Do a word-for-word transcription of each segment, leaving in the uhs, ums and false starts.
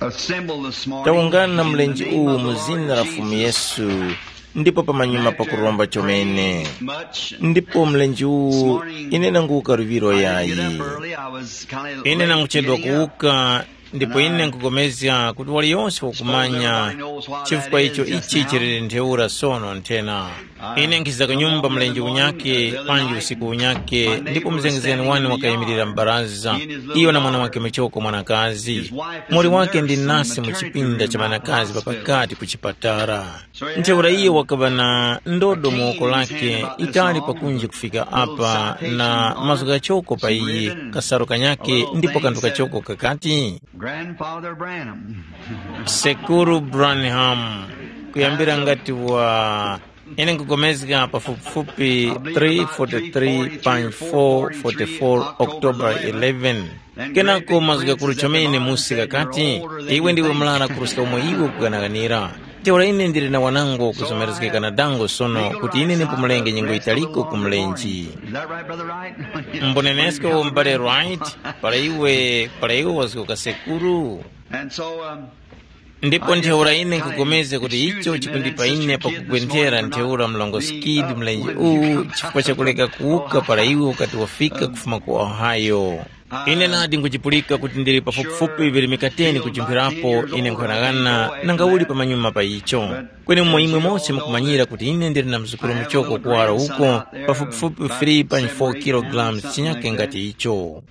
Assemble this morning Tawungana in the mlenje name uwu of the mu Lord zina la Fumu Jesus. Yesu, ndipo pamanyuma pakuromba chomene. Much. Ndipo mlenje uwu, ine nanguwuka luŵiro I didn't get yayi. Up early. I was kinda Ine late nanguchedwa getting up. Kuwuka, ndipo ine nkugomezga kuti waliyonse wakumanya chifukwa icho ichi chili ntheura sono nthena. Ine nkhiza ku nyumba mlenje unyake panji usiku unyake, ndipo mzengezgani wane wakayimirira m'baraza, iyo na mwana wake muchoko mwanakazi. Muli wake ndi nasi mu chipinda cha ŵanakazi ŵa pakati ku chipatala. Ntheura iyo wakaŵa na ndodo mu woko lake, itali pakunji kufika apa, na mazgu ghachoko pa iyi, kasalu kanyake ndipo kanthu kachoko kakati, Grandfather Branham. Sekuru Branham, kuyambira ngati wa, ine nkugomezga pafupifupi three forty-three pa four forty-four October eleven. Kenako mazgu ghakuru chomene musi ghakati, iwe ndiwe mlana kuruska umo iwe ukuganaganira. Ntheura ine ndili na wanango kuzomerezgeka na dango sono kuti ine ndimupumulenge nyengo yitaliko ku mlenje. Is that right, Brother Wright? Mbonenesko m'bale Wright, para iwe, para iwe wazgoka sekuru. And so, um, ndipo ntheura ine nkupulikana kuti icho chikundipa ine pakugwenthera ntheura mlongo Skid mlenje uwu chifukwa chakuleka kuwuka para iwe ukati wafika kufuma ku Ohio. Ine nadi nkuchipulika kuti ndili pafupifupi virimika teni kujimphirapo ine nkhonaghana nanga uli pamanyuma pa icho. Kweni umo imwe mose mukumanyira kuti ine ndili na mzukuru muchoko kuwara uko, pafupifupi three pa four kilograms chinyake ngati icho.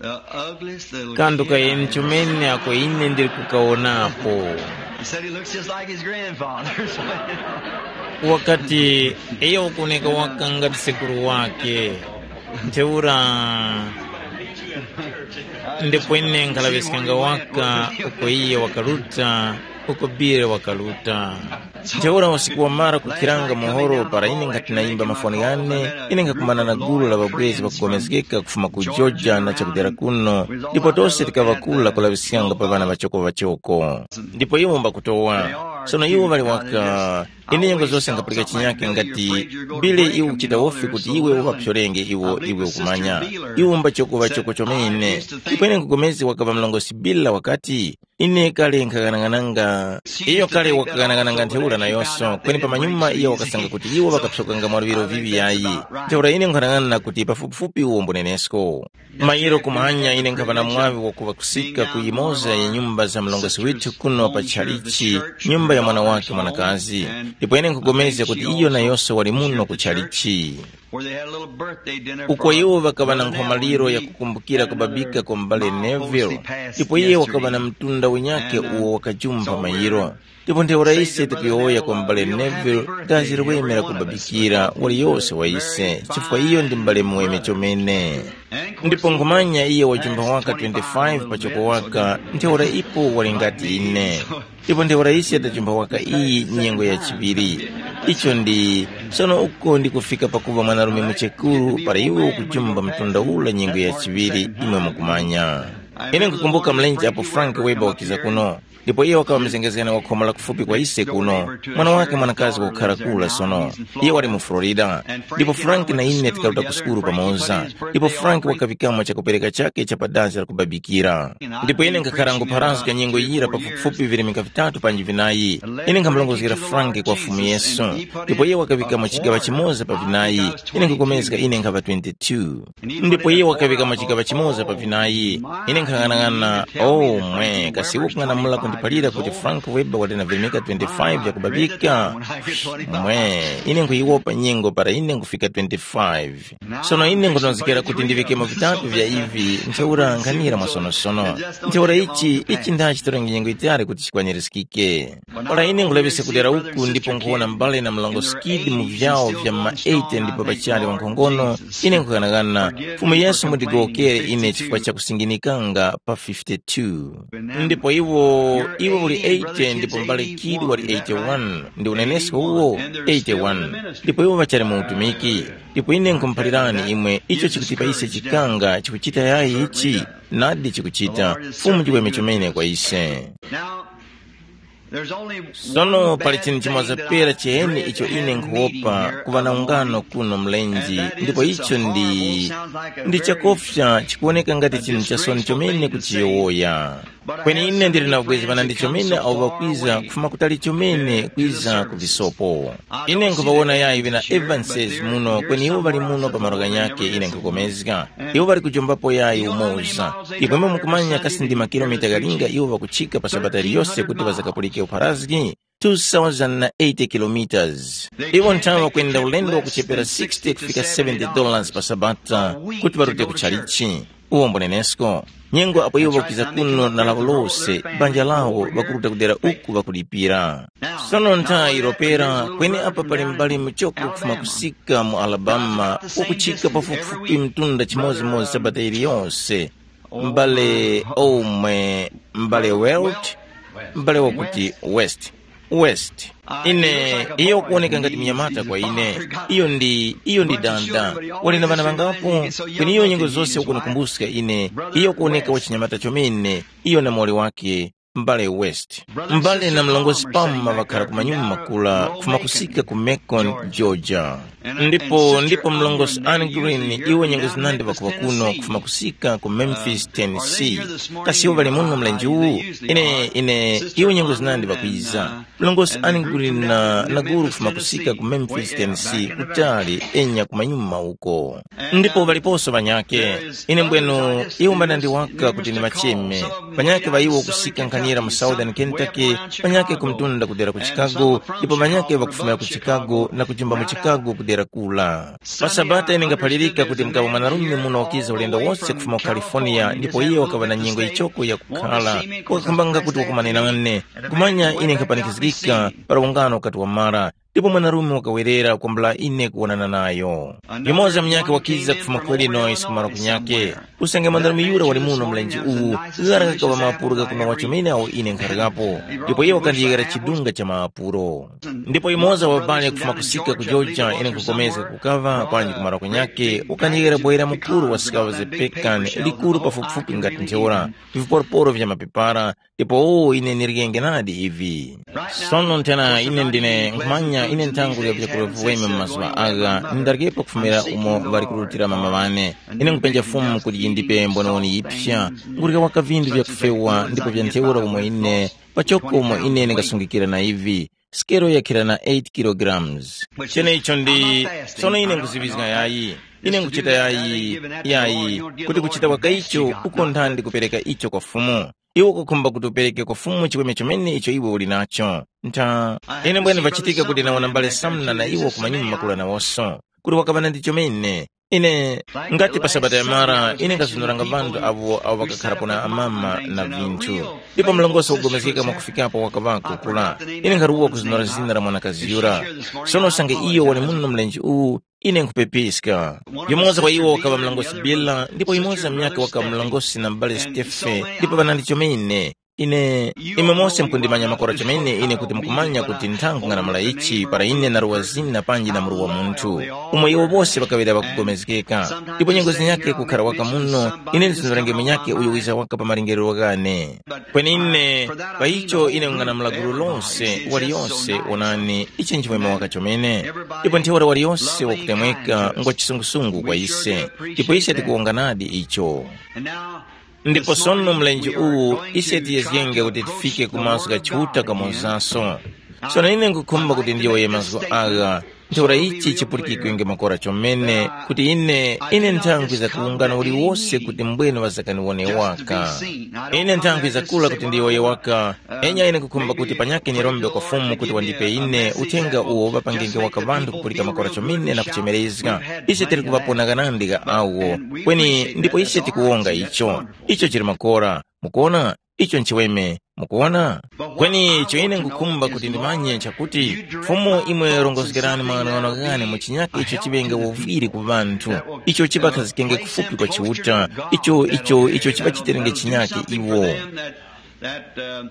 Kandu kayeni chomene ako ine ndili kukawonapo. He said he looks just like his grandfather. Wakati, iyo ukuoneka waka ngati sekuru wake. Ntheura ndipo ine nkhalaŵiskanga waka uko iye wakaruta, uko Bile wakaruta. Ntheura usiku wamara kukhiranga muhoro para ine nkhati nayimba mafoni ghane, ine nkhakumana na gulu la ŵabwezi ŵakugomezgeka kufuma ku Georgia na chakudera kuno, ndipo tose tikaŵakula kulaŵiskanga pa ŵana ŵachoko-ŵachoko. Ndipo iwo mbakutowa. Sono iwo ŵali waka, ine nyengo zose nkhapulika chinyake ngati, Bile iwe ukuchita wofi kuti iwe uŵapyorenge iwo iwe ukumanya. Iwo mbachoko ŵachoko chomene. Ndipo ine nkugomezi wakaŵa mlongosi Bile wakati, ine kale nkhaghanaghananga. Iyo kale wakaghanaghananga ntheura nayonso, kweni pamanyuma iyo wakasanga kuti iwo ŵakaphyokanga mwa luŵiro viŵi yayi. Ntheura ine nkhanang'ana kuti pafupifupi uwo mbunenesko. Mayiro kumanya ine nkhava na mwaŵi wakuŵa kusika ku yimoza ya nyumba za mlongosi withu kuno pa tchalichi, nyumba ya mwana wake mwanakazi. Ndipo ine nkhugomezga kuti iyo nayonso wali muno ku tchalichi. Uko iwo ŵakaŵa na nkhomaliro ya kukumbukira kubabika kwa m'bale Neville, ndipo iye wakaŵa na mtunda unyakhe uwo wakajumpha mayiro. Ndipo ntheura ise tikuyowoya kwa m'bale Neville, dazi liweme la kubabikira waliyose wa ise, chifukwa iyo ndi m'bale muweme chomene. Ndipo nkhumanya iye wajumpha waka twenty-five pachoko waka, ntheura ipo wali ngati ine. Ndipo ntheura ise tajumpha waka iyi nyengo ya chiŵiri. Icho ndi, sono uko ndikufika pakuva mwanarume muchekuru para iwe ukujumba mtunda ula nyengo ya chiŵiri, imwe mukumanya. Ine nkukumbuka mlenje apo Frank Weber wakiza kuno. Ndipo iye wakaŵa mzengezgani wa khoma la kufupi kwa ise kuno, mwana wake mwanakazi wakukhara kura sono. Iye wali mu Florida. Ndipo Frank na ine tikaruta ku sukulu pamoza. Ndipo Frank wakaŵikamo chakupereka chake cha pa dazi la kubabikira. Ndipo ine nkhakhara ngupharazga nyengo yira pafupifupi virimika vitatu panji vinayi. Ine nkhamulongozgera Frank kwa Fumu Yesu. Ndipo iye wakaŵikamo chigaŵa chimoza pa vinayi. Ine nkukomezga ine nkhava twenty-two. Ndipo iye wakaŵikamo chigaŵa chimoza pa vinayi. Ine nkhang'anang'ana, oh mwe, kasi iwe kung'anamula kundiphalira kuti Frank Weber wali na virimika twenty-five vyakubabika? Mwe, ine nkhuyiwopa nyengo para ine nkufika twenty-five. Sono ine nkhutondezgera kuti ndiŵikemo vitatu vya ivi, ntheura nkhanira mwasonosono. Ntheura ichi, ichi ndachi torenge nyengo yitali kuti chikwanirizgike. Ora ine nkhulaŵiska kudera uku ndipo nkhuwona mbale na mlongo Skid mu vyawo vya ma eighty ndipo pachali wankhongono, ine nkhughanaghana, Fumu Yesu mundigowokere ine chifukwa cha kusinginikanga pa fifty-two. Ndipo iwo, iwo uli eighty ndipo mbale Kid wali eighty-one, ndi unenesko uwo, eighty-one. Ndipo iwo ŵachali mu utumiki. Ndipo ine nkhumuphalirani imwe icho chikutipa ise chikanga chikuchita yayi ichi, nadi chikuchita, Fumu chiweme chomene kwa ise. Sono pali chinthu chimoza pera chiheni icho ine nkhuwopa kuŵa na ungano kuno mlenje, ndipo icho ndi, ndi chakofya chikuwoneka ngati chinthu chasoni chomene kuchiyowoya. Kweni ine ndili na ubwezi ŵanandi chomene awo ŵakwiza kufuma kutali chomene kwiza ku visopo. Ine nkhuŵawona yayi ŵena Evanses muno, kweni iwo ŵali muno pa malo ghanyakhe ine nkhukomezga. Iwo ŵali kujombapo yayi umoza. Ipwemwe mukumanya kasi ndi makilomita ghalinga iwo ŵakuchika pa sabata iliyose kuti ŵazakapulike upharazgi? two thousand eighty kilometers. Iwo nthawe ŵakwenda ulendo wakuchepera sixty kufika seventy dollars pa sabata kuti ŵarute ku chalichi. Uwo mbunenesko, nyengo apo iwo ŵakwiza kuno na lawo lose, banja lawo ŵakuruta kudera uku ŵakulipira. Sono nthayi iropera kweni apa pali m'bale muchoko kufuma kusika mu Alabama, ukuchika pafupifupi mtunda chimodzimodzi sabata iliyonse. M'bale omwe, m'bale Welt, m'bale wakuti West. West. Ine, iyo kuoneka ngati mnyamata kwa ine. Iyo ndi iyo ndi danda. Wali na ŵana ŵangapo? Kweni iyo nyengo zose ukunikumbuska ine. Iyo kuoneka wachinyamata chomene. Iyo na moli wake, m'bale West. M'bale na mlongosi Palmer ŵakhala ku manyumba makula kufuma kusika ku Macon, Georgia. Ndipo ndipo mlongosi Anne Green, iwo nyengo zinandi ŵakuŵa kuno kufuma kusika ku Memphis, Tennessee. Kasi iwo ŵali muno mlenje uwu? Ine ine iwo nyengo zinandi ŵakwiza. Mlongosi Anne Green na, na guru kufuma kusika ku Memphis, Tennessee, kutali enya ku manyuma uko. Ndipo ŵaliponso ŵanyake. Ine mbwenu iwo mbanandi waka kuti ndiŵacheme. Ŵanyake ŵa iwo kusika nkhanira mu Southern Kentucky, ŵanyake ku mtunda kudera ku Chicago, ndipo ŵanyake ŵakufumira ku Chicago na kujumba mu Chicago kudera kula. Pa Sabata ine ngaphalirika kuti mukaŵa mwanarume muno wakiza ulendo wose kufuma ku California ndipo iye wakaŵa na nyengo yichoko yakukhala, wakakhambanga kuti wakumane nane. Kumanya ine nkhapanikizgika para ungano ukati wamara, ndipo mwanarume wakawerera kwambula ine kuwonana nayo. Yumoza munyakhe wakiza kufuma ku Illinois kumaro kunyakhe. Usange mwanarume yura wali muno mlenje uwu, ghara kakaŵa mapuro ghakunowa chomene awo ine nkharikapo, ndipo iye wakandiyeghera chidunga cha mapuro. Ndipo yumoza wabale kufuma kusika ku Georgia ine nkhukomezga kukaŵa panji kumaro kunyakhe, wakandiyeghera boyera mukuru wa sikawa zepekan, likuru pafupifupi ngati ntheura, viporoporo vya mapepara, ndipo ine nirigenge nadi ivi. Sono nthena ine ndine nkhumanya ine nthango ya vyakurya viweme mu mazuŵa agha, nindaryepo kufumira umo ŵali kurutira mama ŵane. Ine nkupenja Fumu kuti yindipe mbonewoni yipsa, nkurya waka vinthu vyakufewa ndipo vya ntheura umo ine, pachoko umo ine ndingasungikira na ivi, sikero yakhira na eight kilograms. Chenecho ndi, sono ine nkuziŵizga yayi, ine nkuchita yayi, yayi, kuti kuchita waka icho uko nthandi kupereka icho kwa Fumu. Iwe ukukhumba kuti upereke kwa Fumu chiweme chomene icho iwe uli nacho. Ntha, ine mbwene vachitika kuti nawona mbale Samna na iwo ku manyumba makulu anawoso, kuti wakaŵa na ndi chomene. Ine, ngati pa Sabata yamara, ine nkazunuranga ŵanthu avo avo ŵakakharapo na amama na vinthu. Ndipo mlongosi wakugomezgeka mwakufikapo wakaŵako kula. Ine nkharuwa kuzunura zina la mwanakazi yura. Sono usange iyo wali muno mlenje uwu, ine nkhupepiska. Yumoza wa iwo wakaŵa mlongosi Bila, ndipo yumoza munyakhe wakaŵa mlongosi na m'bale Stefe, ndipo ŵanandi chomene. Ine, imwe mose mukundimanya makora chomene ine kuti mukumanya kuti nthangu nganamulayitchi para ine naruwa zina panji na muruwa munthu. Umo iwo bose ŵakaŵira ŵakugomezgeka. Ndipo nyengo zinyakhe kukhara waka muno, ine ndizunurenge munyakhe uyo wiza waka pa malingerero ghane. Kweni ine, pa icho ine nganamula gulu lonse, waliyonse, wonani, ichi nchimwemwe waka chomene. Ndipo ntheura waliyonse wakutemweka ngwa chisungusungu kwa ise, ndipo ise tikuwonganadi icho. Ndipo sono mlenje uwu ise tiyezgenge kuti tifike ku maso gha Chiuta kamonzaso. Sono ine nkhukhumba kuti ndiyowoye mazgu agha, ntheura ichi chipulikikwenge makora chomene, kuti ine, ine nthangwiza kuwungana uliwose kuti mbwene ŵazakaniwone waka. Ine nthangwiza kula kuti ndiyowoye waka, enya ine nkhukhumba kuti panyakhe nirombe kwa Fumu kuti wandipe ine uthenga uwo ŵapangenge waka ŵanthu kupulika makora chomene na kuchemerezga. Ise tili kuŵapona ghanandi gha awo, kweni ndipo ise tikuwonga icho. Icho chili makora. Mukuwona? Icho nchiweme. Mukuwona? Kweni icho ine nkhukhumba kuti ndimanye nchakuti, Fumu imwe rongozgerani maghanoghano ghane mu chinyakhe icho chiŵenge wovwiri ku ŵanthu, icho chipakhazikenge kufupi kwa Chiuta, icho icho icho chipachitirenge chinyakhe iwo.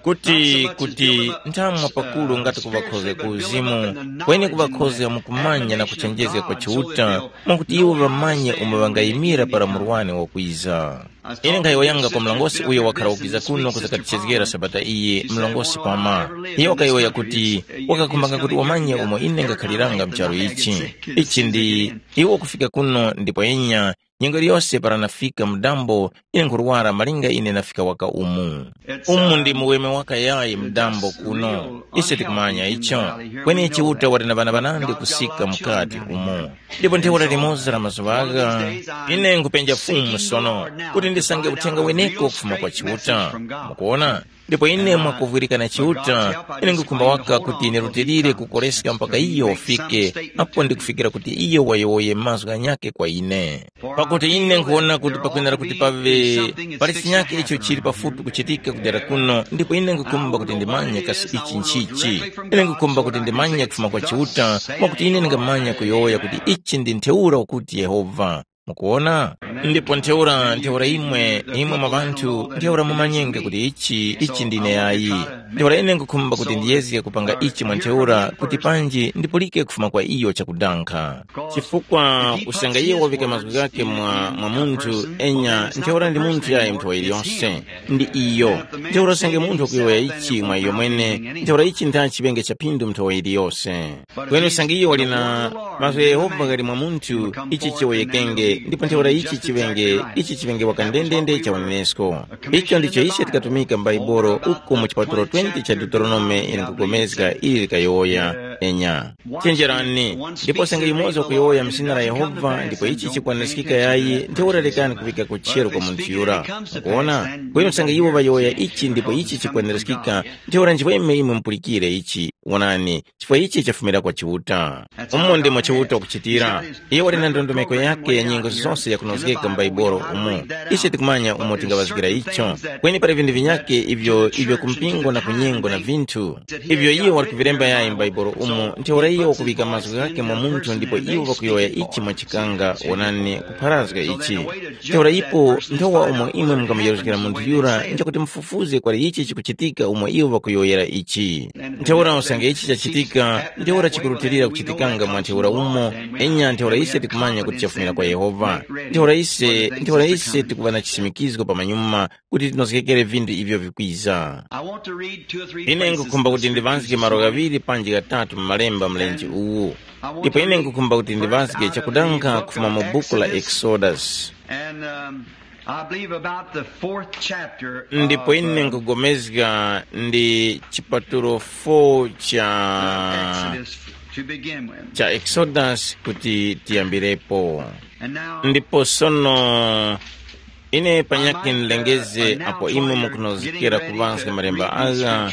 Kuti kuti nthamwa pakulu ngati kuŵakhozga ku uzimu, kweni kuŵakhozga mu kumanya na kuchenjezga kwa Chiuta, mwakuti iwo ŵamanye umo ŵangayimira para murwani wakwiza. Ine nkhayowoyanga kwa mlongosi uyo wakhala wakwiza kuno kuzakatichezgera sabata iyi, mlongosi Pama. Iyo wakayowoya kuti wakakhumbanga kuti wamanye umo ine ngakhaliranga mu charu ichi. Ichi ndi iwo kufika kuno ndipo enya Nyengo iliyose para nafika mudambo, ine nkhurwara malinga ine nafika waka umu. Umu ndi muweme wakayayi mudambo kuno. Ise tikumanya icho. Kweni Chiuta wali na ŵana ŵanandi kusika mukati umu. Ndipo ntheura limoza la mazuŵa agha, ine nkhupenja Fumu sono, kuti ndisange uthenga weneko kufuma kwa Chiuta. Mukuona? Ndipo ine mwakuvwirika na Chiuta, ine nkhukhumba waka kuti nirutilire kukoreska mpaka iyo wafike, apo ndikufikira kuti iyo wayowoye mazgu ghanyakhe kwa ine. Pakuti ine nkhuwona kuti pakwenera kuti paŵe pali chinyakhe icho chili pafupi kuchitika kudera kuno, ndipo ine nkhukhumba kuti ndimanye kasi ichi nchichi. Ine nkhukhumba kuti ndimanye kufuma kwa Chiuta, mwakuti ine ndingamanya kuyowoya kuti ichi ndi ntheura ukuti Yehova. Mukuwona? Ndipo ntheura, ntheura imwe, imwe mwa ŵanthu, ntheura mumanyenge kuti ichi, ichi ndine yayi. Ntheura ine nkhukhumba kuti ndiyezge kupanga ichi mwa ntheura kuti panji ndipulike kufuma kwa iyo chakudankha. Chifukwa usange iye wavika mazgu ghakhe mwa, mwa munthu, enya ntheura ndi munthu yayi mnthowa iliyonse. Ndi iyo. Ntheura usange munthu wakuyowoya ichi mwa iyo mwene, ntheura ichi ntha chiŵenge cha phindu mnthowa iliyose. Kweni usange iyo wali na mazgu gha Yehova ghali mwa munthu, ichi chiyowoyekenge, ndipo ntheura ichi chiŵenge, ichi chiŵenge waka ndendende cha unenesko. Icho ndicho ise tikatumika m'Baibolo uko mu chipatulo twenty cha Deuteronome ili nkugomezga ili likayowoya, enya. Chenjerani, ndipo usange yumoza wakuyowoya m'zina la Yehova ndipo ichi chikwaniskika yayi, ntheura lekani kuŵika kutcheru kwa munthu yura. Mukuona? Kweni usange iwo ŵayowoya ichi ndipo ichi chikwaniskika, ntheura nchimwemwe imwe mupulikire ichi. Wonani, chifukwa ichi chafumira kwa Chiuta. Umo ndimo Chiuta wakuchitira. Iye wali na ndondomeko yakhe ya nyengo zose yakunozgeka mu Baibolo umu. Ise tikumanya umo tingaŵazgira icho. Kweni pali vinthu vinyakhe ivyo ivyo ku mpingo na ku nyengo na vinthu. Ivyo iyo wali kuvilemba yayi mu Baibolo umu, ntheura iyo wakuŵika mazgu ghakhe mwa munthu ndipo iwo ŵakuyowoya ichi mwa chikanga, wonani, kupharazga ichi. Ntheura ipo nthowa umo imwe mungamuyeruzgira munthu yura nchakuti mufufuze kwali ichi chikuchitika umo iwo ŵakuyowoyera ichi. Ntheura usange ichi chachitika, ntheura chikurutilira kuchitikanga mwa ntheura umo, enya ntheura ise tikumanya kuti chafumira kwa Yehova. Ntheura ise, ntheura ise tikuŵa na chisimikizgo pamanyuma kuti tinozgekere vinthu ivyo vikwiza. I want to read two or three Ine places nkukhumba kuti this ndivanzike week. Malo ghaŵiri panji ghatatu mu malemba mlenje uwu. Ndipo ine nkukhumba kuti ndivanzike chakudankha kufuma mu buku la Exodus. And um, I believe about the fourth chapter. Ndipo of, ine uh, nkugomezga ndi chipatulo four cha Exodus to begin with. Cha Exodus kuti tiyambirepo. And now, ndipo sono ine panyakhe nlengeze apo imwe mukunozgekera kuŵanska malemba agha.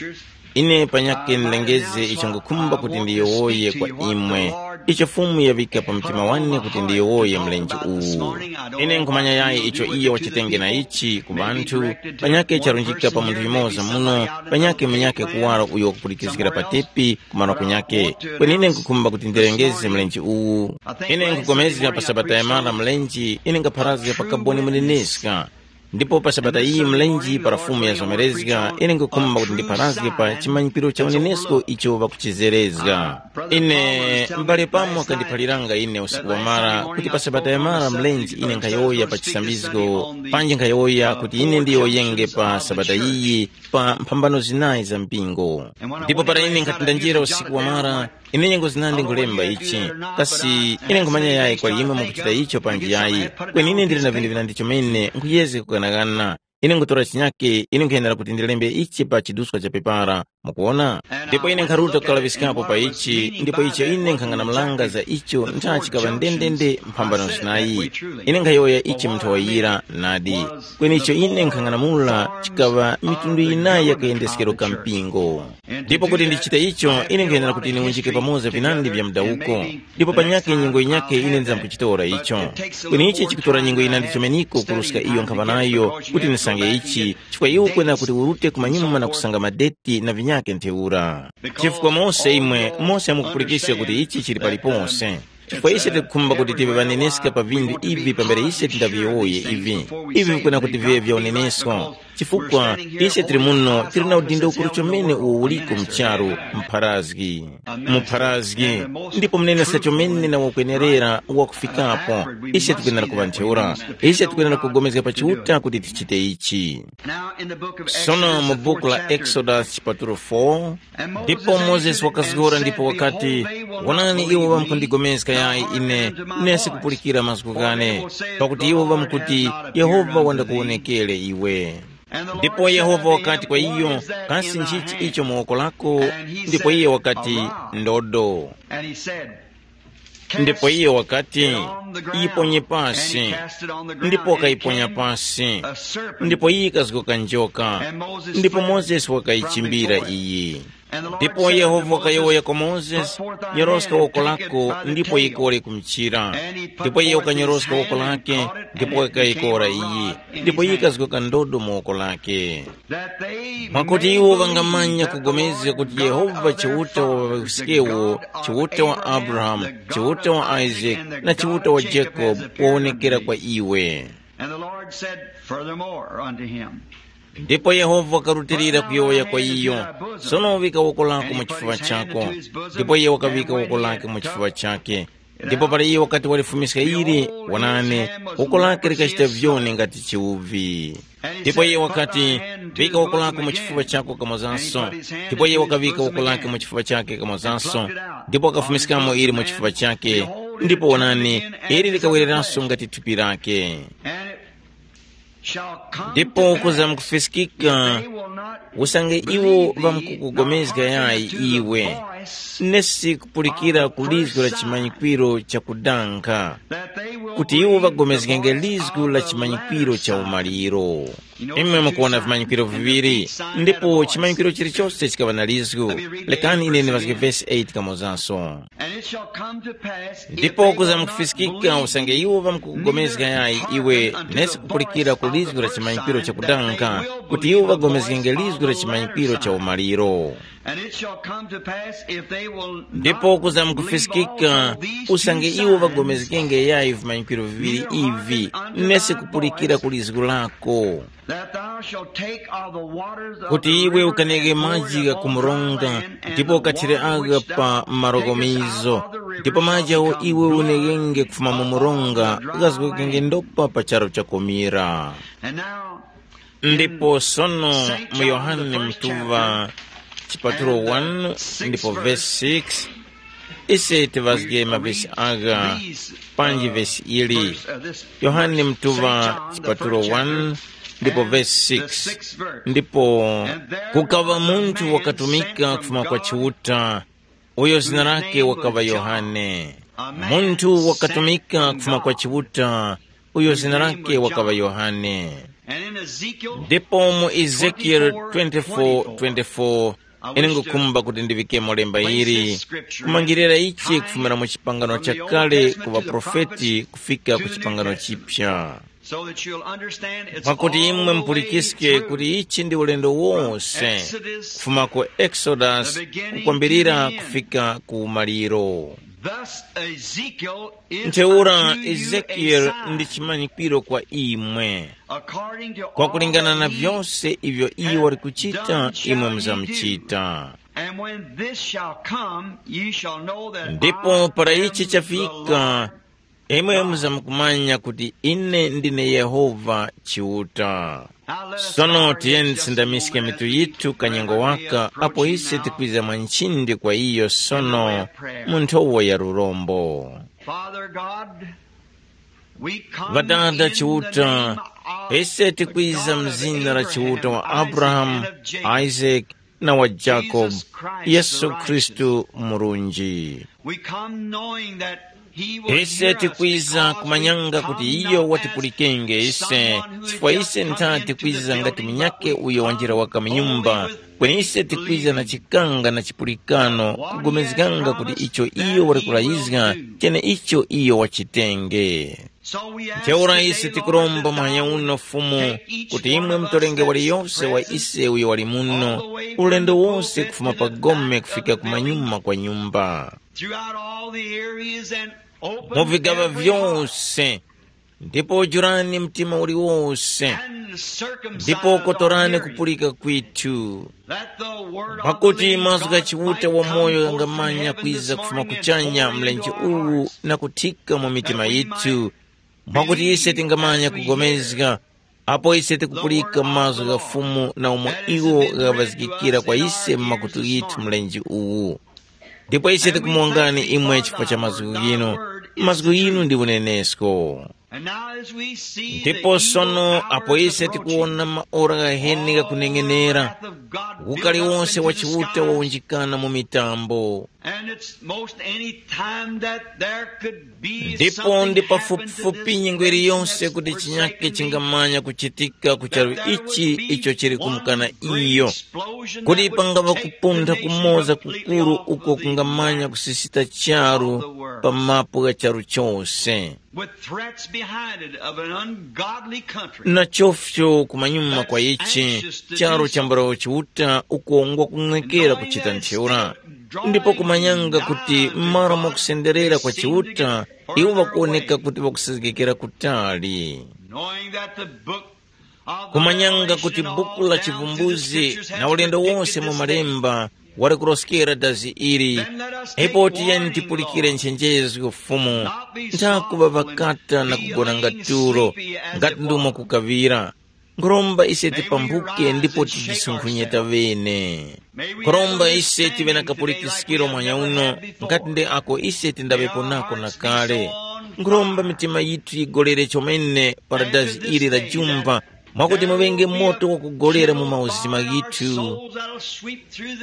Ine panyakhe nlengeze icho ngukhumba kuti ndiyowoye kwa imwe, icho Fumu yaŵika pa mtima wane kuti ndiyowoye mlenje uwu. Ine nkhumanya yayi icho iyo wachitenge na ichi ku ŵanthu, panyakhe charunjika pa munthu yumoza muno, panyakhe munyakhe kuwaro uyo wakupulikizgira pa tepi, kumano kunyakhe. Kweni ine nkukhumba kuti ndirengeze mlenje uwu. Ine nkupulikana pa sabata yamara mlenje, ine ngapharazga pa kaboni muneneska. Ndipo pa sabata iyi mlenje para Fumu yazomerezga, ine nkukhumba kuti ndipharazge pa chimanyikiro cha unenesko icho ŵakuchizerezga. Ine, m'bale Pamo wakandiphaliranga ine usiku wamara kuti pa sabata yamara mlenje ine nkhayowoya pa chisambizgo, panji nkhayowoya kuti ine ndiyowoyenge pa sabata iyi, pa mphambano zinayi za mpingo. Ndipo para ine nkhati ndanjira usiku wamara, ine nyengo zinandi nkhulemba ichi. Kasi ine nkhumanya yayi kwali imwe mukuchita icho panji yayi? Kweni ine ndili na vinthu vinandi chomene nkhuyezga kughanaghana. Ine nkhutora chinyake, ine nkhuyenera kuti ndilembe ichi pa chiduska cha pepara. Mukuona? Ndipo ine nkharuta kukalaŵiskapo pa ichi, ndipo icho ine nkhang'anamulanga za icho ntha chikaŵa ndendende mphambano zinayi. Ine nkhayowoya ichi munthu wayira nadi. Kweni icho ine nkhang'anamula chikaŵa mitundu yinayi ya kayendeskero ka mpingo. Ndipo kuti ndichite icho, ine nkhayenera kuti niwunjike pamoza vinandi vya mudawuko. Ndipo panyakhe nyengo yinyakhe ine ndizamkuchitora icho. Kweni ichi chikutora nyengo yinandi chomeniko kuruska iyo nkhaŵa nayo kuti nisange ichi, chifukwa iwe ukwenera kuti urute kumanyuma na kusanga madeti na vinyakhe ntheura. Chifukwa mose imwe, mose mukupulikiska kuti ichi chili paliponse. Chifukwa ise tikukhumba kuti tive ŵaneneska pa vinthu ivi pambere ise tindaviyowoye ivi. Ivi vikwena kuti viŵe vya unenesko. Chifukwa ise tili muno tili na udindo ukuru chomene uwo uliko mu charu, mpharazgi. Mupharazgi. Ndipo mnenesa chomene na wakwenerera wakufikapo. Ise tikwenera kuŵa ntheura. Ise tikwenera kugomezga pa Chiuta kuti tichite ichi. Sono mu buku la Exodus chipatulo four, ndipo Mozesi wakazgora ndipo wakati, Wonani, iwo ŵamkundigomezga yayi ine, nesi kupulikira mazgu ghane, pakuti iwo ŵamkuti, Yehova wandakuwonekere iwe. Ndipo Yehova wakati kwa iyo, kasi nchichi icho mu woko lako? Ndipo iye wakati, ndodo. Ndipo iye wakati, yiponye pasi. Ndipo wakayiponya pasi. Ndipo iyo ikazgoka njoka. Ndipo Mozesi wakayichimbira iyi. Ndipo Yehova wakayowoya kwa Mozesi, nyoroska woko lako ndipo yikore ku mchira. Ndipo iye wakanyoroska woko lake, ndipo wakayikora iyi. Ndipo yikazgoka ndodo mu woko lake. Mwakuti iwo ŵangamanya kugomezga kuti Yehova Chiuta wa ŵawiskewo, Chiuta wa Abrahamu, Chiuta wa Isake, na Chiuta wa Jacobe wawonekera kwa iwe. And the Lord said furthermore unto him, ndipo Yehova wakarutilira kuyowoya kwa iyo, sono uvika woko lako mu chifuŵa chako. Ndipo iye wakaŵika woko lake mu chifuŵa chake. Ndipo para iye wakati walifumiska ili, wonani, woko lake likachita vyoni ngati chiuvi. Ndipo iye wakati, vika woko lako mu chifuŵa chako kamozanso. Ndipo iye wakavika woko lake mu chifuŵa chake kamozanso, ndipo wakafumiskamo ili mu chifuŵa chake. Ndipo wonani, ili likawereranso ngati thupi lake. Ndipo kuzamkufiskika, usange iwo ŵamkukugomezga yayi iwe, nesi kupulikira ku lizgu la chimanyikwiro chakudanga, kuti iwo ŵagomezgenge lizgu la chimanyikwiro cha umaliro. Imwe mukuwona vimanyikwiro viŵiri, ndipo chimanyikwiro chilichose chikaŵa na lizgu. Lekani ine ndiŵazge vesi eight kamozanso. And it shall come to pass, if ndipo they will not kuzamkufiskika believe, usange iwo ŵamkukugomezga yayi iwe, nesi kupulikira ku lizgu la chimanyikwiro chakudanga, kuti iwo ŵagomezgenge lizgu la chimanyikwiro cha umaliro. And it shall come to pass, if they will ndipo not kuzamkufiskika believe all these two usange iwo signs, ŵagomezgenge yayi vimanyikwiro viviŵiri ivi, nesi kupulikira ku lizgu lako. That thou shalt take of the waters of kuti the iwe river ukanenge and pour it maji upon dry ghakumurunga, land, and ndipo the ukathire water agha which pa thou marogomizo, takest out of the river ndipo shall maji awo become iwe blood unengenge kufuma mu murunga, ghazgokenge ndopa pa charu chakomera. And now, ndipo sono, mu Yohane mtuva chipatulo one ndipo verse six, ise tivazge mavesi agha, panji vesi ili. Yohane mtuva chipatulo one ndipo verse six, ndipo kukaŵa munthu wakatumika kufuma kwa Chiuta, uyo zina lake wakaŵa Yohane. Munthu wakatumika kufuma kwa Chiuta, uyo zina lake wakaŵa Yohane. Ndipo mu Ezekieli twenty-four twenty-four, ine ngukhumba kuti ndiŵikemo lemba ili, kumangirira ichi kufumira mu chipangano chakale ku ŵaprofeti kufika ku chipangano chipya, mwakuti imwe mupulikiske kuti ichi ndi ulendo wose, kufuma ku Exodus kukwambirira kufika ku maliro. Ntheura Ezekieli ndi chimanyikwiro kwa imwe. Kwakulingana na vyose ivyo iyo wali kuchita, imwe muzamuchita. Ndipo para ichi chafika, imwe muzamukumanya kuti ine ndine Yehova Chiuta. Sono tiyeni tisindamiske mitu yithu kanyengo waka apo ise tikwiza mwa nchindi kwa iyo sono mu nthowa ya lurombo. Father God, we come Ŵadada in the Chiuta, name of ise tikwiza mu zina la Chiuta wa Abrahamu, Isaac, na wa Jacob, Yesu Khristu Murunji. We come knowing that he will ise hear us tikwiza because kumanyanga we kuti come iyo not watipulikenge as ise someone who chifukwa just ise come ntha into the tikwiza ngati building, munyake but we uyo wanjira come waka mu boldly nyumba with kweni ise tikwiza na believing chikanga na chipulikano kugomezganga kuti icho iyo wali kulayizga chene icho iyo wachitenge. Ntheura ise tikuromba muhanya uno Fumu kuti imwe mutolenge waliyose wa ise uyo wali muno, ulendo wose kufuma pa gome kufika ku manyuma kwa nyumba. Mu vigaŵa vyose, ndipo jurani mtima uliwose, ndipo kotorani kupulika kwithu, pakuti mazgu gha Chiuta wamoyo ghangamanya kwiza kufuma kuchanya mlenje uwu na kuthika mu mitima yithu, mwakuti ise tingamanya kugomezga apo ise tikupulika mazgu gha Fumu na umo iwo ghaŵazgikira kwa ise mu makutu ghithu mlenje uwu. Ndipo ise tikumuwongani imwe chifukwa cha mazgu ghinu. Mazgu ghinu ndi unenesko. And now as we see the Ndipo evil sono apo hour is ise approaching, tikuwona maora ghaheni ghakuneng'enera, wrath of God built ukali up wonse into wa the Chiuta skies. Wawunjikana mu mitambo. And it's most any time that there could be Ndipo something ndi happen to pafupifupi this nyengo nation iliyonse that's kuti forsaken chinyake me, chingamanya kuchitika ku charu that there ichi would be icho chili kumkana one great iyo. Explosion kuti that would pangava take the kupuntha nation kumoza completely kukuru off uko of the kungamanya map kusisita charu of the world. Pa mapu gha charu chose. With threats behind it of an ungodly country. Na chofcho kumanyuma kwa that's ichi anxious to charo do cha so. Mbarawo Chiuta uko ngwakung'ekera kuchita ntheura ndipo kumanyanga kuti m'malo mwa kusenderera kwa Chiuta iwo ŵakuwoneka kuti ŵakusezgekera kutali. Knowing that the book of the kumanyanga kuti Revelation and buku all la down through the chivumbuzi scriptures has na ulendo predicted wonse mu this thing. Malemba wali kuroskera dazi ili. Then let us take ndipo tiyeni warning, tipulikire Lord. Nchenjezo Fumu. Not be nthakuva soft when ŵakata na kugona feeling ngati tulo sleepy as ngati it ndumo was. Kukavira. Nkhuromba ise tipambuke ndipo tijisunkhunyeta vene. Nkhuromba ise tive na kapulikisiro mwanya uno ngati nde ako ise tindaŵepo nako na kale. Nkhuromba mitima yithu yigolere chomene paradazi ili la jumba mwakuti muŵenge moto wakugolera mu mauzima ghithu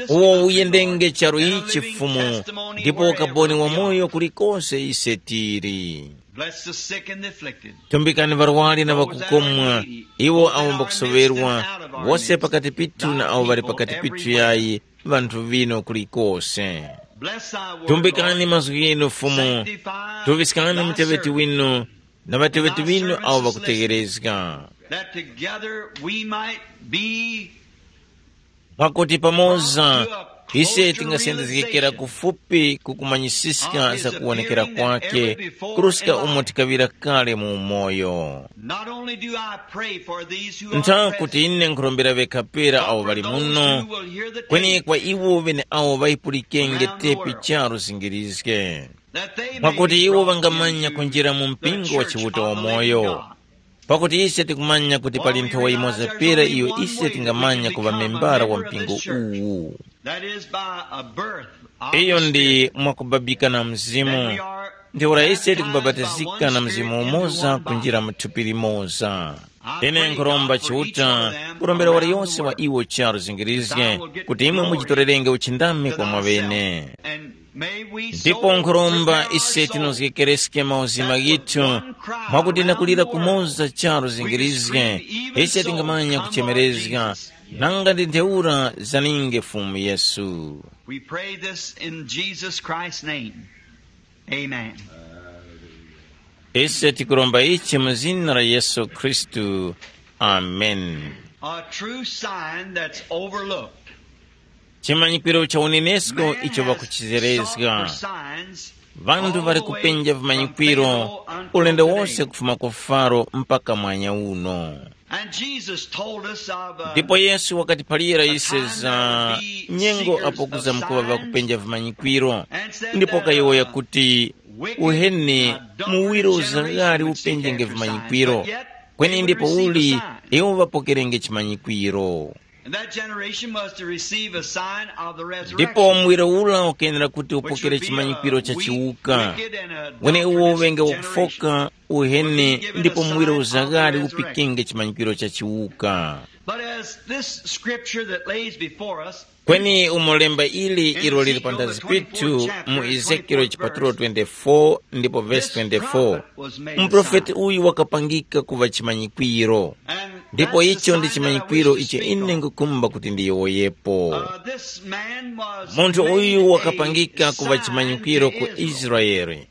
uwo uyendenge charu ichi Fumu, ndipo ukaboni wamoyo kulikose ise tili. Bless the sick and the afflicted. Tumbikani ŵarwari na ŵakukomwa, iwo awo mbakusoŵerwa, wose pakati pithu na awo ŵali pakati pithu yayi, ŵanthu vino kulikose. Bless thy word, tumbikani Lord. Mazgu ghinu Fumu. Sanctify tuŵiskani thy muteŵeti servant, winu na ŵateŵeti winu awo ŵakutegherezga. That together we might be mwakuti pamoza ise tingasindizgikira kufupi kukumanyisiska za kuwonekera kwake kuruska umo tikaŵira kale mu umoyo. Not only do I pray for these who are ntha kuti present, ine nkhurombera ŵekha pera awo ŵali muno, kweni kwa iwo ŵene awo ŵayipulikenge tepi charu zingirizge, that they may mwakuti iwo ŵangamanya kunjira mu mpingo wa Chiuta wamoyo. Pakuti ise tikumanya kuti pali nthowa yimoza pera iyo ise tingamanya kuŵa membara wa mpingo uwu. That is by a birth of iyo the ndi Spirit. Mwakubabika na Mzimu. Then we are ntheura ise baptized by tikubapatizika one na Spirit Mzimu into umoza one body. Kunjira mu thupi limoza. Ine nkhuromba Chiuta kurombera waliyonse wa iwo charu zingirizge kuti imwe muchitorerenge uchindami kwa mwa ŵene. Ndipo nkhuromba ise tinozgekereske mauzima ghithu mwakuti na kulira kumoza charu zingirizge ise tingamanya kuchemerezga nanga ndi ntheura zaninge Fumu Yesu. We pray this in Jesus Christ's name. Amen. Ise tikuromba ichi mu zina la Yesu Khristu. Amen. A true sign that's overlooked. Chimanyikiro cha unenesko icho vakuchizerezga. Vanthu vari kupenja vimanyikwiro ulendo wose kufuma ku Faro mpaka mwanya uno. Ndipo Yesu wakatiphalira ise za nyengo apo kuzamkuŵa vakupenja vimanyikwiro, ndipo kayowoya kuti, uheni, muwiro uzaghali upenjenge vimanyikwiro, kweni ndipo uli iwo ŵapokerenge chimanyikwiro. And that generation was to receive a sign of the resurrection. Ndipo muwiro ula ukenera kuti upokere chimanyikwiro cha chiwuka, wene uwo uŵenge wakufoka, uheni ndipo muwiro uzaghali upikenge chimanyikwiro cha chiwuka. But as this scripture that lays before us, kweni umo lemba ili ilo lili panthazi pithu mu Ezekielo chipatulo twenty-four ndipo vesi twenty-four, muprofeti uyu wakapangika kuva chimanyikwiro. Ndipo icho ndi chimanyikwiro icho ine ngukumba kuti ndiyowoyepo. Munthu uyu wakapangika kuŵa chimanyikwiro ku Israele.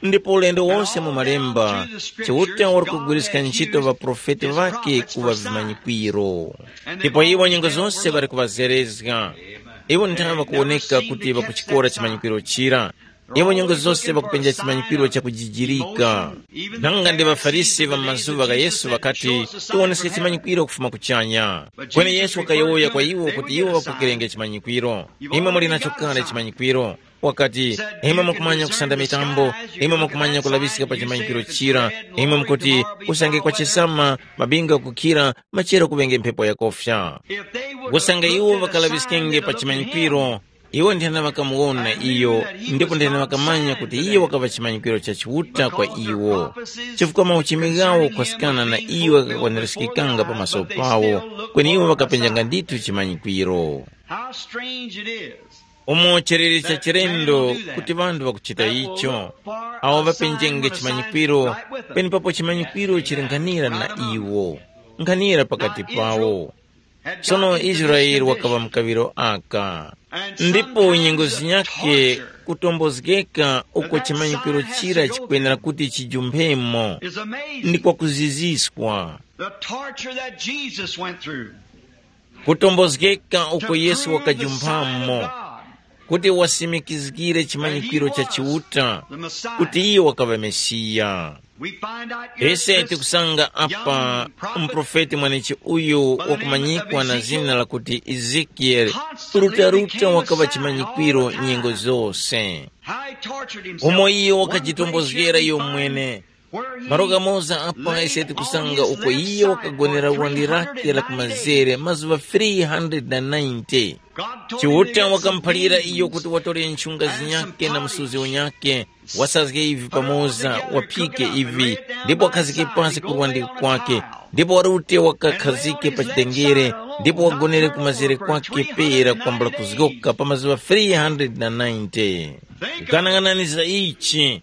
Ndipo ulendo wonse mu Malemba, Chiuta wali kugwiriska ntchito ŵaprofeti ŵakhe kuŵa vimanyikwiro. Ndipo iwo nyengo zose ŵali kuŵazerezga. Iwo nthawe ŵakuwoneka kuti ŵakuchikora chimanyikwiro chira. Iwo nyengo zose ŵakupenja chimanyikwiro chakujijirika. Nanga ndi ŵaFarisi ŵa m'mazuŵa gha Yesu ŵakati, tiwoneske chimanyikwiro kufuma kuchanya. Kweni Yesu wakayowoya kwa iwo kuti iwo ŵapokerenge chimanyikwiro. Imwe muli nacho kale chimanyikwiro. Wakati, imwe mukumanya kusanda mitambo, imwe mukumanya kulaŵiska pa chimanyikwiro chira, imwe mukuti, usange kwachisama, mabinga kukhira, machero kuŵenge mphepo yakofya. Usange iwo ŵakalaŵiskenge pa chimanyikwiro, Iwo nthena ŵakamuwona iyo, ndipo nthena ŵakamanya kuti iyo wakaŵa chimanyikwiro cha Chiuta kwa iwo, chifukwa mauchimi ghawo kukhoskana na iyo ghakakwanirizgikanga pamaso pawo, kweni iwo ŵakapenjanga ndithu chimanyikwiro. How strange it is. Umo chiliri cha chilendo kuti ŵanthu ŵakuchita icho, awo ŵapenjenge chimanyikwiro, penepapo chimanyikwiro chili nkhanira na iwo, nkhanira pakati pawo. Sono Israele wakaŵa mu kaŵiro aka. Ndipo nyengo zinyakhe kutombozgeka uko chimanyikwiro chira chikwenera kuti chijumphemo, ndi kwakuziziswa. The torture that Jesus went through. Kutombozgeka uko Yesu wakajumphamo, kuti wasimikizgire chimanyikwiro cha Chiuta, kuti iye wakaŵa Mesiya. Ise tikusanga apa mprofeti mwanechi uyu wakumanyikwa na zina lakuti Ezekieli, rutaruta wakaŵa chimanyikwiro nyengo zose. Umo iye wakajitombozgera iyo mwene. Malo ghamoza apa ise tikusanga uko iye wakagonera wandi lake la kumazere mazuŵa three hundred ninety. Chiuta wakamuphalira iyo kuti watore nchunga zinyakhe na msuzi unyakhe, wasazge ivi pamoza, waphike ivi, ndipo wakhazike pasi ku lwandi kwake, ndipo warute wakakhazike pa chitengere, ndipo wagonere kumazere kwake pera kwambula kuzgoka pa mazuŵa three hundred ninety. Ganang'anani za ichi.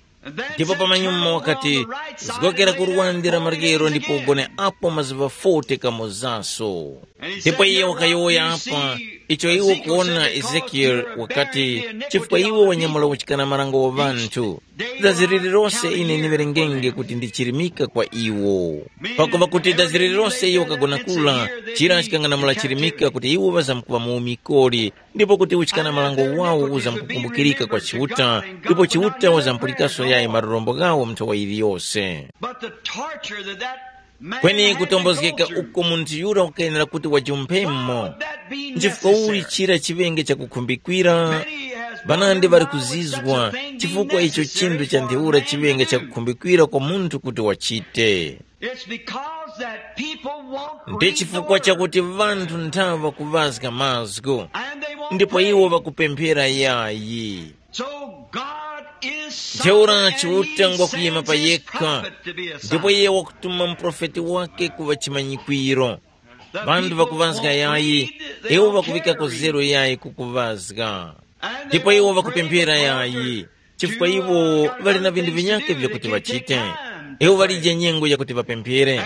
Ndipo pamanyuma wakati, zgokera ku lwande la maryero ndipo ugone apo mazuŵa forty kamozaso. Ndipo iye wakayowoya apa, icho iwo kuwona Ezekieli wakati, chifukwa iwe wanyamula uchikana marango wa ŵanthu. Dazi lililose ine ndiwerengenge kuti ndi chirimika kwa iwo. Pakuva kuti dazi lililose iwo kagona kula, chira chikang'anamula chirimika kuti iwo ŵazamkuŵa mu umikoli, ndipo kuti uchikana malango wawo uzamkukumbukirika kwa Chiuta, ndipo Chiuta wazampulikanso yayi malorombo ghawo mu nthowa yiliyose. But the torture that that man kweni had to go kutombozgeka through, uko munthu yura wakayenera kuti wajumphemo. That being nchifukwa uli necessary, chira chiŵenge chakukhumbikira, many has vanandi wondered vari why was such a kuzizwa thing being chifukwa icho necessary chinthu cha for a ntheura man chiŵenge to do. Chakukhumbikira kwa munthu kuti wachite. It's because that people won't ndi read the chifukwa word. Chakuti vanthu nthawi vakuŵazga mazgu, and they won't ndipo pray. Iwo vakupemphera yayi. So God is ntheura sovereign, and Chiuta he ngwakuyima sends pa his yekha, prophet to be a ndipo sign. Iye wakutuma muprofeti wake kuŵa chimanyikwiro. The vanthu people vakuŵazga won't yayi, read, they iwo don't vakuŵika care to read. Kuzero yayi kukuŵazga. And they ndipo iwo won't pray vakupemphera because yayi, they're chifukwa iwo ŵali na vinthu vinyakhe vyakuti vachite. Iwo ŵalije nyengo yakuti ŵapemphere.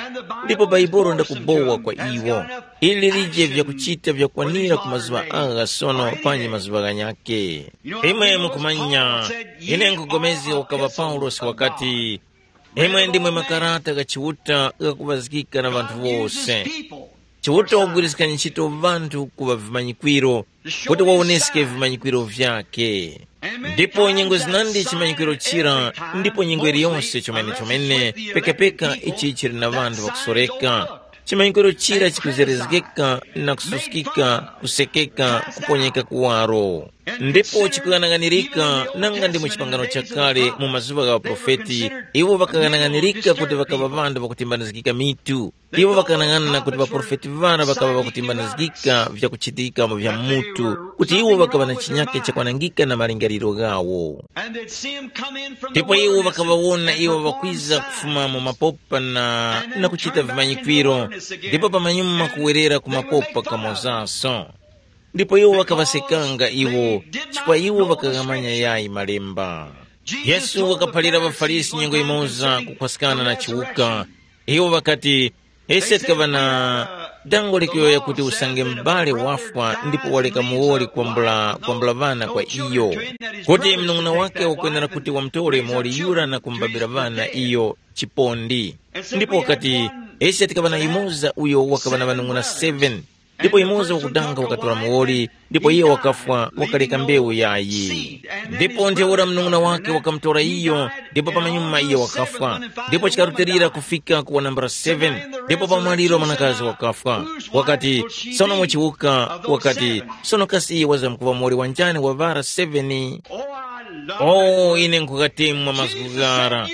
Ndipo baibulo ndakubowa kwa iwo. Ili lilije vyakuchita vyakwanira ku mazuŵa agha sono panji mazuŵa ghanyakhe. Imwe mukumanya, ine nkugomezga ukaŵa Paulosi wakati, imwe ndimwe makarata gha Chiuta ghakuŵazgika na ŵanthu wose. Chiuta wagwiriskani ntchito ŵanthu kuŵa vimanyikwiro, kuti wawoneske vimanyikwiro vyakhe. Ndipo nyengo zinandi chimanyikwiro chira, ndipo nyengo iliyonse chomene-chomene, pekapeka ichi chili na ŵanthu ŵakusoreka. Chimanyikwiro chira chikuzerezgeka na kususkika, kusekeka, kuponyeka kuwaro. Ndipo chikughanaghanirika nanga ndi mu chipangano chakale mu mazuŵa gha ŵaprofeti, iwo ŵakaghanaghanirika kuti ŵakaŵa ŵanthu ŵakutimbanizgika mitu. Iwo ŵakanang'ana kuti ŵaprofeti ŵara ŵakaŵa ŵakutimbanizgika vyakuchitika vya mutu, kuti iwo ŵakaŵa na chinyakhe chakwanangika na malingaliro ghawo. Ndipo iwo ŵakaŵawona iwo ŵakwiza kufuma mu mapopa na, na kuchita vimanyikwiro, ndipo pamanyuma kuwerera ku mapopa kamozaso. Ndipo iwo ŵakaŵasekanga iwo, chifukwa iwo ŵakaghamanya yayi Malemba. Yesu wakaphalira ŵaFarisi nyengo yimoza kukhwaskana na chiwuka. Iwo ŵakati, ise tikaŵa na dango likuyowoya kuti usange mubali wafwa ndipo waleka muwoli kwambula kwambula ŵana kwa iyo, kuti mnung'una wake wakwenera kuti wamutore muwoli yura na kumubabira ŵana iyo chipondi. Ndipo wakati, ise tikaŵa na yumoza uyo wakaŵa na ŵanung'una seven. Ndipo yumoza wakudanga wakatora muwoli, ndipo iye wakafwa, wakaleka mbewu yayi. Ndipo ntheura munung'una wake wakamutora iyo, ndipo pamanyuma iye wakafwa. Ndipo chikarutilira kufika ku wanambala seven, ndipo pamwaliro mwanakazi wakafwa. Wakati, sono muchiwuka, wakati, sono kasi iye wazamkuŵa muwoli wanjani wa ŵara seven? Oh, ine nkhukatemwa mazgu ghara.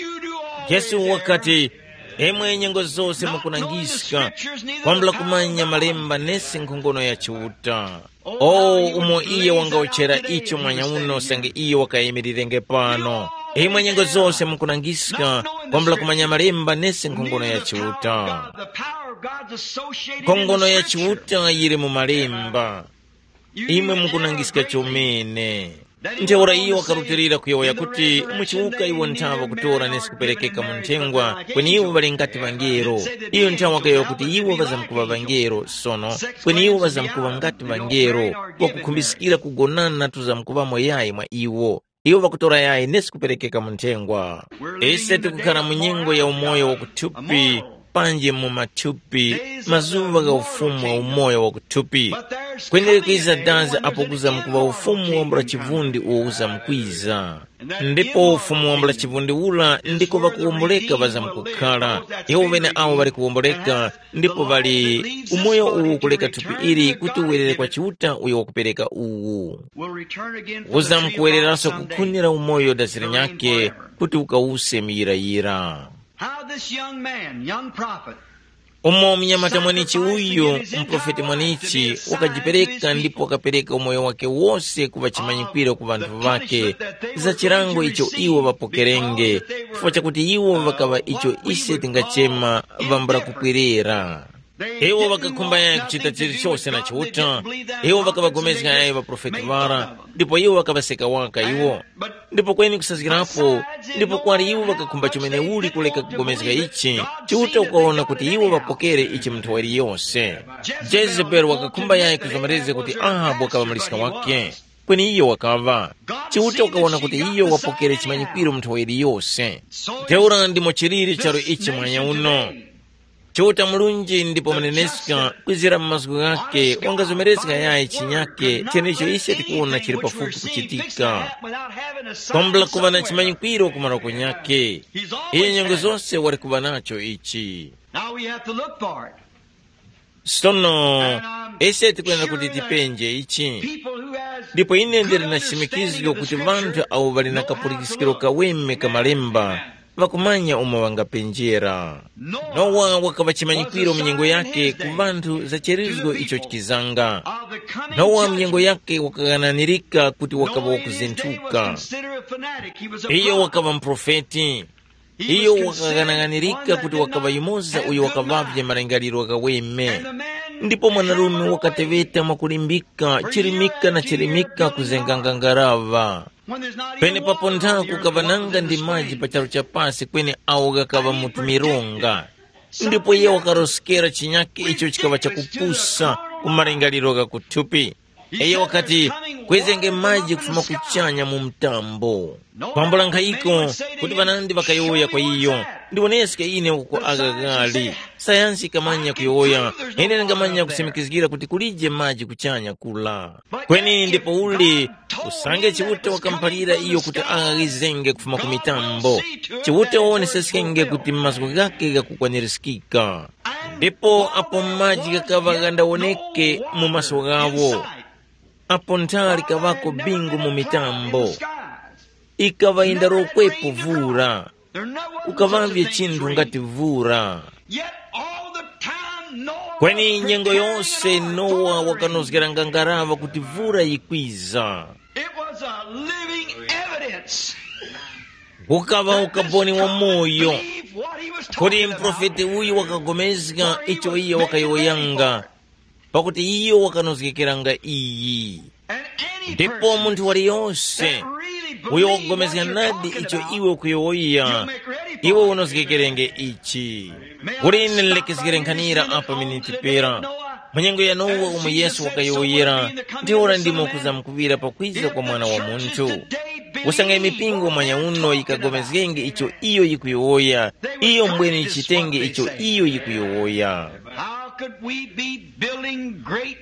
Yesu wakati, imwe nyengo zose mukunangiska, kwambula kumanya malemba nesi nkhongono ya Chiuta. O umo iye wangawuchera icho mwanya uno usange iye wakayimirirenge pano. Imwe nyengo zose mukunangiska, kwambula kumanya malemba nesi nkhongono ya Chiuta. Nkhongono ya Chiuta yili mu malemba. Imwe mukunangiska chomene. Ntheura iyo wakarutilira kuyowoya kuti, muchiwuka iwo nthawa kutora nesi kuperekeka mu nthengwa, kweni iwo ŵali ngati ŵangelo. Iyo nthawa wakayowoya kuti iwo ŵazamkuŵa ŵangelo sono, kweni iwo ŵazamkuŵa ngati ŵangelo, kwakukhumbizikira kugonana tuzamkuŵamo yayi mwa iwo. Iwo ŵakutora yayi nesi kuperekeka mu nthengwa. Ise tikukhara mu nyengo ya umoyo wa kuthupi, panji mu mathupi, mazuŵa gha ufumu wa umoyo wa kuthupi. Kwenere kwiza dazi apo kuzamkuŵa ufumu wambula chivundi uwo uzamkwiza. Ndipo ufumu wambula chivundi ula ndiko ŵakuwomboleka ŵazamkukhara. Iwo ŵene awo ŵali kuwomboleka, ndipo ŵali umoyo uwu kuleka thupi ili kuti uwerere kwa Chiuta uyo wakupereka uwu. Uzamkuwereranso kukhunira umoyo dazira nyakhe kuti ukawuse muyirayira. How this young man, young prophet, umo mnyamata mwanichi uyu, mprofeti mwanichi, wakajipereka ndipo wakapereka umoyo wake wose kuŵa chimanyikwiro ku ŵanthu ŵake, za chilango icho iwo ŵapokerenge, chifukwa chakuti iwo ŵakaŵa icho ise tingachema ŵambula kupwerera. Iwo ŵakakhumba yayi kuchita chilichose na Chiuta. Iwo ŵakaŵagomezga yayi ŵaprofeti ŵara, ndipo iwo ŵakaŵaseka waka iwo. Ndipo kweni kusazgirapo, ndipo kwali iwo ŵakakhumba chomene uli kuleka kugomezga ichi, Chiuta ukawona kuti iwo ŵapokere ichi mu nthowa yose. Jezebeli wakakhumba yayi kuzomerezga kuti Ahabu wakaŵa muliska wake, kweni iyo wakaŵa. Chiuta ukawona kuti iyo wapokere chimanyikwiro mu nthowa yose. Ntheura ndimo chiliri charu ichi mwanya uno. Chiuta murunji ndipo muneneska kwizira mu mazgu ghakhe wangazomerezga yayi chinyakhe chenecho ise tikuwona chili pafupi kuchitika. Kwambula kuŵa na chimanyikwiro ku maroko nyakhe. Iye nyengo zose wali kuŵa nacho ichi. Now we have to look for it. Sono ise tikuyenda kuti tipenje ichi. People who has ndipo ine ndili na chimikizgo kuti ŵanthu awo ŵali na kapulikiskiro kaweme ka malemba ŵakumanya umo ŵangapenjera. Nowa wakaŵa chimanyikwiro mu nyengo yake ku vanthu za cherizgo icho chikizanga. Nowa mu nyengo yake wakaghananirika kuti wakaŵa wakuzinthuka. Iyo wakaŵa muprofeti. Iyo wakaghanaghanirika kuti wakaŵa yumoza uyo wakaŵavye malingaliro ghaweme. Ndipo mwanarume wakateŵeta mwakulimbika chirimika na chirimika kuzenganga ngaraŵa. Penepapo nthaku kukaŵa nanga ndi maji pa charu cha pasi kweni awo ghakaŵa mu tumironga. Ndipo iye wakaroskera chinyakhe icho chikaŵa chakupusa ku malingaliro gha kuthupi. Iyo wakati, kwezenge maji kufuma kuchanya mu mtambo. Kwambula nkhayiko kuti ŵanandi ŵakayowoya kwa iyo, ndiwoneske ine uko agha ghali. Sayansi ikamanya kuyowoya, ine ndingamanya kusimikizgira kuti kulije maji kuchanya kula. Kweni ndipo uli usange Chiuta wakamuphalira iyo kuti aghizenge kufuma ku mitambo, Chiuta wawoneseskenge kuti mazgu ghake ghakukwanirizgika. Ndipo apo maji ghakaŵa ghandawoneke mu maso ghawo, apo nthara likaŵako bingu mu mitambo, ikaŵa yindarokwepo vura, kukaŵavye chinthu ngati vura. Kweni nyengo yose Nowa wakanozgeranga ngaraŵa kuti vura yikwiza. It was a living evidence. Kukaŵa ukaboni wa moyo. Believe what he was kuti talking about. Mprofeti uyu wakagomezga icho iye wakayowoyanga, pakuti iyo wakanozgekeranga iyi. And any ndipo person munthu waliyonse that really uyo believes wakugomezga what you're nadi talking icho about, iwe ukuyowoya, you make ready for iwe it. Unozgekerenge ichi. Kuti ine nlekezgere nkhanira apa miniti pera. Mu nyengo ya Nowa umo Yesu wakayowoyera, ndiora ndimo kuzamkuŵira pakwiza kwa Mwana wa Munthu. Usanga imipingo mwanya uno yikagomezgenge icho iyo yikuyowoya, iyo mbwene yichitenge icho iyo yikuyowoya. How could we be building great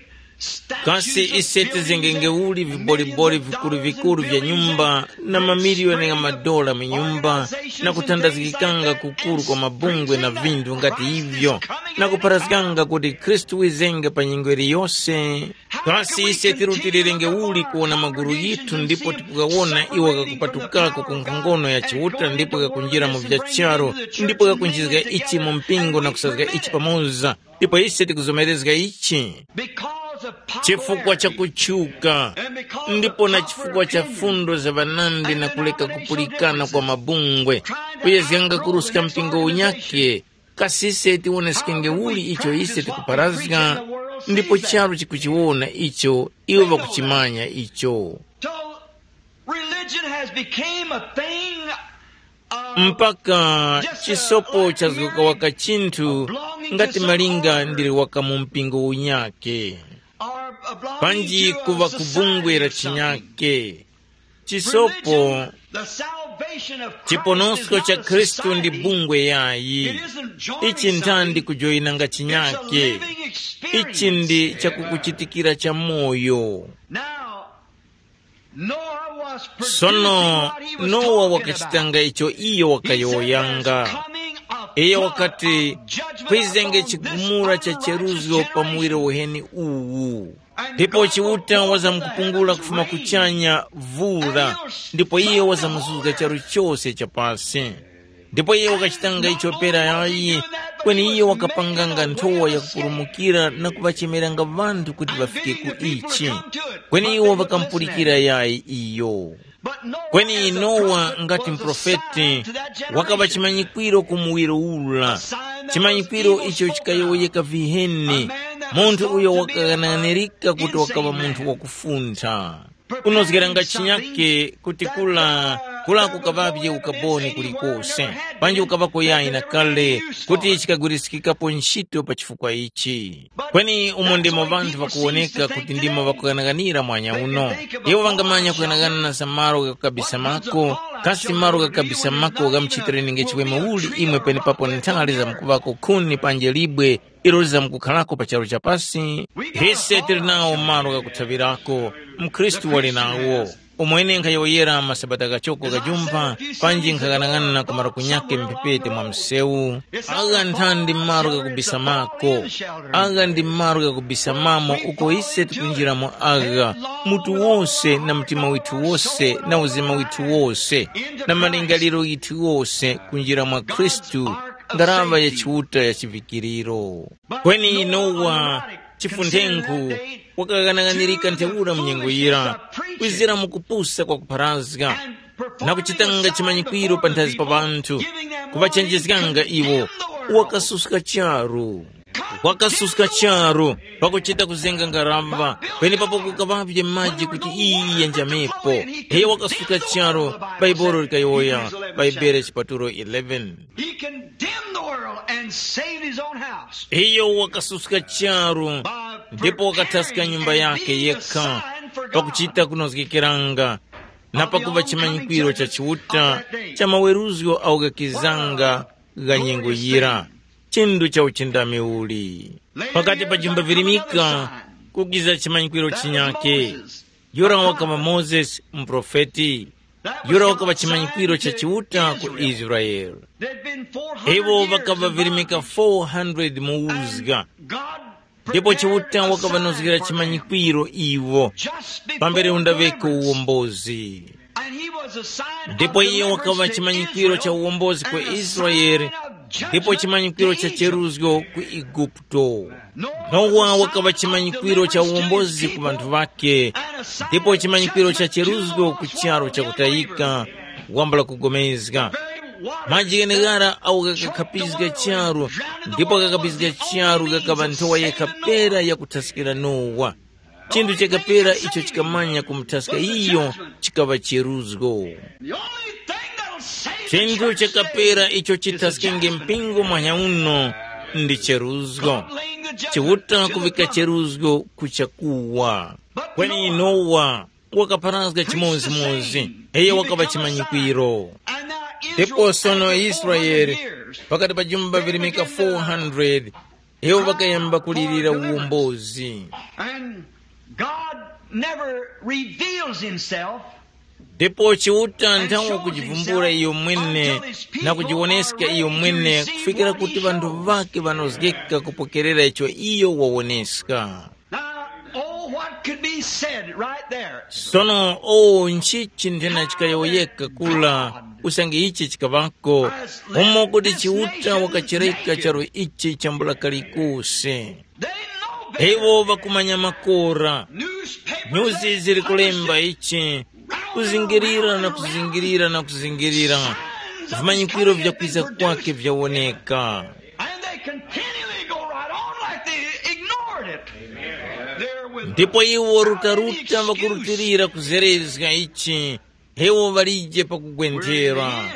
kasi ise tizengenge uli viboliboli vikuru-vikuru vya nyumba na mamiliyoni gha madola mu nyumba na kuthandazgikanga kukuru kwa mabungwe na vinthu ngati ivyo na kupharazganga kuti Khristu wizenge pa nyengo yiliyose? Kasi ise tirutilirenge uli kuwona maguru ghithu ndipo tikugawona iwo ghakupatukako ku nkhongono ya Chiuta ndipo ghakunjira mu vya charu ndipo ghakunjizga ichi mu mpingo na kusazga ichi pamoza? Ndipo ise tikuzomerezga ichi. Because Chifukwa cha kutchuka, ndipo na chifukwa cha fundo za ŵanandi na kuleka kupulikana kwa mabungwe, kuyezganga kuruska mpingo unyakhe, kasi ise tiwoneskenge uli icho ise tikuparazga, ndipo charu chikuchiwona icho iwo ŵakuchimanya icho. So religion has became a thing of Mpaka just a chisopo ordinary chazgoka waka chinthu, belonging to ngati some malinga order ndili waka mu mpingo unyake, or a belonging panji to a kuva ku bungwe society la or something. Chinyake. Chisopo, religion, the salvation of Christ, chiponosko is not cha a Khristu ndi society. Bungwe yayi. It isn't joining. Ichi ntha ndi something. Kujoyinanga. It's a chinyake. Living experience. Ichi ndi chakukuchitikira cha moyo. Now, Noah was producing sono what he was Nowa talking wakachitanga about. Icho iyo wakayowoyanga. Iye wakati, kwizenge chigumula cha cheruzgo pa muwiro uheni uwu. Ndipo Chiuta wazamkupungula kufuma kuchanya vura, ndipo iye wazamuzuzga charu chose cha pasi. Ndipo iye wakachitanga icho pera yayi, kweni iye wakapanganga nthowa yakupulumukira na kuŵachemeranga ŵanthu kuti ŵafike ku ichi. Kweni iwo ŵakamupulikira yayi iyo. Kweni Nowa ngati mprofeti, wakaŵa chimanyikwiro ku muwiro ura, chimanyikwiro icho chikayowoyeka viheni, munthu uyo wakaghanaghanirika kuti wakaŵa munthu wakufuntha. Kunozgeranga chinyake kuti kula kula kukaŵavye ukaboni kulikose, panji ukaŵako yayi na kale kuti chikagwiriskikapo ntchito pa chifukwa ichi. Kweni umo ndimo ŵanthu ŵakuwoneka kuti ndimo ŵakughanaghanira mwanya uno. Iwo ŵangamanya kughanaghanana za malo ghakukabisa mako, kasi malo ghakukabisa mako ghamuchitireni nge chiweme uli imwe penepapo nthali zamkuŵako khuni panje libwe ilo lizamkukharako pa charu cha pasi? Ise tili nawo malo ghakuthaŵirako, mkhristu wali nawo. Umwene nkhayowoyera masabata ghachoko ghajumpha, panji nkhaghanag'ana ku malo kunyakhe mphepete mwa msewu. Agha nthandi malo ghakubisamako. Agha ndi malo ghakubisamamo uko ise tikunjiramo agha, mutu wose na mtima withu wose na uzima withu wose na malingaliro yithu wose kunjira mwa Khristu, ngaraŵa ya Chiuta ya chivikiriro. Kweni Nowa, chifunthenku, wakaghanaghanirika ntheura mu nyengo yira, kwizira mu kupusa kwa kupharazga, na kuchitanga chimanyikwiro panthazi pa ŵanthu, kuŵachenjezganga iwo, wakasuska charu. Wakasuska charu, pakuchita kuzenga ngaramba, penepapo kukaŵavye maji kuti iyi yenjamepo. Iyo wakasuska charu, Baibolo likayowoya, Baibolo chipatulo eleven. He condemned the world and saved his own house. Iyo wakasuska charu, ndipo wakathaska nyumba yake yekha, pakuchita kunozgekeranga, na pakupa chimanyikwiro cha Chiuta cha maweruzgo awo ghakizanga gha nyengo yira. Chindu cha uchindami uli pakati pa jumba virimika kukiza chimanyikwiro chinyake. Yura wakaŵa Mozesi, muprofeti. Yura wakaŵa chimanyikwiro cha Chiuta ku Israele. Iwo ŵakaŵa virimika four hundred mu uzga, ndipo Chiuta wakaŵanozgera chimanyikwiro iwo pambere undaŵeko uwombozi. Ndipo iye wakaŵa chimanyikwiro cha uwombozi ku Israele, ndipo chimanyikwiro cha cheruzgo ku Eguputo. Nowa wakaŵa chimanyikwiro cha uwombozi ku ŵanthu ŵake, ndipo chimanyikwiro cha cheruzgo ku charu chakutayika, wambula kugomezga. Maji gheneghara awo ghakakhapizga charu, ndipo ghakapizga charu ghakaŵa nthowa yekha pera yakuthaskira Nowa. Chinthu chakapera icho chikamanya kumuthaska iyo chikaŵa cheruzgo. Chinthu chakapera icho chithaskenge mpingo mwanya uno ndi cheruzgo. Chiuta kuvika cheruzgo ku chakuwa. Kweni Nowa wakapharazga chimodzimodzi, iyo wakaŵa chimanyikwiro. Ndipo sono Israele, pakati pa jumba virimika four hundred, iwo ŵakayamba kulirira uwombozi. And God never reveals himself. Ndipo Chiuta nthawe kujivumbula iyo mwene na kujiwoneska iyo mwene kufikira kuti ŵanthu ŵake ŵanozgeka kupokerera icho iyo wawoneska. Now, oh, what could be said right there? Sono o nchichi nthena chikayowoyeka kula usange ichi chikaŵako, umo kuti Chiuta wakachereka charu ichi chambula kalikose. They know Iwo ŵakumanya makora. Nyuzi ziri kulemba ichi, kuzingirira na kuzingirira na kuzingirira, vimanyikwiro vya kwiza kwake vyawoneka. And they continually go right on like they ignored it. There with ndipo iwo rutaruta vakurutilira kuzerezga ichi, iwo valije pakugwenthera.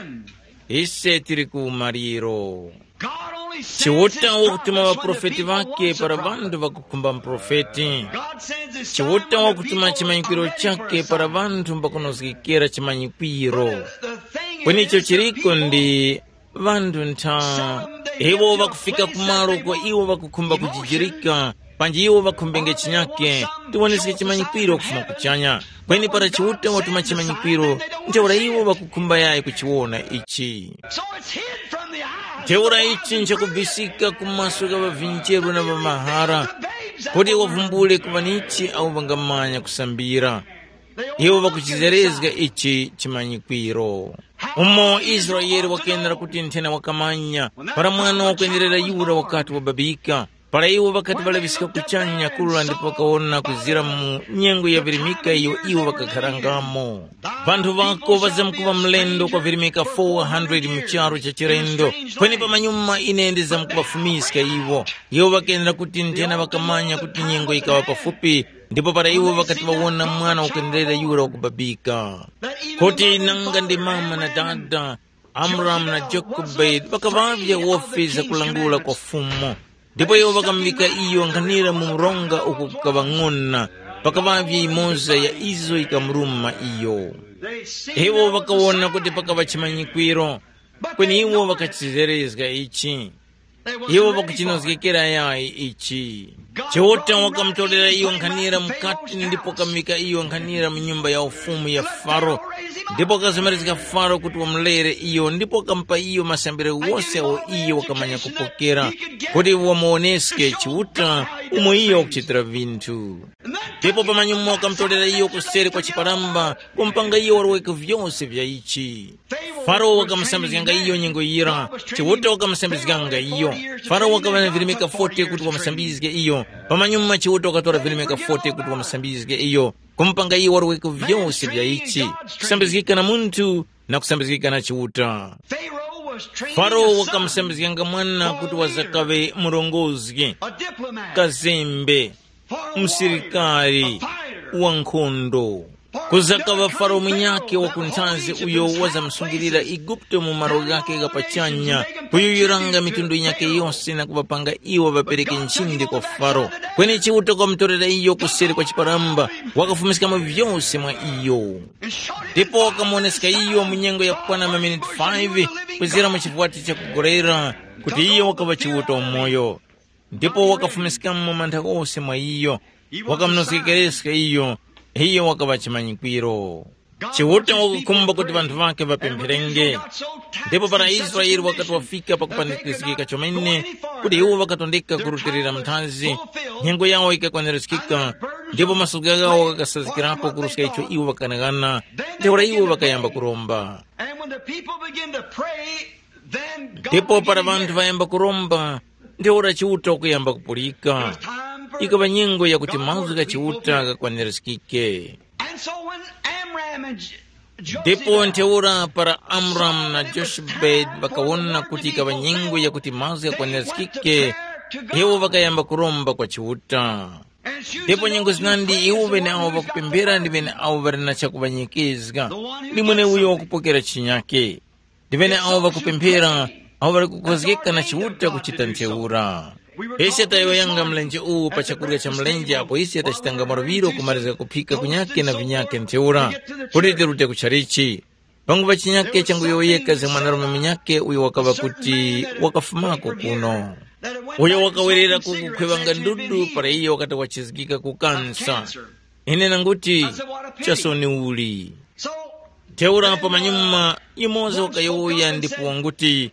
Ise tili ku maliro. Chiuta wakutuma ŵaprofeti ŵake para ŵanthu ŵakukhumba muprofeti. Chiuta wakutuma chimanyikiro chake para ŵanthu mbakunozgekera chimanyikiro. Kweni icho chiriko ndi ŵanthu ntha, iwo ŵakufika kumalo kwa iwo ŵakukhumba kujijirika, panji iwo ŵakhumbenge chinyake, tiwoneske chimanyikwiro kufuma kuchanya. Kweni para Chiuta watuma chimanyikwiro, ntheura iwo ŵakukhumba yayi kuchiwona ichi. So it's hid from the eyes. Ntheura ichi nchakubisika ku maso gha ŵavincheru na ŵamahara, kuti wavumbule kuŵa nichi awo ŵangamanya kusambira. Iwo ŵakuchizerezga ichi chimanyikwiro. Umo Israele wakenera kuti nthena wakamanya, para mwana wakwenerera yura wakati wababika, para iwo ŵakati ŵalaŵiska kuchanya kura ndipo ŵakawona kuzira mu nyengo ya virimika iyo iwo ŵakakharangamo. Vanthu ŵako ŵazamkuŵa mlendo kwa virimika four hundred mu charu cha chilendo, kweni pamanyuma ine ndizamkuŵafumiska iwo. Iwo ŵakenera kuti nthena ŵakamanya kuti nyengo yikaŵa pafupi, ndipo para iwo ŵakati ŵawona mwana wakwenderera yura wakubabika, kuti nanga ndi mama na dada, Amramu na Jakobedi ŵakaŵavye wofi zakulangula kwa Fumu, ndipo iwo ŵakamuŵika iyo nkhanira mu mronga uko kukaŵa ng'ona, pakaŵavye yimoza ya izo yikamuruma iyo. Iwo ŵakawona kuti pakaŵa chimanyikwiro, kweni iwo ŵakachizerezga ichi. Iwo ŵakuchinozgekera yayi ichi. Chiuta wakamutorera iyo nkhanira mukati ndipo wakamuŵika iyo nkhanira mu nyumba ya ufumu ya Faro, ndipo wakazomerezga Faro kuti wamulere iyo ndipo wakamupa iyo masambiro wose awo iyo wakamanya kupokera, kuti wamuwoneske Chiuta umo iyo wakuchitira vinthu. Ndipo pamanyuma wakamutorera iyo kuseri kwa chiparamba, kumupanga iyo waroweke vyose vya ichi. Faro wakamusambizganga iyo nyengo yira, Chiuta wakamusambizganga iyo. Faro wakaŵa na virimika forty kuti wamusambizge iyo. Pamanyuma Chiuta wakatora virimika forty kuti wamusambizge iyo, kumupanga iyo waroweke vyose vya ichi, kusambizgika na munthu na kusambizgika na Chiuta. Faro wakamusambizganga mwana kuti wazakaŵe murongozgi, kazembe, msirikari, wankhondo. Kuzakaŵa Faro munyakhe wa ku nthazi uyo wazamsungilira Eguputo mu malo ghakhe gha pachanya, kuyuyuranga mitundu yinyakhe yose na kuŵapanga iwo ŵapereke nchindi kwa Faro. Kweni Chiuta wakamutorera iyo kuseri kwa chiparamba, wakafumiskamo vyose mwa iyo. Ndipo wakamuwoneska iyo mu nyengo yakukwana maminiti five, kuzira mu chivwati chakugorera, kuti iyo wakaŵa Chiuta umoyo. Ndipo wakafumiskamo mantha ghose mwa iyo, wakamunozgekereska iyo, iyo wakaŵa chimanyikwiro. Chiuta wakukhumba kuti ŵanthu ŵakhe ŵapempherenge. Ndipo para Israele wakati wafika pakupanikizgika chomene, kuti iwo ŵakatondeka kurutilira muthazi, nyengo yawo yikakwanirizgika, ndipo masoga ghawo ghakasazgikirapo kuruska icho iwo ŵakanaghana, ntheura iwo ŵakayamba kuromba. And when the people begin to pray, then God ndipo para began to vanthu hear. Vayamba kuromba, ntheura Chiuta wakuyamba kupulika. Ikaŵa nyengo yakuti mazgu gha Chiuta ghakwanirizgike. And so when Amram and J- Jochebed ndipo ntheura para Amramu na Jochebedi ŵakawona kuti ikaŵa nyengo yakuti mazgu ghakwanirizgike, iwo ŵakayamba kuromba kwa Chiuta. Ndipo nyengo zinandi iwo ŵeneawo ŵakupemphera ndi ŵeneawo ŵali na chakuŵanyekeza, ndi mweneuyo wakupokera chinyake. Ndi ŵeneawo ŵakupemphera, awo ŵali kukhozgeka na Chiuta kuchita ntheura. Ise tayowoyanga mlenje uwu pa chakurya cha mlenje apo ise tachitanga maluŵiro kumalizga kuphika kunyakhe na vinyakhe ntheura, kuti tirute ku chalichi. Pangupa chinyakhe changuyowoyeka za mwanarume munyakhe uyo wakaŵa kuti wakafumako kuno. Uyo wakawerera ku kukhwevanga ndudu para iyo wakati wachizgika ku kansa. Ine nanguti, chasoni uli. Ntheura pamanyuma, yumoza wakayowoya ndipo wanguti,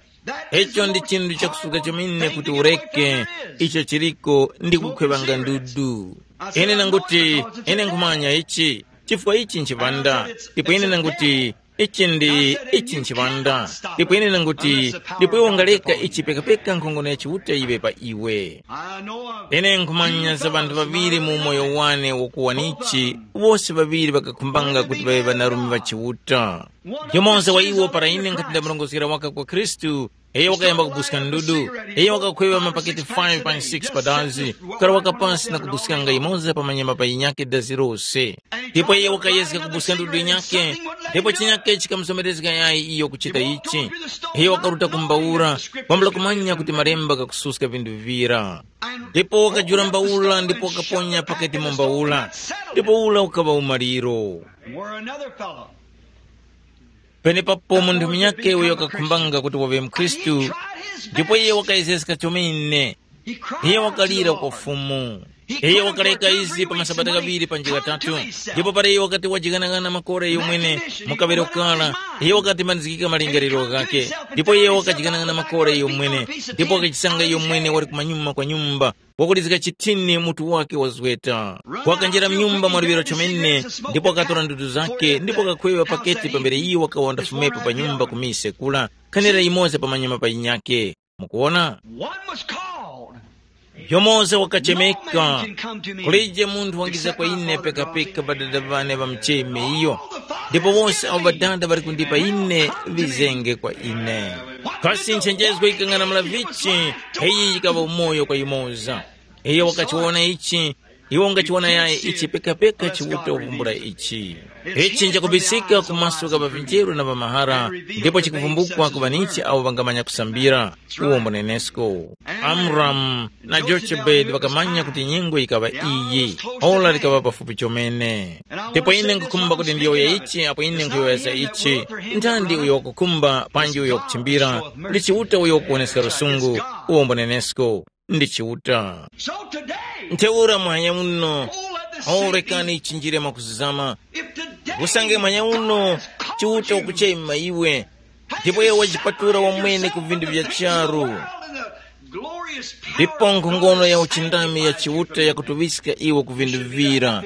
icho ndi chinthu chakusuka chomene kuti ureke, icho chiriko ndi kukhwevanga ndudu. Ine nanguti, ine nkhumanya ichi, chifukwa ichi nchipanda. Ndipo ine nanguti, Ichi ndi ichi nchiŵanda. Ndipo ine nanguti, ndipo iwe ungaleka ichi pekapeka nkhongono ya Chiuta yiŵe pa iwe. Ine nkhumanya za ŵanthu ŵaŵiri mu umoyo wane wakuwanichi, wose ŵaŵiri ŵakakhumbanga kuti ŵaŵe ŵanarume ŵa Chiuta. Yumoza wa iwo para ine nkhati ndamurongozgera waka kwa Khristu, iyo wakayamba kubuska ndudu, iyo wakakhweŵa mapaketi five pa six padazi, kukaraŵaka pasi na kubuskanga yimoza pa manyama pa yinyakhe dazi lose. Ndipo iyo wakayezga kubuska ndudu yinyakhe, ndipo chinyakhe chikamuzomerezga yayi iyo kuchita ichi. Iyo wakaruta ku mbawura, kwambula kumanya kuti malemba ghakususka vinthu vivira. Ndipo wakajula mbawura ndipo wakaponya paketi mu mbawura, ndipo ura ukaŵa umaliro. Where another fellow. Penepapo munthu munyakhe uyo wakakhumbanga kuti waŵe mkhristu, ndipo iye wakayezeska chomene. Iye wakalira kwa Fumu. Iye wakaleka izi pa masabata ghaŵiri panji ghatatu. Ndipo para iye wakati wajikanaghana makora iyo mwene, mukaŵero kara, iye wakati manizgika malingaliro ghakhe. Ndipo iye wakajikanaghana makora iyo mwene, ndipo wakachisanga iyo mwene wali kumanyuma kwa nyumba, wakulizga chithini mutu wake wazweta. Wakanjira mnyumba mwa liŵiro chomene, ndipo wakatora ndudu zake ndipo wakakhweŵa paketi pambere iyo wakawa ndafumepo pa nyumba ku mise kula, khanira yimoza pa manyuma pa yinyake. Mukuona? One was called. Yomoza wakachemeka. Kulije munthu wangiza kwa ine pekapeka ŵadada ŵane ŵamucheme iyo. Ndipo wose awo ŵadada ŵali kundipa ine, ŵizenge kwa ine. Kasi nchenjezgo yikang'anamula vichi? Iyi yikaŵa umoyo kwa yumoza. Iyo wakachiwona ichi, iwo ungachiwona yayi ichi pekapeka chiwuta kuvumbula ichi. Ichi nchakubisika ku maso gha ŵavinjeru na ŵamahara, ndipo chikuvumbukwa ku ŵanichi awo ŵangamanya kusambira. Uwo mbunenesko. Amramu na Jokebedi ŵakamanya kuti nyengo yikaŵa iyi, ora likaŵa pafupi chomene. Ndipo ine nkhukhumba kuti ndiyowoye ichi apo ine nkhuyowoyesa ichi. Ntandi uyo wakukhumba panji uyo wakuchimbira, ndi Chiuta uyo wakuwoneska lusungu. Uwo mbunenesko. Ndi Chiuta. So today, ntheura mwanya uno, oh let the sick awo be rekani ichinjire mwakuzizama. If today, usange mwanya uno, God has called Chiuta you, ukuchema iwe, ndipo iwe wajipatula wamwene ku vinthu vya charu. Ndipo nkhongono ya uchindami ya Chiuta yakutuŵiska iwe ku vinthu vira.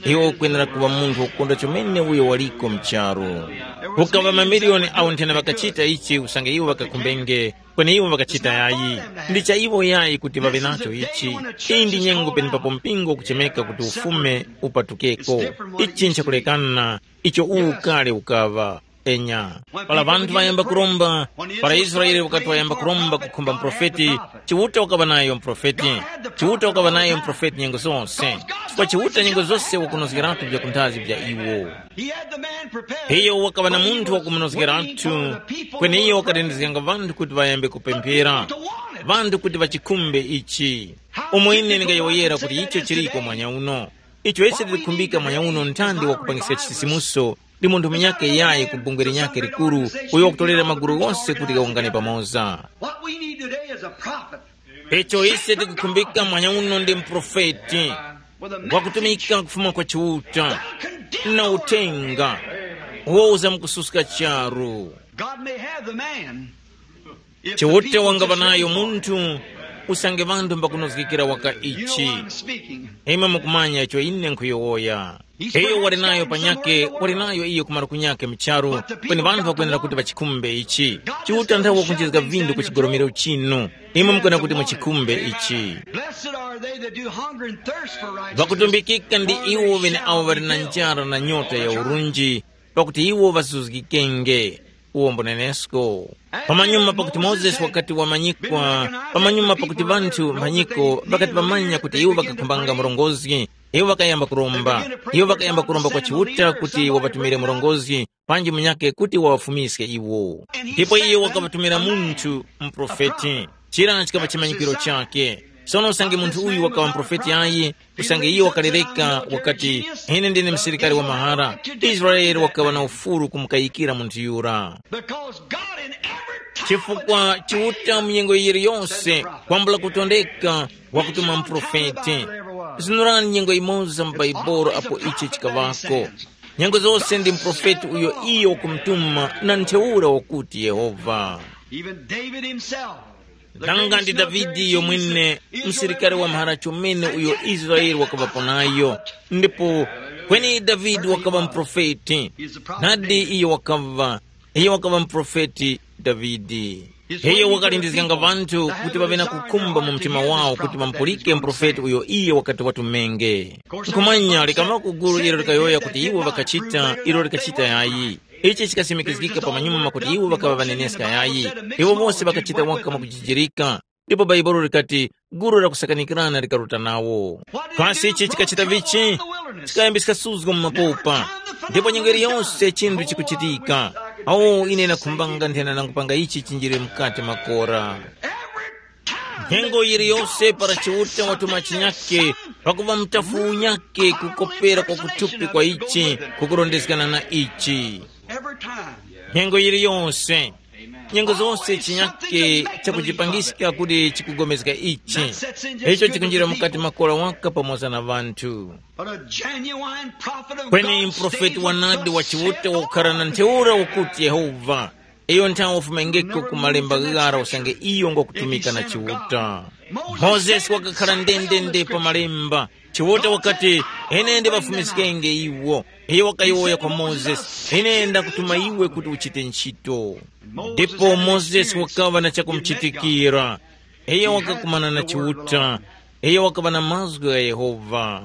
Iwe ukwenera kuŵa munthu wakukonda chomene uyo waliko mcharu. Kukaŵa mamiliyoni awo nthena ŵakachita ichi usange iwo ŵakakhumbenge, kweni iwo ŵakachita yayi. Ndi cha iwo yayi kuti ŵaŵe nacho ichi. Iyi ndi nyengo penepapo mpingo ukuchemeka kuti ufume upatukeko. Ichi nchakulekana icho uwu kale ukaŵa. Enya, para ŵanthu ŵayamba kuromba, para Israele wakati wayamba kuromba kukhumba muprofeti, Chiuta wakaŵa nayo muprofeti. Chiuta wakaŵa nayo muprofeti nyengo zose, chifukwa Chiuta nyengo zose wakunozgeratu vyakunthazi vya iwo. Iyo wakaŵa na munthu wakumunozgeratu, kweni iyo wakalindizganga ŵanthu kuti ŵayambe kupemphera, ŵanthu kuti ŵachikhumbe ichi. Umo ine ndingayowoyera kuti icho chiliko mwanya uno. Icho ise tikukhumbika mwanya uno ntandi wakupangiska chisisimuso, ndi munthu munyakhe yayi ku bungwe linyakhe likuru, uyo wakutolera magulu ghose kuti ghawungane pamoza. What we need today is a prophet. Icho ise tikukhumbika mwanya uno ndi muprofeti wakutumika kufuma kwa Chiuta na uthenga uwo uzamukususka charu. God may have the man. Chiuta wangapa nayo munthu, usange ŵanthu mbakunozgekera waka ichi. Imwe mukumanya icho ine nkhuyowoya. Iyo wali nayo panyakhe, wali nayo iyo kumaro kunyakhe mucharu, kweni ŵanthu ŵakwenera kuti ŵachikhumbe ichi. Chiuta nthawe wakunjizga vinthu ku chigolomero chinu. Imwe mukwenera kuti muchikhumbe ichi. Blessed are they that do hunger and thirst for righteousness. Ŵakutumbikika ndi iwo ŵene awo ŵali na njara na nyota ya urunji, pakuti iwo ŵazuzgikenge. Uwo mbunenesko. Pamanyuma pakuti Mozesi wakati wamanyikwa, pamanyuma pakuti ŵanthu mphanyiko ŵakati ŵamanya kuti iwo ŵakakhumbanga murongozgi, iwo ŵakayamba kuromba. Iwo ŵakayamba kuromba kwa Chiuta kuti waŵatumire murongozgi, panji munyakhe kuti waŵafumiske iwo. Ndipo iye wakaŵatumira munthu, muprofeti. Chira chikaŵa chimanyikiro chakhe. Sono usange munthu uyu wakaŵa muprofeti ayi, usange iyo wakalereka wakati, ine ndine msilikari wa mahara, Israele wakaŵa na ufulu kumukayikira munthu yura. Because God in every time chifukwa Chiuta mu nyengo yiliyonse kwambula kutondeka wakutuma muprofeti. Zinurani nyengo imoza mu Baibolo apo ichi chikaŵako. Nyengo zose ndi muprofeti uyo iyo wakumutuma na ntheura wakuti Yehova. Even David himself. Nanga ndi Davide yomwene, msilikari wa mphara chomene uyo Israele wakaŵapo nayo, ndipo Kweni Davide wakaŵa muprofeti. Nadi iyo wakaŵa, iyo wakaŵa muprofeti Davide. Iyo wakalindizganga ŵanthu kuti ŵaŵe na kukhumba mu mtima wawo kuti ŵamupulike muprofeti uyo iyo wakati watumenge. Nkhumanya likawako gulu ilo likayowoya kuti iwo ŵakachita ilo likachita yayi. Ichi chikasimikizgika pamanyuma kuti iwo ŵakaŵa ŵaneneska yayi. Iwo wose ŵakachita waka mwakujijirika. Ndipo Bhaibuli likati, gulu la kusakanikirana likaruta nawo. Kasi ichi chikachita vichi? Chikayambiska suzgo mu mapopa. Ndipo nyengo iliyonse chinthu chikuchitika. Awo ine nakhumbanga nthena nangupanga ichi chinjire mukati makora. Nyengo yiliyonse para Chiuta watuma chinyake, pakuva mutafu unyake kukopera kwa kuthupi kwa ichi kukurondezgana na ichi. Every time. Nyengo yiliyonse, nyengo zose chinyake chakuchipangiska kuti chikugomezga ichi. Icho chikunjira mukati makora waka pamoza na ŵanthu. But a genuine prophet of Kweni God mprofeti stays wanadi with wa thus Chiuta saith the wakukhala na Lord. Ntheura ukuti Yehova. Iyo nthawe wafumengeko ku malemba ghara usange iyo ngwakutumika na Chiuta. Mozesi wakakhala ndendende pa malemba. Chiuta wakati, ine ndipafumiskenge iwo. Iyo wakayowoya kwa Mozesi, ine ndakutuma iwe kuti uchite ntchito. Ndipo Mozesi wakaŵa na chakumuchitikira. Iyo wakakumana na Chiuta. Iyo wakaŵa na mazgu gha Yehova.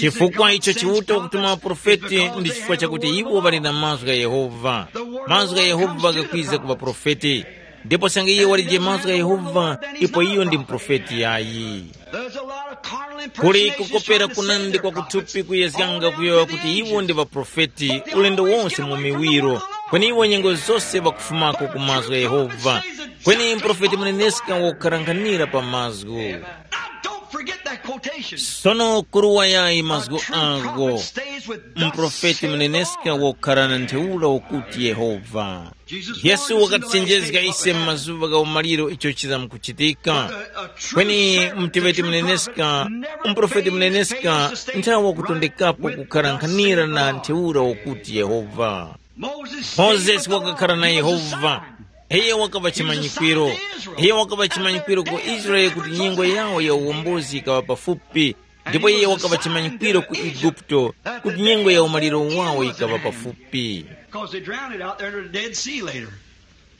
Chifukwa icho Chiuta wakutuma maprofeti ndi chifukwa chakuti iwo ŵali na mazgu gha Yehova. Mazgu gha Yehova ghakwiza ku ŵaprofeti. Ndipo sange iyo walije mazgu gha Yehova, ipo iyo ndi muprofeti yayi. There's a lot of carnal kuli impersonations kukopera trying to say kunandi they're kwa kuthupi prophets. Kuyezganga All kuyowa they kuti do iwo is ndi ŵaprofeti ulendo wonse mu miwiro. Kweni iwo nyengo zose ŵakufumako ku mazgu gha Yehova. Kweni mprofeti muneneska wakukharanghanira pa mazgu. Now, don't forget that quotation. Sono kuruwa yayi mazgu ako. Mprofeti muneneska wakukhala na ntheura ukuti Yehova. Yesu wakaticenjezga ise mu mazuŵa gha umaliro icho chizamkuchitika. Kweni mteŵeti muneneska, muprofeti muneneska nthawe wakutondekapo kukhala nkhanira na ntheura wakuti Yehova. Mozesi wakakhala na Yehova. Iye wakaŵa chimanyikwiro. Iye wakaŵa chimanyikwiro ku Israele kuti nyengo yawo ya uwombozi ikaŵa pafupi. Ndipo iye wakaŵa chimanyikwiro ku Eguputo kuti nyengo ya umaliro wawo yikaŵa pafupi. Because they drowned it out there in the Dead Sea later.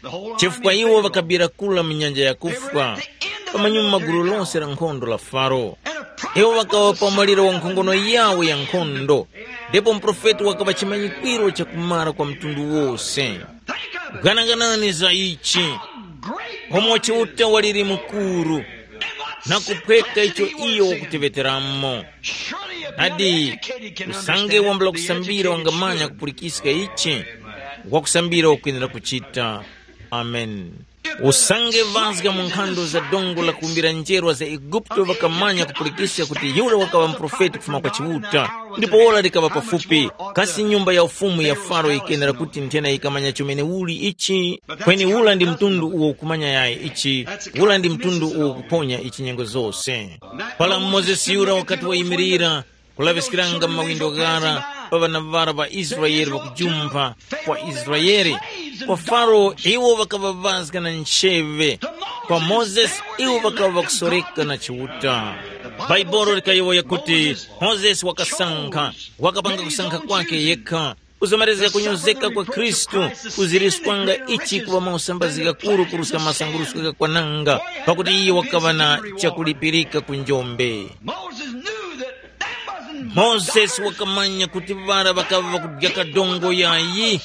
The whole chifukwa army iwo failed. Ŵakabira kula mu nyanja yakufwa. Pamanyuma gulu lonse la nkhondo la Faro. Iwo ŵakaŵa pa umaliro wa nkhongono yawo ya nkhondo. Ndipo muprofeti wakaŵa chimanyikwiro chakumara kwa mtundu wose. Gananganani za ichi. Umo Chiuta waliri mukuru na kuphweka icho iyo wakuteŵeteramo. Nadi, usange wambula kusambira wangamanya kupulikiska ichi wakusambira wakwenera kuchita. Amen. Usange vazga mu nkhando za dongo la kumbira njerwa za Eguputo ŵakamanya kupulikiska kuti yura wakaŵa muprofeti kufuma kwa Chiuta, ndipo ora likaŵa pafupi. Kasi nyumba ya ufumu ya Faro yikenera kuti nthena yikamanya chomene uli ichi? Kweni ula ndi mtundu uwo ukumanya yayi ichi, ula ndi mtundu uwo ukuphonya ichi nyengo zose. Para Mozesi yura wakati wayimirira, kulaŵiskiranga mawindo ghara pa ŵana ŵara ŵa Israele ŵakujumpha kwa Israele, kwa Faro iwo ŵakaŵavazga na ncheve, kwa Mozesi iwo ŵakaŵa ŵakusoreka na Chiuta. Bhaibuli likayowoya kuti Mozesi wakasankha, wakapanga kusankha kwake yekha. Kuzomerezga kunyozeka kwa Khristu kuziriskwanga ichi kuŵa mausambazgi ghakuru kuruska masangurusko ghakwananga, pakuti iye wakaŵa na chakulipirika ku njombe. Moses knew that that wasn't Mozesi wakamanya kuti ŵara ŵakaŵa ŵakudya kadongo yayi,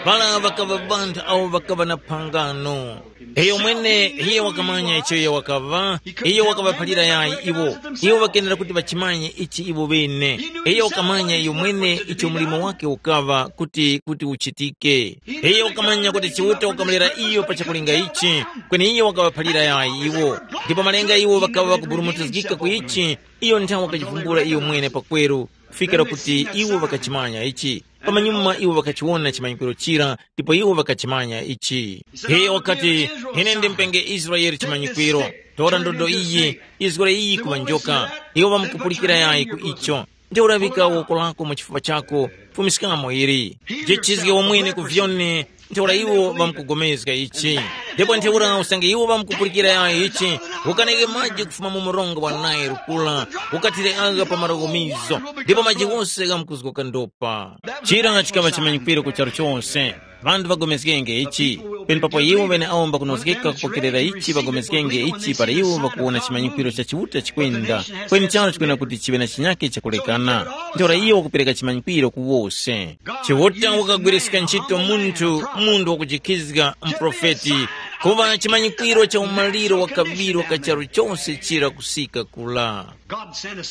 ŵara ŵakaŵa ŵanthu awo ŵakaŵa na phangano. Iyo mwene iye wakamanya icho iyo wakaŵa, iyo wakaŵaphalira yayi iwo. Iwo ŵakenera kuti ŵachimanye ichi iwo ŵene. Iyo wakamanya iyo mwene icho mulimo wake ukaŵa kuti kuti uchitike. Iyo wakamanya kuti Chiuta wakamulera iyo pa chakulinga ichi, kweni iyo wakaŵaphalira yayi iwo. Ndipo malinga iwo ŵakaŵa ŵakuburumutizgika ku ichi, iyo nthawe wakachivumbula iyo mwene pakweru, kufikira kuti iwo ŵakachimanya ichi. Pamanyuma iwo ŵakachiwona chimanyikwiro chira, ndipo iwo ŵakachimanya ichi. Iyo wakati, ine ndimupenge Israele chimanyikwiro. Tora ndodo iyi, izgore iyi ku ŵanjoka. Iwo ŵamkupulikira yayi ku icho. Ntheura ŵika woko lako mu chifupa chako, fumiskamo ili. Jechizge wamwene ku vyone, ntheura iwo ŵamkugomezga ichi. Ndipo ntheura usange iwo ŵamkupulikira yayo ichi, ukaneke maji kufuma mu mronga wa Nile kula, ukathire agha pa malugumizo, ndipo maji ghose ghamkuzgoka ndopa. Chira chikaŵa chimanyikwiro ku charu chose. Ŵanthu ŵagomezgenge ichi, penepapo iwo ŵeneawo mbakunozgeka kupokerera ichi ŵagomezgenge ichi para iwo ŵakuwona chimanyikwiro cha Chiuta chikwenda, kweni charo chikwenera kuti chiŵe na chinyake chakulekana. Ntheura iyo wakupereka chimanyikwiro ku wose. Chiuta wakagwiriska ntchito munthu, munthu wakujikhizga, muprofeti, kuŵa chimanyikwiro cha umaliro wa kaŵiro ka charu chose chira kusika kula.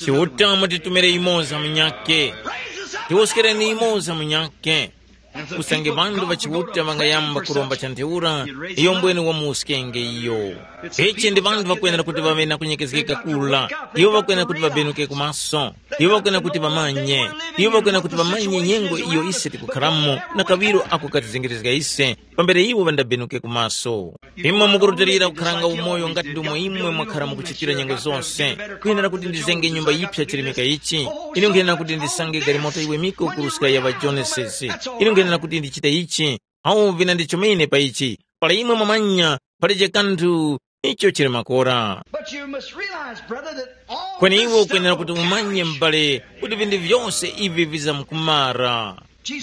Chiuta mutitumire imoza munyake. Tiwoskereni imoza munyake. Usange ŵanthu ŵa Chiuta ŵangayamba kuromba cha ntheura, iyo mbwene wamuwuskenge iyo. Ichi ndi ŵanthu ŵakwenera kuti ŵaŵe na kunyekezgeka kula. Iwo ŵakwenera kuti ŵabenuke kumaso. Iwo ŵakwenera kuti ŵamanye. Iwo ŵakwenera kuti ŵamanye nyengo iyo ise tikukharamo na kaŵiro ako katizengerezga ise, pambere iwo ŵandabenuke kumaso. Imwe mukurutilira kukharanga umoyo ngati ndomwe imwe mwakhara mukuchitira nyengo zose. Nkwenera kuti ndizenge nyumba yiphya chirimika ichi. Ine nkwenera kuti ndisange galimoto yiwemiko kuruska ya ŵajonesesi. Ine nkwenera kuti ndichite ichi. Awu vina ndi chomene pa ichi. Para imwe mwamanya, palije kanthu icho chili makora. But you must realize, brother, that all kweni iwe this ukwenera stuff kuti will umanye perish. M'bale, kuti vinthu vyose ivi vizamkumara.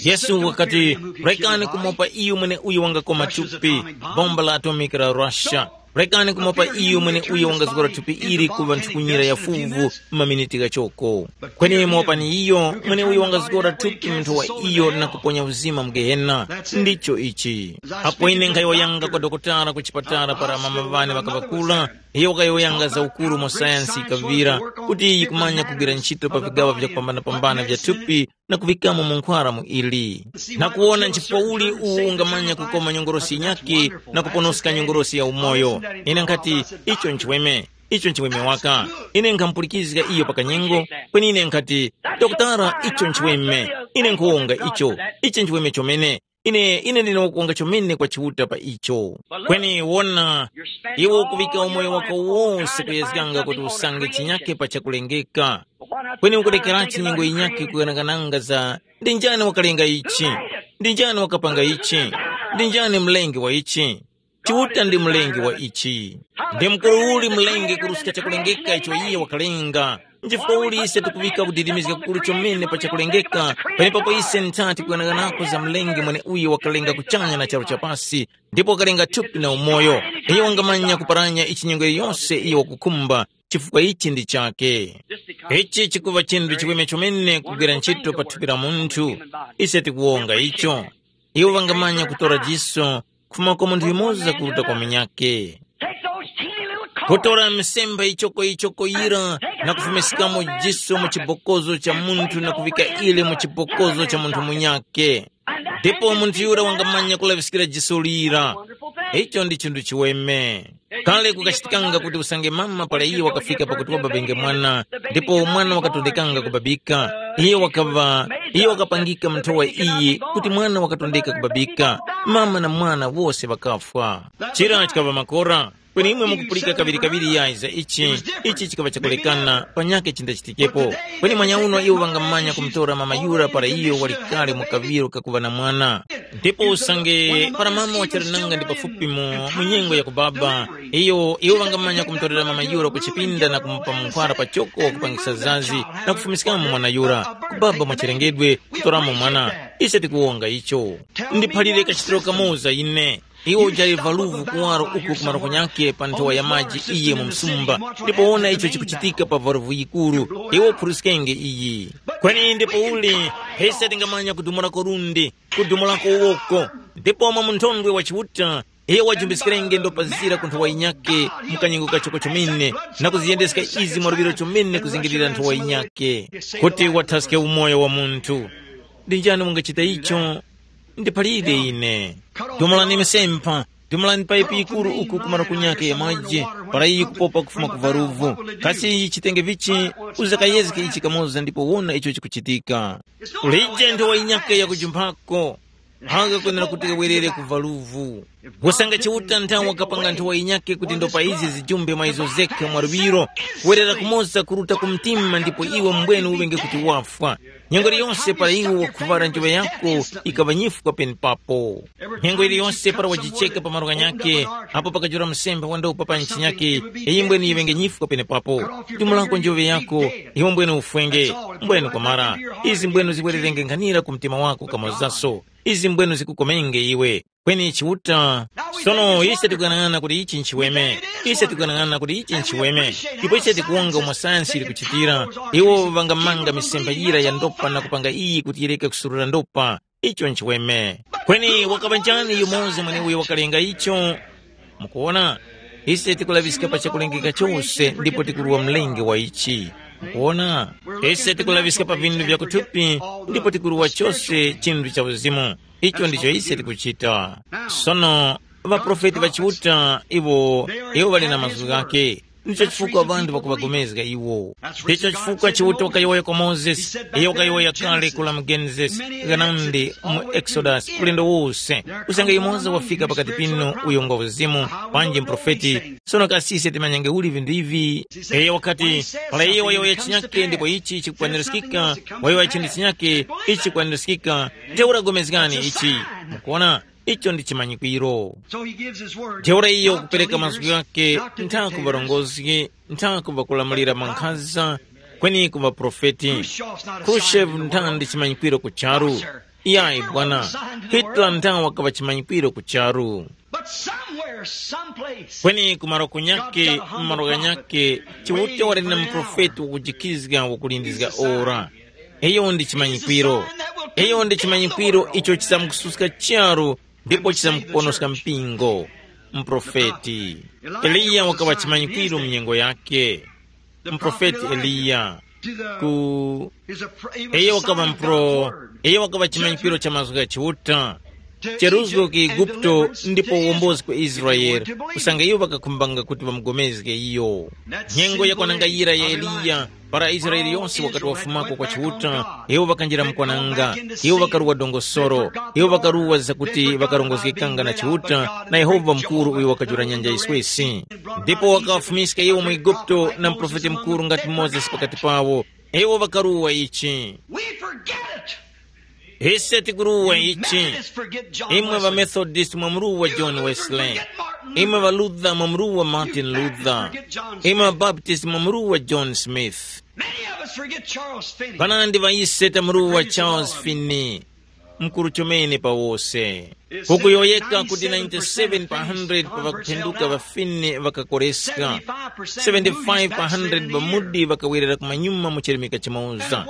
Yesu wakati, rekani kumopa iyo mwene uyo wangakoma thupi, bomba la atomiki la Russia. Rekani kumopa iyo mwene uyo wangazgora thupi ili kuŵa nthukunyira ya fuvu, maminiti ghachoko. Kweni mopani iyo mwene uyo wangazgora thupi munthu wa iyo na kuponya uzima mu gehena. Ndicho ichi. Apo ine nkhayowoyanga kwa dokotala ku chipatala para mama ŵane ŵakaŵakula, iyo wakayowoyanga za ukuru mu sayansi yikaŵira, kuti yikumanya kugwira ntchito pa vigaŵa vyakupambanapambana vya thupi, na kuŵikamo munkhwara mu ili, na kuwona nchifukwa uli uwu ungamanya kukoma nyongorosi yinyakhe na kuponoska nyongorosi ya umoyo. Ine nkhati, icho nchiweme, icho nchiweme waka. Ine nkhamupulikizga iyo pa kanyengo, kweni ine nkhati, dokotala, icho nchiweme. Ine nkhuwonga icho, ichi nchiweme chomene. Ine ine ndine wakuwonga chomene kwa Chiuta pa icho. Kweni wona, iwe ukuŵika umoyo wako wose kuyezganga kuti usange chinyakhe pa chakulengeka. Kweni ukulekeranji nyengo yinyakhe kuganagananga za ndi njani wakalenga ichi? Ndi njani wakapanga ichi? Ndi njani mlengi wa ichi? Chiuta ndi mlengi wa ichi. Ndi mkuru uli mlengi kuruska chakulengeka icho iye wakalenga. Nchifukwa uli ise tikuŵika kudidimizga kukuru chomene pa chakulengeka, penepapo ise ntha tikuyang'anako za mlengi mweneuyo wakalenga kuchanya na charu chapasi, ndipo wakalenga thupi na umoyo. Iyo wangamanya kuparanya ichi nyengo yose iyo wakukhumba, chifukwa ichi ndi chake. Ichi chikuva chinthu chiweme chomene kugwira ntchito pa thupi la munthu. Ise tikuwonga icho. Iwo ŵangamanya kutora jiso kufuma kwa munthu yumoza kuruta kwa munyakhe. Take those teeny little cords. Kutora misemba ichoko-ichoko yira na kufumiskamo jiso mu chibokozo cha munthu na kuvika ile mu chibokozo cha munthu munyakhe. Ndipo munthu yura wangamanya kulaŵiskira jiso lira. Icho ndi chinthu chiweme. Kale kukachitikanga kuti usange mama para iye wakafika pakuti wababenge mwana, ndipo mwana wakatondekanga kubabika, iye wakaŵa iye wakapangika mnthowa iyi kuti mwana wakatondeka kubabika, mama na mwana wose ŵakafwa. Chira chikaŵa makora. Kweni imwe mukupulika kaŵirikaŵiri yayi za ichi. Ichi chikaŵa chakulekana panyakhe chindachitikepo. Kweni mwanyauno iwo ŵangamanya kumutora mama yura para iyo wali kale mu kaŵiro kakuŵa na mwana. Ndipo usange para mama wachali nanga ndi pafupi mu, mu nyengo ya kubaba, iyo iwo ŵangamanya kumutorera mama yura ku chipinda na kumupa munkhwara pachoko wakupangisa zazi na kufumiskamo mwana yura. Kubaba mwachilengedwe kutoramo mwana. Ise tikuwonga icho. Ndiphalire kachitiro kamoza ine. Iwo ujali valuvu kuwaro uku ku maroko nyakhe pa nthowa ya maji iye mu msumba, ndipo wona icho chikuchitika pa valuvu yikuru. Iwo uphuriskenge iyi. Kweni ndipo uli, mpesa tingamanya kudumulako lundi, kudumulako woko, ndipo mwa munthondwe wa Chiuta, iyo wajumbiskerenge ndopazira ku nthowa yinyakhe mu kanyengo kachoko chomene, na kuziyendeska izi mwa luŵiro chomene kuzingirira nthowa yinyakhe, kuti wathaske umoyo wa munthu. Ndi njani wangachita icho? Ndiphalire ine. Dumulani misempha, dumulani paipi yikuru uku ku maluko nyakhe ya maji, para iyi kupopa kufuma ku valuvu. Kasi iyi chitenge vichi? Uzakayezge ichi kamoza ndipo wona icho chikuchitika. Ulije nthowa yinyakhe yakujumphako. Anga kwenera kuti kawerere ku valuvu. Kusanga Chiuta nthawe wakapanga nthowa yinyakhe kuti ndopa izi zijumbe mwa izo zekha mwa luŵiro, kuwerera kumoza kuruta ku mtima ndipo iwe mbwene uŵenge kuti wafwa. Nyengo iliyonse para iwe wakhuŵala njoŵa yako ikaŵa nyifwa penepapo. Nyengo iliyonse para wajicheka pa malo ghanyakhe, apo pakajula msembe wa ndopa pa ntchi nyakhe, iyi mbwene yiŵenge nyifwa penepapo. Dumulako njoŵa yako, iwe mbwene ufwenge, mbwene kwamara. Izi mbwene ziwererenge nkhanira ku mtima wako kamozaso. Izi mbwenu zikukomenge iwe. Kweni Chiuta, sono ise tikuyang'ana kuti ichi nchiweme. Ise tikuyang'ana kuti ichi nchiweme. Ndipo ise tikuwonga umo sayansi ili kuchitira. Iwo ŵangamanga misemba yira ya ndopa na kupanga iyi kuti yireke kusurura ndopa. Icho nchiweme. Kweni wakaŵa njani yumoza mweneuyo wakalenga icho? Mukuona, ise tikulaŵiska pa chakulengeka chose ndipo tikuruwa mlengi wa ichi. Mukuona, ise tikulaŵiska pa vinthu vya kuthupi ndipo tikuruwa chose chinthu cha uzimu. Icho ndicho ise tikuchita. Sono, ŵaprofeti ŵa Chiuta iwo, iwo ŵali na mazgu ghake. Ndicho chifukwa ŵanthu ŵakuŵagomezga iwo. Ndicho chifukwa Chiuta wakayowoya kwa Mozesi, iyo wakayowoya kale kula mu Genesis, ghanandi mu Exodus, ulendo wose. Kusanga yumoza wafika pakati pinu uyo ngwa uzimu, panji mprofeti. Sono kasi ise timanyange uli vinthu ivi? Iyo wakati, para iyo wayowoya chinyake ndipo ichi chikukwanirizgika, wayowoya chinthu chinyake, ichi chikukwanirizgika, ntheura gomezgani ichi. Mukuona, icho ndi chimanyikwiro. So he gives his word. Ntheura iyo kupereka mazgu ghake, nthaku varongozgi, nthaku vakulamulira mankhaza, kweni ku vaprofeti. Khrushchev nthawa ndi chimanyikwiro ku charu. Iyayi bwana, Hitler nthawa wakaŵa chimanyikwiro ku charu. But somewhere, someplace, kweni kumaro kunyake, mmaro ghanyake, Chiuta wali na muprofeti wakujikizga wakulindizga ora. Iyo ndi chimanyikwiro. Iyo ndi chimanyikwiro icho chisamkususka charu ndipo chisamkuponoska mpingo. Mprofeti Eliya wakaŵa chimanyikwiro mu nyengo yake. Mprofeti Eliya ku iyo wakaŵa mpro, iyo wakaŵa chimanyikwiro cha mazgu gha Chiuta, cheruzgo ku Eguputo ndipo uwombozi ku Israele, kusanga iwo ŵakakhumbanga kuti ŵamugomezge iyo. Nyengo yakwananga yira ya Eliya, para Israele yonse wakati wafumako kwa Chiuta, iwo ŵakanjira mukwananga, iwo ŵakaruwa dongosoro, iwo ŵakaruwa zakuti ŵakarongozgekanga na Chiuta na Yehova mukuru uyo wakajula nyanja yiswesi. Ndipo wakaŵafumiska iwo mu Eguputo na muprofeti mukuru ngati Mozesi pakati pawo. Iwo ŵakaruwa ichi. We forget it. Ise tikuruwa ichi. Methodists forget John Imwe Wesley. Ŵamethodist mwamuruwa John Wesley. Imwe Ŵaluther mwamuruwa Martin Luther. Imwe Ŵabaptist mwamuruwa John Smith. Many of us forget Charles Finney. Panandi ŵa ise tamuruwa Charles Finney, mkuru chomene pa wose. Kukuyowoyeka kuti ninety-seven pa hundred pa ŵakuphenduka ŵa Finney ŵakakoreska, seventy-five pa hundred ŵa Moody ŵakawerera kumanyuma mu chirimika chimoza.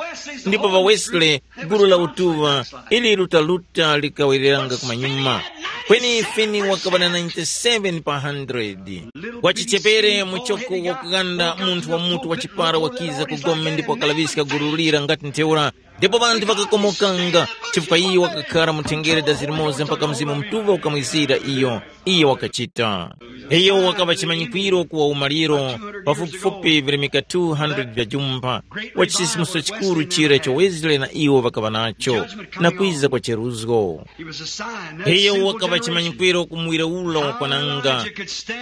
Ndipo ŵa Wesley, gulu la utuŵa, ili lutaluta likawereranga kumanyuma. Kweni Finney wakaŵa na ninety-seven pa hundred. Wachichepere muchoko wakuganda munthu wa mutu wa chipara wakiza ku gome ndipo wakalaŵiska gulu lira ngati ntheura. Ndipo ŵanthu ŵakakomokanga, chifukwa iyo wakakhara mu thengere dazi limoza mpaka Mzimu Mutuŵa ukamwizira iyo. Iyo wakachita. Iyo wakaŵa chimanyikwiro ku umaliro, pafupifupi virimika two hundred vya jumba, wa chisisimuso chikuru chira icho Wesley na iwo ŵakaŵa nacho, na kwiza kwa cheruzgo. Iyo wakaŵa chimanyikwiro ku muwiro ula wakwananga.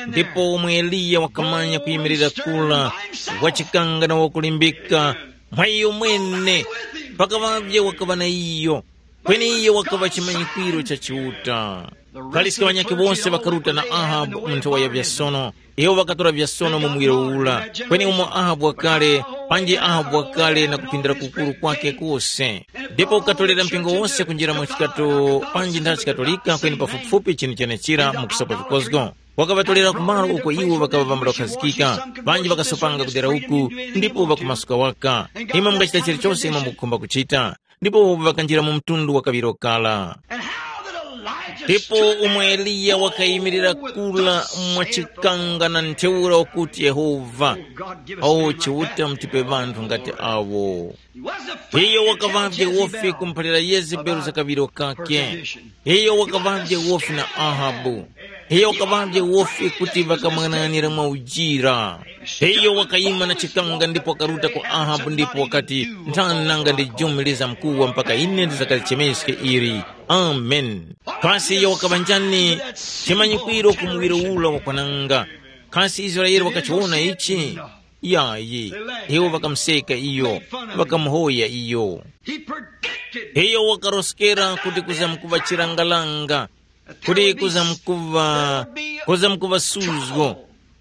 Ndipo umwe Eliya wakamanya kuyimirira kula, wachikanga na wakulimbika, mwa iyo mwene, pakaŵavye wakaŵa na iyo, kweni iyo wakaŵa chimanyikwiro cha Chiuta. Kaliska ŵanyakhe wose ŵakaruta na Ahabu mu nthowa ya vyasono. Iwo ŵakatora vyasono mu muwiro ula, kweni umo Ahabu wakale, panji Ahabu wakale na kupindira kukuru kwake kose. Ndipo ukatolera mpingo wose kunjira mu chikato, panji ntha chikatolika kweni pafupifupi chinthu chenechira mu kusopa vikozgo. Wakaŵatolera ku malo uko iwo ŵakaŵa ŵambakhazikika, ŵanji ŵakasopanga kudera uku, ndipo ŵakumasuka waka. Imwe mungachita chilichose imwe mukukhumba kuchita, ndipo ŵakanjira mu mtundu wa kaŵiro kala. Ndipo umwe Eliya wakayimirira kula mwachikanga na ntheura wakuti, Yehova, awo Chiuta mutipe ŵanthu ngati awo. Iyo wakaŵavye wofi kumuphalira Yezebeli za kaŵiro kake. Iyo wakaŵavye wofi na Ahabu. Iyo wakaŵavye wofi kuti ŵakamwang'ananira mwa ujira. Iyo wakayima na chikanga ndipo wakaruta kwa Ahabu ndipo wakati, nthani nanga ndi jumi lizamkuwa mpaka ine ndizakalichemeske ili. Amen. Kasi iyo wakaŵa njani chimanyikwiro ku muŵiro ula wakwananga? Kasi Israele wakachiwona ichi? Yayi, iwo ŵakamuseka iyo, ŵakamuhoya iyo. He predicted iyo wakaroskera kuti kuzamkuŵa chirangalanga, kuti kuzamkuŵa kuzamkuŵa suzgo,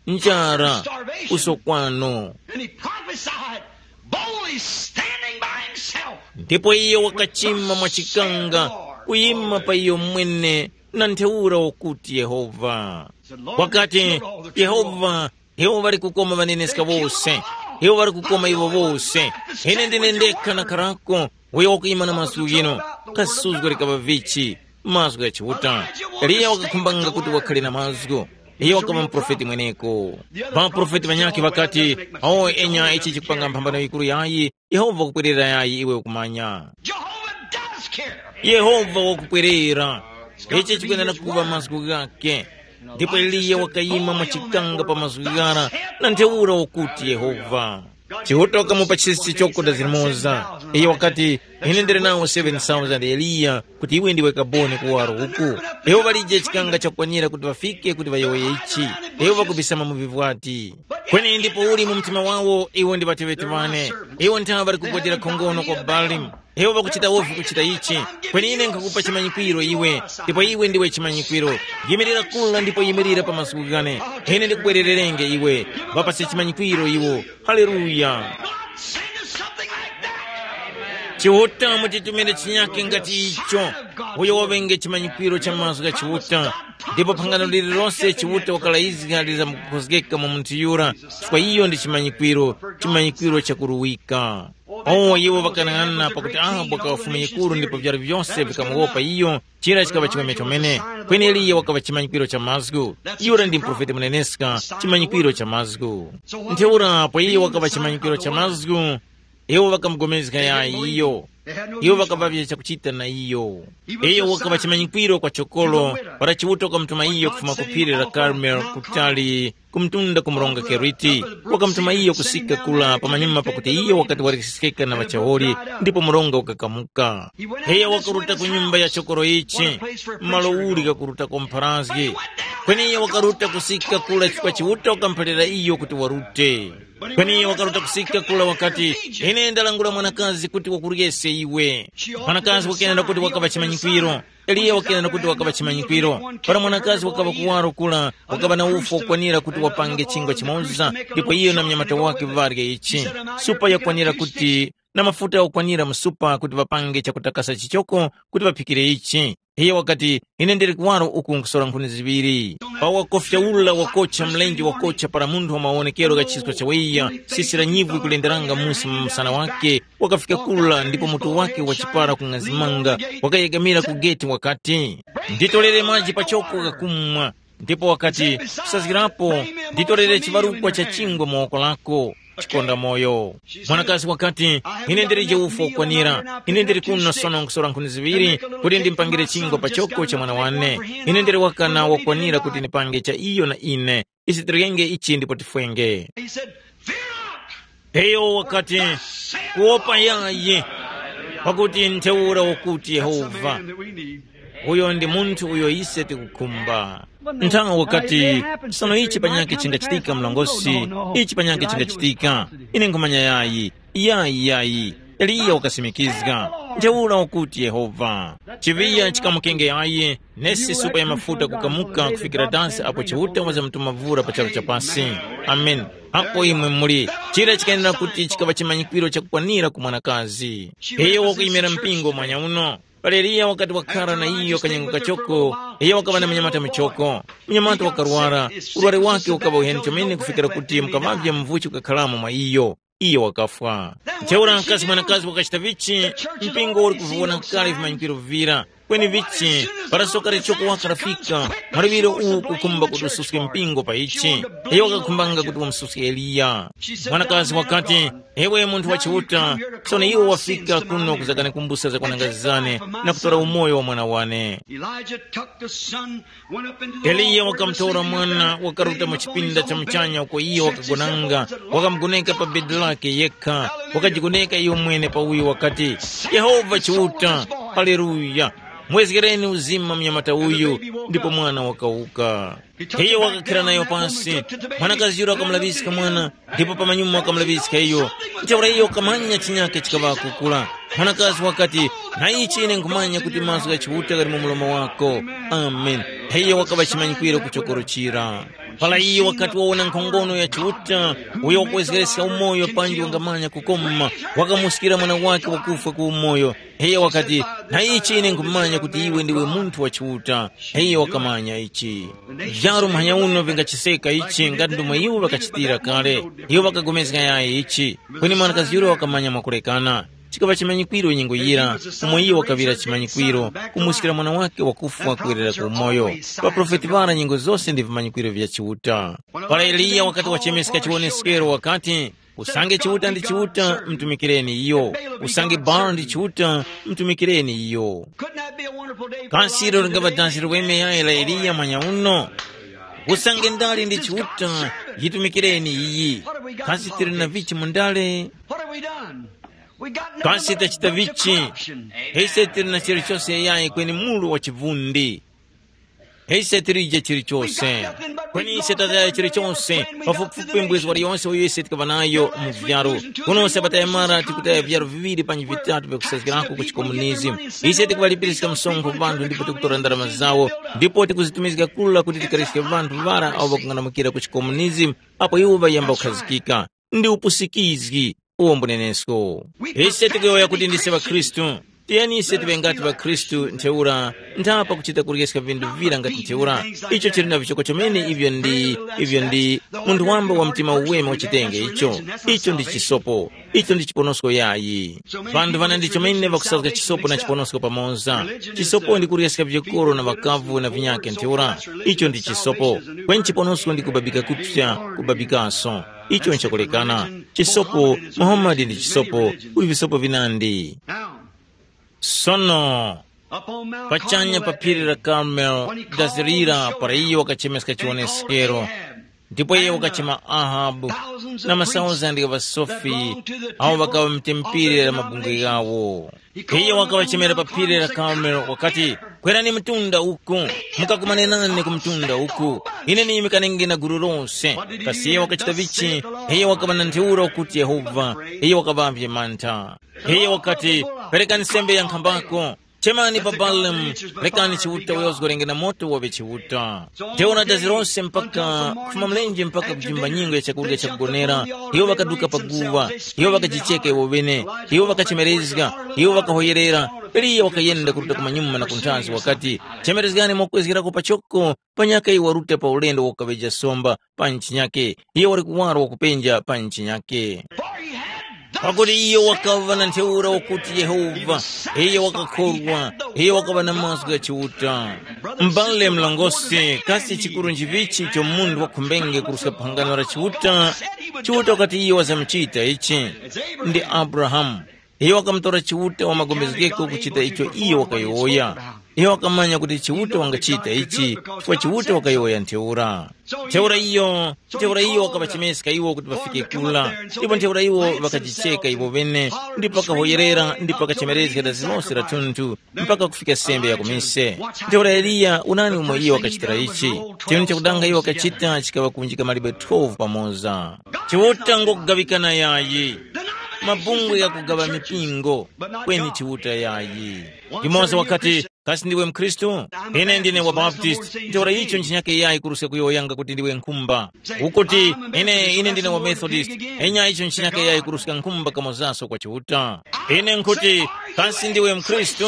njara, usokwano. And he prophesied boldly standing by himself. Ndipo iye wakachima mwachikanga, kuyima pa iyo mwene, na ntheura wakuti Yehova. Wakati, Yehova, iwo ŵali kukoma ŵaneneska wose, iwo ŵali kukoma iwo wose. Ine ndine ndekha na karako, uyo wakuyima na mazgu ghino. Kasuzgo likaŵa vichi, mazgu gha Chiuta. Eliya wakakhumbanga kuti wakhale na mazgu. Iye wakaŵa muprofeti mweneko. Ŵaprofeti ŵanyakhe ŵakati, awo enya ichi chikupanga mphambano yikuru yayi, Yehova wakupwerera yayi iwe ukumanya. Jehovah does care. Yehova wakupwerera. Ichi chikwenera kuŵa mazgu ghake. Ndipo Eliya wakayima mwachikanga pa mazgu ghara, na ntheura wakuti Yehova. Chiuta wakamupa chisi chichoko da zilimoza. Iye wakati, ine ndili nawo seven thousand Eliya, kuti iwe ndiwe kaboni kuwaro uku. Iwo ŵalije chikanga chakukwanira kuti ŵafike kuti ŵayowoye ichi. Iwo ŵakubisama mu vivwati. Kweni ndipo uli mu mtima wawo, iwo ndi ŵateŵeti ŵane. Iwo nthawe ŵali kugwadira khongono kwa Baali. Iwo ŵakuchita wovi kuchita ichi. Kweni ine nkhakupa chimanyikwiro iwe, ndipo iwe ndiwe chimanyikwiro. Yimirira kula ndipo yimirira pa mazgu ghane. Ine ndikubwerererenge iwe. Ŵapase chimanyikwiro iwo. Haleluya. God send us something like that. Chiuta mutitumire chinyake ngati icho. Uyo waŵenge chimanyikwiro cha mazgu gha Chiuta. Ndipo phangano lililonse Chiuta wakalayizga lizamkukhozgeka mu munthu yura, chifukwa iyo ndi chimanyikwiro, chimanyikwiro chakuruwika. Oh, iwo ŵakanang'ana pakuti Ahabu wakaŵa fumu yikuru ndipo vyara vyose vikamuwopa iyo, chira chikaŵa chiweme chomene. Kweni Eliya wakaŵa chimanyikwiro cha mazgu. Yura ndi muprofeti muneneska, chimanyikwiro cha mazgu. Ntheura apo iye wakaŵa chimanyikwiro cha mazgu, iwo ŵakamugomezga yayi iyo. Iwo ŵakaŵavye chakuchita na iyo. Iyo wakaŵa chimanyikwiro kwa chokolo, para Chiuta wakamutuma iyo kufuma ku phiri la Karmeli kutali ku mtunda ku mronga Keriti. Wakamutuma iyo kusika kula pamanyuma pakuti iyo wakati walikiskika na ŵachawoli, ndipo mronga ukakamuka. Iyo wakaruta ku nyumba ya chokoro ichi, malo uli kakurutako mpharazgi. Kweni iyo wakaruta kusika kula chifukwa Chiuta wakamuphalira iyo kuti warute. Kweni iyo wakaruta kusika kula wakati, ine ndalangula mwanakazi kuti wakuryese iwe. Mwanakazi wakenera kuti wakaŵa chimanyikwiro. Eliya wakenera kuti wakaŵa chimanyikwiro. Para mwanakazi wakaŵa kuwaro kula, wakaŵa na ufu wokwanira kuti wapange chingwa chimoza, ndipo iyo na mnyamata wake ŵarye ichi. Supa yakwanira kuti na mafuta okwanira mu supa kuti ŵapange chakutakasa chichoko kuti ŵaphikire ichi. Iye wakati, ine ndili kuwaro uku nkusora nkhuni ziŵiri. Pa wakofya ula wakocha mlenje wakocha para munthu wa mawonekero gha chisko chawiya, sisi la nyivwi kulenderanga musi mu msana wake, wakafika kula ndipo mutu wake wachipara kung'azimanga, wakayegamira ku geti wakati, nditorere maji pachoko ghakumwa. Ndipo wakati, kusazgirapo, nditorere chibarukwa cha chingwa mu woko lako. Chikonda moyo. Mwanakazi wakati, ine ndilije ufu wokwanira, ine ndili kuno sono nkusora nkhuni ziŵiri kuti ndimpangire chingwa pa choko cha mwana wane. Ine ndili wakana wokwanira kuti ndipange cha iyo na ine. Isi tirenge ichi ndipo tifwenge. He said, "Fear not." Iyo wakati, kuwopa yayi, pakuti ntheura ukuti Yehova. Uyo ndi munthu uyo ise tikukhumba. Nthawi wakati, sono ichi panyakhe chingachitika mlongosi, ichi panyakhe chingachitika. Ine nkhumanya yayi, yayi, yayi. Eliya wakasimikizga. Ntheura ukuti Yehova. Chiŵiya chikamukenge yayi, nesi supa ya mafuta kukamuka kufikira dansi apo Chiuta wazamtuma vura pa charu cha pasi. Amen. Apo imwe muli, chira chikayenera kuti chikaŵa chimanyikwiro chakukwanira ku mwanakazi. Iyo wakuyimira mpingo mwanya uno. Pali Eliya wakati wakhara na iyo kanyengo kachoko, iyo wakaŵa na munyamata muchoko. Munyamata wakarwara, urwari wake ukaŵa uheni chomene kufikira kuti mukamavya mvuchi ukakharamo mwa iyo. Iyo wakafwa. Ntheura mkazi mwanakazi wakachita vichi, mpingo uli kuvivona kale vimanyikwiro vira. Kweni vichi, para soka lichoko waka lafika, mwaluŵiro uwu kukhumba kuti ususke mpingo pa ichi. Iyo wakakhumbanga kuti wamususke Eliya. Mwanakazi wakati, ewe munthu wa Chiuta, sono iwe wafika kuno kuzakanikumbusa za kwananga zane na kutora umoyo wa mwana wane. Elijah took the son, went up into the Eliya Lord, wakamtora mwana, wakaruta mu chipinda cha muchanya uko iyo wakagonanga, wakamugoneka pa bedi lake yekha, wakajigoneka iyo mwene pa uyo wakati, Yehova Chiuta, haleluya. Mwezgereni uzima mnyamata uyu. Ndipo mwana wakawuka. Iyo wakakhira nayo pasi. Mwanakazi yura wakamulaŵiska mwana, ndipo pamanyuma wakamulaŵiska iyo. Ntheura iyo wakamanya chinyake chikaŵa kukula. Mwanakazi wakati, na ichi ine nkhumanya kuti mazgu gha Chiuta ghali mu mlomo wako. Amen. Iyo wakaŵa chimanyikwiro kuchokoro chira. Para iyo wakati wawona nkhongono ya Chiuta, uyo wakuwezgereska umoyo panji wangamanya kukoma, wakamuskira mwana wake wakufwa ku umoyo. Iyo wakati, na ichi ine nkhumanya kuti iwe ndiwe munthu wa Chiuta. Iyo wakamanya ichi. Vyaru muhanya uno vingachiseka ichi ngati ndomwe iwo ŵakachitira kale. Iwo ŵakagomezga yayi ichi. Kweni mwanakazi yura wakamanya mwakulekana. Chikaŵa chimanyikwiro nyengo yira, umo iyo wakaŵira chimanyikwiro, kumuskira mwana wake wakufwa kuwerera ku umoyo. Ŵaprofeti ŵara nyengo zose ndi vimanyikwiro vya Chiuta. Para Eliya wakati wachemeska chiwoneskero wakati, usange Chiuta ndi Chiuta, mtumikireni iyo. Usange Baal ndi Chiuta, mtumikireni iyo. Kasi ilo lingava dansi liweme yayi la Eliya mwanya uno? Usange ndale ndi Chiuta, yitumikireni iyi. Kasi tili na vichi mu ndale? Kasi tachita vichi? Ise tili na chilichose yayi kweni mulu wa chivundi. Ise tilije chilichose. Kweni ise tataya chilichose, pafupifupi mbwezi waliyonse uyo ise tikaŵa nayo mu vyaru. Kuno Sabata yamara tikutaya vyaru viŵiri panji vitatu vyakusazgirako ku chikomunizimu. Ise tikuŵalipiriska msonkho vanthu ndipo tikutora ndarama zawo, ndipo tikuzitumizga kula kuti tikariske vanthu ŵara awo ŵakung'anamukira ku chikomunizimu, apo iwo ŵayamba kukhazikika. Ndi upusikizgi uwo mbunenesko. Ise tikuyowoya kuti ndise ŵakhristu. Tiyeni ise tiŵe ngati ŵakhristu ntheura, ntha pakuchita kuryeska vinthu vira ngati ntheura. Icho chili na vichoko chomene ivyo ndi ivyo ndi munthu wamba wa mtima uweme wachitenge icho. Icho ndi chisopo. Icho ndi chiponosko yayi. Vanthu vana ndi chomene ŵakusazga chisopo na chiponosko pamoza. Chisopo ndi kuryeska vikoro na ŵakavu na vinyake ntheura. Icho ndi chisopo. Kweni chiponosko ndi kubabika kupsa, kubabikaso. Icho nchakulekana. Chisopo, Muhammad ndi chisopo, kuli visopo vinandi. Sono, pachanya pa phiri la Karmel, dazirira para iyo wakachemeska chiwoneskero. Ndipo iye wakachema Ahabu na masauzandi gha ŵasofi awo ŵakaŵa mtempere la mabungwe ghawo. Iyo wakawachemera pa phiri la Karmel wakati, kwerani mtunda uku, mukakumane nane ku mtunda uku, ine niyimikanenge na gulu lose. Kasi iyo wakachita vichi? Iyo wakaŵa na ntheura ukuti Yehova, iyo wakaŵavye mantha. Iyo wakati, perekani sembe ya nkhambako, chemani pa Balamu, rekani Chiuta uyo wazgorenge na moto waŵe Chiuta. Ntheura dazi lose mpaka kufuma mlenje mpaka kujimba nyingo ya chakurya chakugonera, iwo ŵakaduka pa guwa, iwo ŵakajicheka iwo ŵene, iwo ŵakachemerezga, iwo ŵakahoyerera. Eliya wakayenda kuruta kumanyuma na kunthazi wakati, chemerezgani mokwezgerako pachoko, panyaka iwo waruta pa ulendo wakukaŵeja somba pa ntchinyake, iye wali kuwaro wakupenja pa ntchinyake. Pakuti iyo wakaŵa na ntheura wakuti Yehova, iyo wakakhorwa, iyo wakaŵa na mazgu gha Chiuta. M'bale mlongosi, kasi chikuru nchivichi icho munthu wakhumbenge kuruska phangano la Chiuta? Chiuta wakati iyo wazamuchita ichi ndi Abrahamu. Iyo wakamutora Chiuta wa magomezgeko kuchita icho iyo wakayowoya. Iyo wakamanya kuti Chiuta wangachita ichi, chifukwa Chiuta wakayowoya ntheura. Ntheura iyo, ntheura iyo wakaŵachemeska iwo kuti ŵafike kula, ndipo ntheura iwo ŵakajicheka iwo ŵene, ndipo ŵakahoyerera, ndipo ŵakachemerezga dazi lose la thunthu, mpaka kufika sembe ya kumise. Ntheura Eliya, unani umo iyo wakachitira ichi? Chinthu chakudanga iyo wakachita chikaŵa kunjika mawe twelve pamoza. Chiuta ngokugaŵikana yayi. Mabungwe ghakugaŵa mipingo, kweni Chiuta yayi. Yumoza wakati, kasi ndiwe mkhristu? Ine ndine wa Baptist. Ntheura icho nchinyake yayi kuruska kuyowoyanga kuti ndiwe nkhumba. Ukuti, ine ine ndine wa Methodist. Enya icho nchinyake yayi kuruska nkhumba kamozaso kwa Chiuta. Ine nkhuti, kasi ndiwe mkhristu?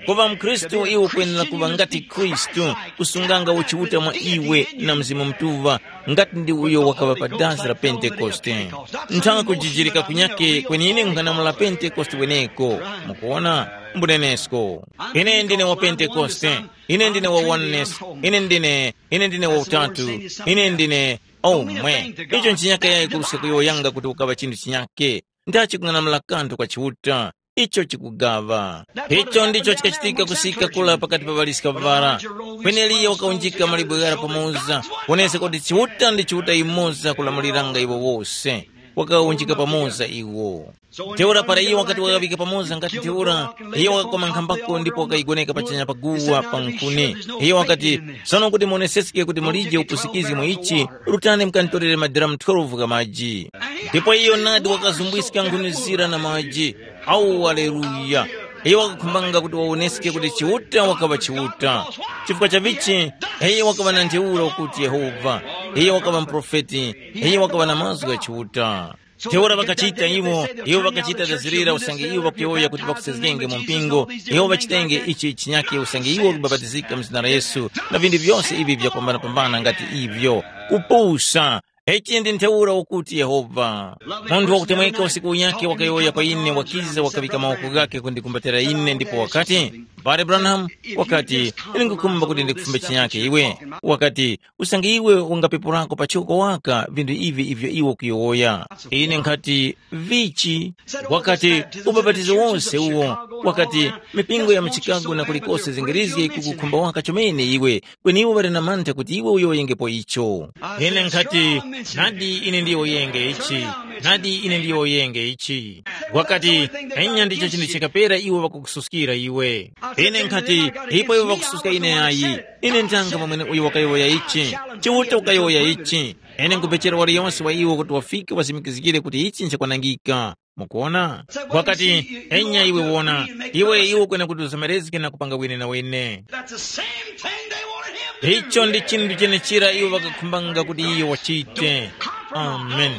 Kuŵa mkhristu iwe ukwenera kuŵa ngati Khristu, kusunganga uchiuta mwa iwe na Mzimu Mutuŵa, ngati ndi uyo wakaŵa pa dazi la Pentekoste. Nthaka kujijirika kunyake kwenine nkhanamula Pentekoste weneko. Mukuwona? Mbunenesko. Ine ndine wa Pentekoste. Ine ndine wa oneness. Ine ndine ine ndine wa utatu. Ine ndine omwe. Icho nchinyaka yayi kuruska kuyowoyanga kuti ukaŵa chinthu chinyake. Ndachikung'anamula kanthu kwa Chiuta. Icho chikugaŵa. Icho ndicho chikachitika kusika kula pakati pa ŵaliska ŵara. Kweneliyo wakaunjika malibwe ghara pamoza, wonesa kuti Chiuta ndi Chiuta yumoza kulamuliranga iwo wose. wakawunjika pamoza iwo. Ntheura para iyo wakati wakaŵika pamoza ngati ntheura, iyo wakakoma nkhambako ndipo wakayigoneka pachanya pa guwa pa nkhuni. Iyo wakati, “Sono kuti muoneseske kuti mulije upusikizgi mu ichi, rutani mukantorere madiramu twelve gha maji.” Ndipo iyo nadi wakazumbwiska nkhuni zira na maji. Awu, aleluya! Iyo wakakhumbanga kuti wawoneske kuti Chiuta wakaŵa Chiuta. Chifukwa cha vichi? Iyo wakaŵa na ntheura ukuti Yehova. Iyo wakaŵa muprofeti. Iyo wakaŵa na mazgu gha Chiuta. Ntheura ŵakachita iwo, iwo ŵakachita dazirira usange iwo ŵakuyowoya kuti ŵakusezgenge mu mpingo, iwo ŵachitenge ichi chinyake usange iwo ŵakubapatizika mu zina la Yesu, na vinthu vyose ivi vyakwambana-kwambana ngati ivyo. Kupusa! Ichi ndi ntheura ukuti Yehova. Munthu wakutemweka usiku unyakhe wakayowoya kwa ine, wakiza wakaŵika mawoko ghakhe kundikumbatira ine ndipo wakati, “M'bale Branham,” wakati, “ine nkhukhumba kuti ndikufumbe chinyake iwe.” Wakati, “Usange iwe ungapepurako pachoko waka vinthu ivi ivyo iwe ukuyowoya.” Ine nkhati, “Vichi?” Wakati, “Ubapatizo wose uwo.” Wakati, “Mipingo ya mu Chicago na kulikose zingirizge kukukhumba waka chomene iwe, kweni iwo ŵali na mantha kuti iwe uyowoyengepo icho.” Ine nkhati, “Nadi ine ndiyowoyenge ichi, nadi ine ndiyowoyenge ichi.” Wakati, “Enya ndicho chinthu chikapera iwo ŵakukususkira iwe.” Ine nkhati, “Ipo iwo ŵakususka ine ayi. Ine ndanga mwamwene uyo wakayowoya ichi. Chiuta wakayowoya ichi. Ine nkupechera waliyonse wa iwo kuti wafike wasimikizgire kuti ichi nchakwanangika.” Mukuona? Wakati, “Enya iwe wona, iwe iwe kwene kuti uzomerezge na kupanga wene na wene.” That's the same thing they wanted him to do. Icho ndi chinthu chenechira iwo ŵakakhumbanga kuti iyo wachite. Amen.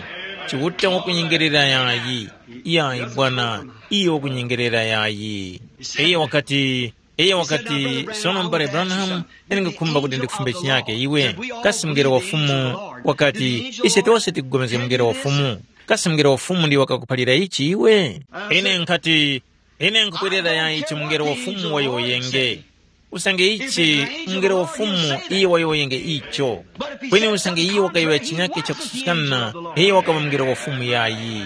Chiuta wakunyengerera yayi. Yayi bwana, iyo wakunyengerera yayi. Iye wakati, iye wakati, “Sono m'bale Branham, ine ndikukhumba kuti ndikufumbe chinyake iwe. Kasi mngelo wa Fumu?” Wakati, “Ise tose tikupulikana mngelo wa Fumu. Kasi mungelo wa Fumu ndiyo wakakuphalira ichi iwe?” Ine nkhati, “Ine nkhupwerera yayi ichi mungelo wa Fumu wayowoyenge. Usange ichi mungelo wa Fumu iyo wayowoyenge icho. Kweni usange iyo wakayowoya chinyake chakususkana, iyo wakaŵa mungelo wa Fumu yayi.”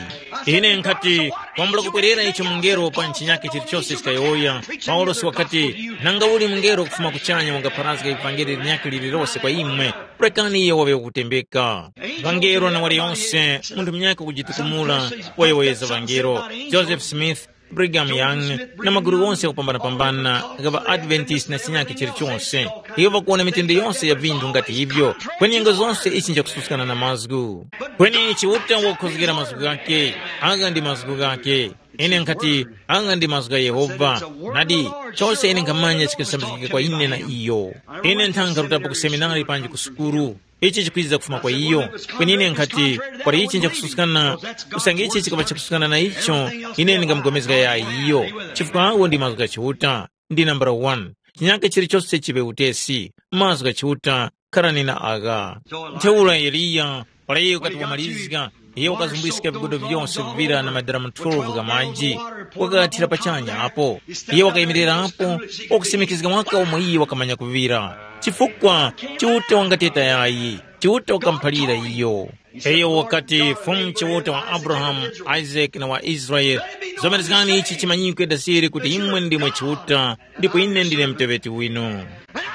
Ine nkhati, “Kwambula kupwerera icho mungelo pa chinyake chilichose chikayowoya.” Paulosi wakati, “Nanga uli mungelo kufuma kuchanya wangapharazga ivangeli linyakhe lililose kwa imwe, rekani iyo waŵe wakutembeka.” Vangelo na waliyonse, munthu munyakhe kujitukumula, wayowoyeza vangelo, Joseph Smith, Brigham Young, na magulu ghonse ghakupambanapambana gha ŵaAdventist na chinyakhe chilichonse. Iwo ŵakuwona mitende yonse ya vinthu ngati ivyo, kweni nyengo zose ichi nchakususkana na mazgu. Kweni Chiuta wakukhozgera mazgu ghakhe, agha ndi mazgu ghakhe. Ine nkhati, agha ndi mazgu gha Yehova. Nadi, chose ine nkhamanya chikasambizgika kwa ine na iyo. Ine nthanga rutapo ku seminari panji ku sukulu. Ichi chikwiza kufuma kwa iyo. Kweni ine nkhati, kwali ichi nchakususkana, usange ichi chikaba chakususkana na icho, ine ndingamugomezga yayi iyo. Chifukwa awo ndi mazgu gha Chiuta, ndi nambala wani. Chinyakhe chilichose chiŵe utesi, mazgu gha Chiuta, kharani na agha. Ntheura Eliya, para iyo wakati wamalizga, iyo wakazumbwiska vigodo vyose vivira na madera twelve gha maji, wakathira pachanya apo. Iyo wakayimirirapo, wakusimikizga waka umo iye wakamanya kuvira. Chifukwa Chiuta wangateta yayi, Chiuta wakamuphalira iyo. Iyo wakati, Fumu Chiuta wa Abrahamu, Isake na wa Israele, zomerezgani ichi chimanyikwe dasiri kuti imwe ndimwe Chiuta, ndipo ine ndine muteŵeti winu.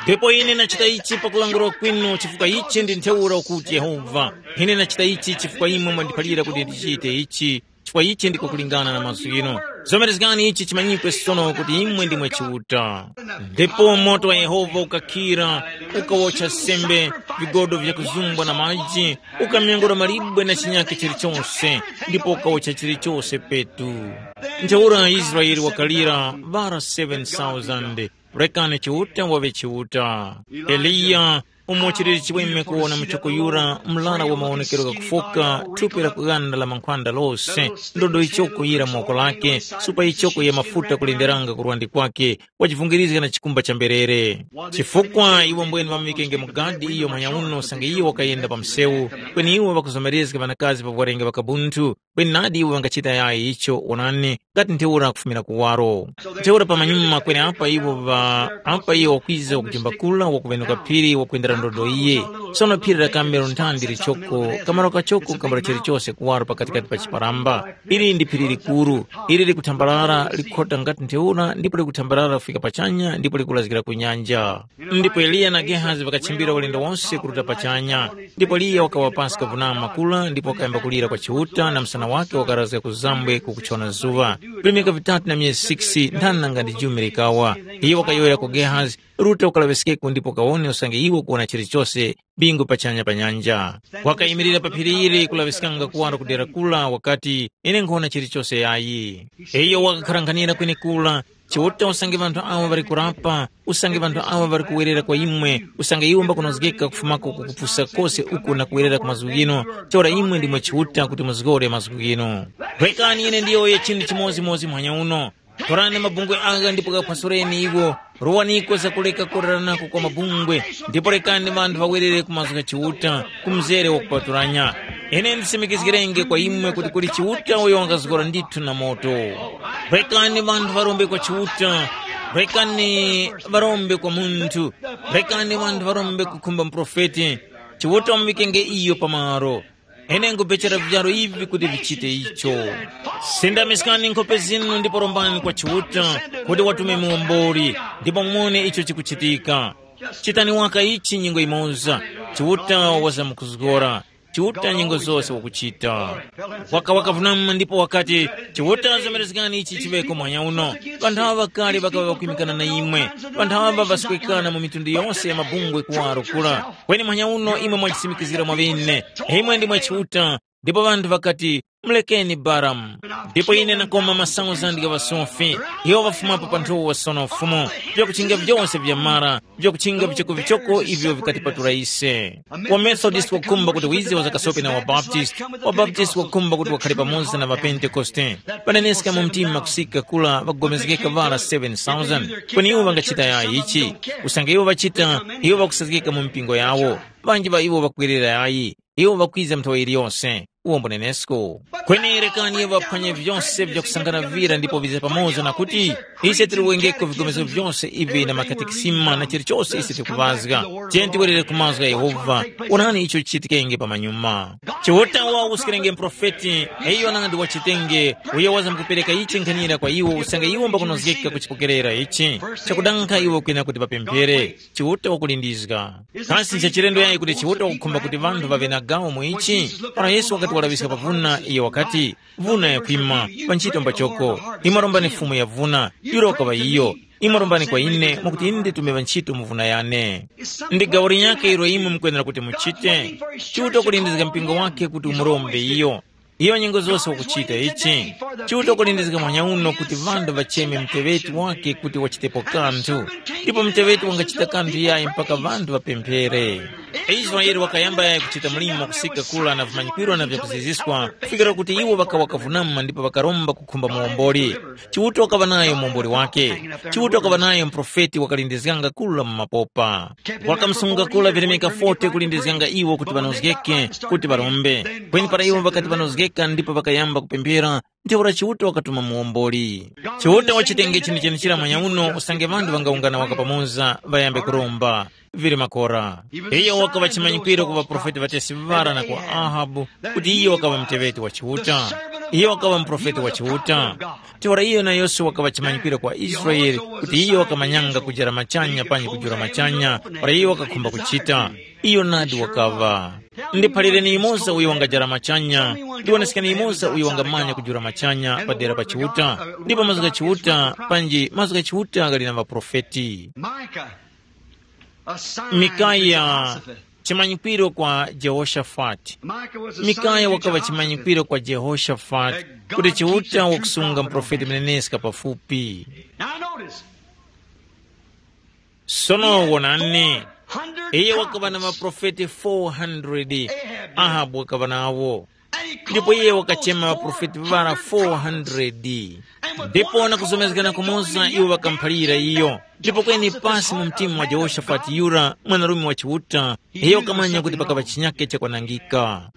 Ndipo ine ndachita ichi pakulangula kwinu chifukwa ichi ndi ntheura ukuti Yehova. Ine ndachita ichi chifukwa imwe mwandiphalira kuti ndichite ichi, chifukwa ichi ndiko kulingana na mazgu ghinu. Zomerezgani ichi chimanyikwe sono kuti imwe ndimwe Chiuta. Ndipo moto wa Yehova ukakhira, ukawotcha sembe, vigodo vyakuzumbwa na maji, ukamyangula malibwe na chinyakhe chilichose, ndipo ukawotcha chilichose petu. Ntheura Israele wakalira vara seven thousand. Rekani Chiuta waŵe Chiuta. Eliya, umo chilili chiweme kuwona muchoko yura, mlara wa mawonekero ghakufoka, thupi la kughanda la mankhwanda lose, ndodo yichoko yira mu woko lake, supa yichoko ya mafuta kulenderanga ku lwandi kwake, wachivungirizga na chikumba cha mberere. Chifukwa iwo mbwene ŵamuŵikenge mu gadi iyo manyauno usange iwo wakayenda pa msewu, kweni iwo ŵakuzomerezga ŵanakazi pa kuŵarenga ŵakabunthu, kweni nadi iwo ŵangachita yayi icho, wonani, ngati ntheura kufumira kuwaro. Ntheura pamanyuma kweni apa iwo ŵa, apa iwo wakwiza wakujimbakula, wakuŵenuka phiri, wakwendera ndodo iye. Sono phiri la Kamelo nthandi lichoko, kamaro kachoko kambula chilichose kuwaro pakatikati pa chiparamba. Ili ndi phiri likuru, ili likuthambarara likhota ngati ntheura ndipo likuthambarara kufika pachanya ndipo likulazgira ku nyanja. Ndipo Eliya na Gehazi ŵakachimbira ulendo wonse kuruta pachanya. Ndipo Eliya wakawa pansi kavunama kula ndipo wakayamba kulira kwa Chiuta na msana wake wakarazga ku zambwe kukuchona zuŵa. Vilemeka vitatu na myezi six nthani nanga ndi jumi likawa. Iye wakayowoya ku Gehazi, ruta ukalaŵiskeko ndipo kawone usange iwe ukuwona chilichose bingu pachanya pa nyanja. Wakayimirira pa phiri ili kulaŵiskanga kuwaro ku dera kula wakati, ine nkhuwona chilichose yayi. Iyo wakakharanghanira kwenekura, Chiuta usange ŵanthu awo ŵali kurapa, usange ŵanthu awo ŵali kuwerera kwa imwe, usange iwo mbakunozgeka kufumako ku kupusa kose uku na kuwerera ku mazgu ghinu, ntheura imwe ndimwe Chiuta kuti muzgore mazgu ghinu. Rekani ine ndiyowoye chinthu chimodzimodzi muhanya uno. Torani mabungwe agha ndipo ghaphasureni iwo. Rowaniko zakuleka kureranako kwa mabungwe, ndipo rekani ŵanthu ŵawerere ku mazgu gha Chiuta, ku mzere wakupatulanya. Ine ndisimikizgirenge kwa imwe kuti kuli Chiuta uyo wangazgora ndithu na moto. Rekani ŵanthu ŵarombe kwa Chiuta, rekani ŵarombe kwa munthu, rekani ŵanthu ŵarombe kukhumba muprofeti. Chiuta wamuŵikenge iyo pamaro. Ine nkubechera vijaro ivi kuti vichite icho. Sindamiskani nkhope zinu ndipo rombani kwa Chiuta kuti watume muwomboli, ndipo mumone icho chikuchitika. Chitani waka ichi nyengo yimoza, Chiuta wazamkuzgora. Chiuta nyengo zose wakuchita. Waka wakavunama ndipo wakati, Chiuta zomerezgani ichi chiŵeko mwanya uno. Ŵanthu aŵa kale ŵakaŵa ŵakwimikana na imwe. Ŵanthu aŵa ŵaswekana mu mitundu yose ya mabungwe kuwaro kula. Kweni mwanya uno imwe mwachisimikizgira mwaŵene. Imwe ndimwe Chiuta. Ndipo ŵanthu ŵakati, mulekeni Balamu. Ndipo ine nakoma masauzandi gha ŵasofi. Iwo ŵafumapo pa nthowa sono Fumu. Vyakuchinga vyose vyamara, vyakuchinga vichokovichoko ivyo vikatipatula ise. WaMethodist wakukhumba kuti wize wazakasope na waBaptist. WaBaptist wakukhumba kuti wakhale pamoza na ŵaPentekoste. Ŵaneneska mu mtima kusika kula ŵakugomezgeka ŵara seven thousand. Kweni iwo ŵangachita yayi ichi? Usange iwo ŵachita, iwo ŵakusazgika mu mipingo yawo. Ŵanji ŵa iwo ŵakwerera yayi. Iwo ŵakwiza nthawe iliyose. Uwombo nenesko. Kweni rekani iwo ŵaphwanye vyose vyakusangana vira ndipo vize pamoza na kuti, ise tili wengeko vigomezo vyose ivi na makatekisima na chilichose ise tikuŵazga. Tiyeni tiwerere ku mazgu gha Yehova. Onani icho chichitikenge pamanyuma. Chiuta wawuskirenge muprofeti, iyo nandi wachitenge, uyo wazamkupereka ichi nkhanira kwa iwo usange iwo mbakunozgeka kuchipokerera ichi. Chakudankha iwo kwina kuti ŵapemphere. Chiuta wakulindizga. Kasi nchachilendo yayi kuti Chiuta wakukhumba kuti ŵanthu ŵaŵe na gawo mu ichi? Para Yesu wakati walaŵiska pa vuna, iyo wakati, vuna yakwima, pa ntchito mbachoko. Imwe rombani Fumu ya vuna, yura wakaŵa iyo. Imwe rombani kwa ine, mwakuti ine nditume ŵantchito mu vuna yane. Ndi gawo linyakhe ilo imwe mukwenera kuti muchite. Chiuta wakulindizga mpingo wake kuti umurombe iyo. Iyo nyengo zose wakuchita ichi. Chiuta wakulindizga mwanya uno kuti ŵanthu ŵacheme muteŵeti wake kuti wachitepo kanthu. Ndipo muteŵeti wangachita kanthu yayi mpaka ŵanthu ŵapemphere. Israele wakayamba yayi kuchita mlimo kusika kula na vimanyikwiro na vyakuziziswa kufikira kuti iwo ŵakawa kavunama ndipo ŵakaromba kukhumba muwomboli. Chiuta wakaŵa nayo muwomboli wake. Chiuta wakaŵa nayo muprofeti wakalindizganga kula mu mapopa. Wakamusunga kula vilemeka forty kulindizganga iwo kuti ŵanozgeke kuti ŵarombe. Kweni para iwo ŵakati ŵanozgeka ndipo ŵakayamba kupemphera, ntheura Chiuta wakatuma muwomboli. Chiuta wachitenge chinthu chenechira mwanya uno usange ŵanthu ŵangawungana waka pamoza ŵayambe kuromba. Vili makora. Iyo wakaŵa chimanyikwiro ku ŵaprofeti ŵatesi ŵara na kwa Ahabu kuti iyo wakaŵa muteŵeti wa Chiuta. Iyo wakaŵa muprofeti wa Chiuta. Ntheura iyo na Yosefe wakaŵa chimanyikwiro kwa Israele kuti iyo wakamanyanga kujara machanya panji kujula machanya para iyo wakakhumba kuchita. Iyo nadi wakaŵa. Ndiphalireni yumoza uyo wangajara machanya, ndiwonesekeni yumoza uyo wangamanya kujula machanya padera pa Chiuta, ndipo mazgu gha Chiuta panji mazgu gha Chiuta ghali na ŵaprofeti. Micah, a sign to Mikaya, Jehoshaphat. Chimanyikwiro kwa Jehoshafati. Mikaya wakaŵa chimanyikwiro kwa Jehoshafati kuti Chiuta wakusunga muprofeti muneneska pafupi. Now notice, sono wonani, iye wakaŵa na maprofeti four hundred. Ahabu wakaŵa nawo. Ndipo iye wakachema ŵaprofeti ŵara four hundred. Ndipo na kuzomezgana kumoza iwo ŵakamuphalira iyo. Ndipo kweni pasi mu mtima mwa Jehoshafati yura mwanarume wa Chiuta, iyo wakamanya kuti pakaŵa chinyake chakwanangika.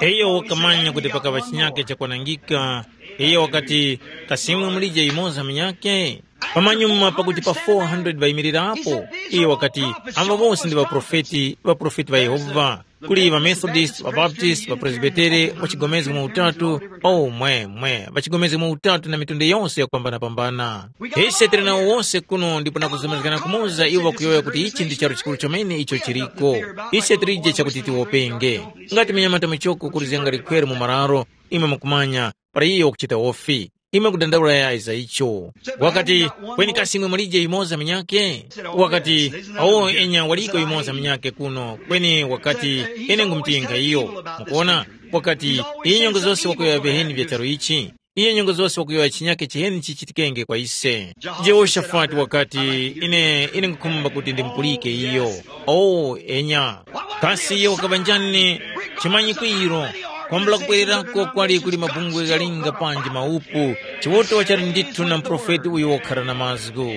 Iyo wakamanya kuti pakaŵa chinyake chakwanangika. Iyo wakati, kasimwe mulije yumoza munyake? Pamanyuma pakuti pa four hundred ŵayimirirapo, iye wakati, amba wose ndi ŵaprofeti, ŵaprofeti ŵa Yehova. Kuli ŵaMethodisti, ŵaBaptisti, ŵaPresbitere, ŵachigomezgo mu Utatu, omwemwe, ŵachigomezgo mu Utatu na mitunde yose yakupambanapambana. Ise tili nawo wose kuno ndipo na kuzomerezgana kumoza iwo ŵakuyowoya kuti ichi ndi charu chikuru chomene icho chiliko. Ise tilije chakuti tiwopenge. Ngati mnyamata muchoko kulizganga likhwere mu mararo, imwe mukumanya, para iyo wakuchita wofi. Imwe kudandaula yayi za icho. Wakati, kweni kasi imwe mulije yumoza munyakhe? Wakati, awo enya waliko yumoza munyakhe kuno, kweni wakati, ine ngumutinga iyo. Mukuona? Wakati, iyi nyengo zose wakuyowoya viheni vya charu ichi. Iyo nyengo zose wakuyowoya chinyakhe chiheni chichitikenge kwa ise. Jehoshafati wakati, ine, ine nkukhumba kuti ndimupulike iyo. O, enya. Kasi iyo wakaŵa njani? Chimanyikwiro. Kwambula kubwererako kwali kuli mabungwe ghalinga panji maupu, Chiuta wachali ndithu na muprofeti uyo wakhara na mazgu.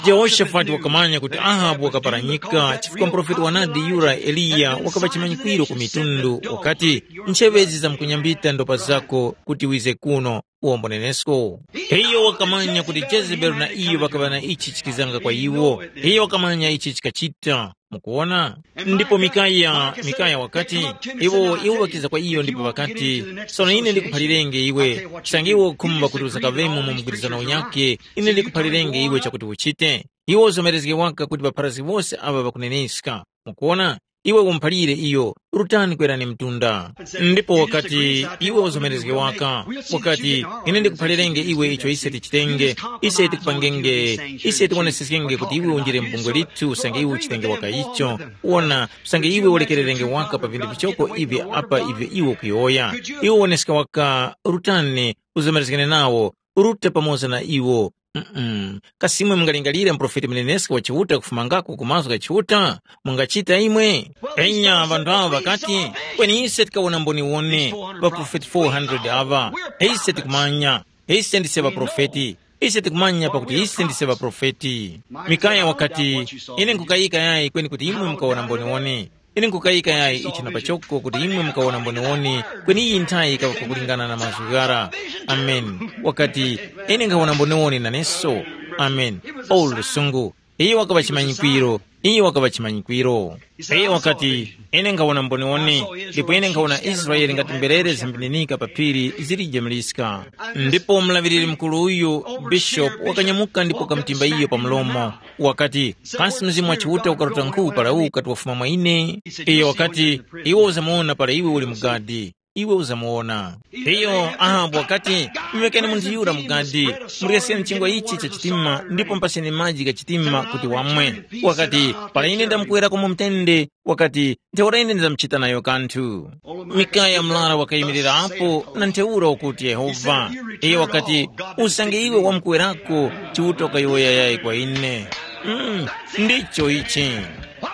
Jehoshafati wakamanya kuti Ahabu wakaparanyika chifukwa muprofeti wanadi yura Eliya wakaŵa chimanyikwiro ku mitundu, wakati, ncheŵe izi zamkunyambita ndopa zako kuti wize kuno, uwombonenesko. Iyo wakamanya kuti Jezebeli na iyo ŵakaŵa na ichi chikizanga kwa iwo. Iyo wakamanya ichi chikachita. Mukuwona? Ndipo Mikaya, Mikaya wakati, iwo, iwo ŵakiza kwa iyo ndipo ŵakati, sono ine ndikuphalirenge iwe, chisange iwe ukhumba kuti uzakaŵemo mu mgwirizano unyakhe, ine ndikuphalirenge iwe chakuti uchite. Iwe uzomerezge waka kuti ŵapharazgi wose aŵa ŵakuneneska. Mukuwona? Iwe umuphalire iyo, rutani kwerani mtunda. Ndipo wakati, iwe uzomerezge waka, wakati, ine ndikuphalirenge iwe icho ise tichitenge, ise tikupangenge, ise tiwoneseskenge kuti iwe unjire mu bungwe lithu usange iwe uchitenge waka icho. Wona, usange iwe ulekererenge waka pa vinthu vichoko ivi apa ivyo iwe ukuyowoya. Iwe woneska waka, rutani, uzomerezgane nawo, urute pamoza na iwo. Mm-mm. Kasi imwe mungalingalire muprofeti muneneska wa Chiuta kufumangako ku mazgu gha Chiuta? Mungachita imwe? Enya, ŵanthu awo ŵakati, kweni ise tikawona mboniwone, ŵaprofeti four hundred aŵa. Ise tikumanya, ise ndise ŵaprofeti. Ise tikumanya pakuti ise ndise ŵaprofeti. Mikaya wakati, ine nkukayika yayi kweni kuti imwe mukawona mboniwone. Ine nkukayika yayi ichi na pachoko kuti imwe mukawona mboniwoni, kweni iyi nthayi yikaŵa pakulingana na mazgu ghara. Amen. Wakati, ine nkhawona mboniwoni naneso. Amen. O lusungu. Iyo wakaŵa chimanyikwiro. Iyo wakaŵa chimanyikwiro. Iyo wakati, ine nkhawona mboniwoni, ndipo ine nkhawona Israele ngati mberere zambininika pa phiri zilije mliska. Ndipo mulaŵiriri mukuru uyu, bishopu, wakanyamuka ndipo wakamutimba iyo pa mlomo. Wakati, kasi Mzimu wa Chiuta ukaruta nkhu para uwu ukati wafuma mwa ine? Iyo wakati, iwe uzamuwona para iwe uli mu gadi, iwe uzamuwona. Iyo Ahabu wakati, mumekeni munthu yura mu gadi, muryeskeni chingwa ichi cha chitima ndipo mupaseni maji gha chitima kuti wamwe. Wakati, para ine ndamukuwerako mu mtende, wakati, ntheura ine ndizamchita nayo kanthu. Mikaya murara wakayimirirapo na ntheura ukuti Yehova. Iyo wakati, usange iwe wamkuwerako, Chiuta wakayowoya yayi kwa ine. Mm, ndicho ichi.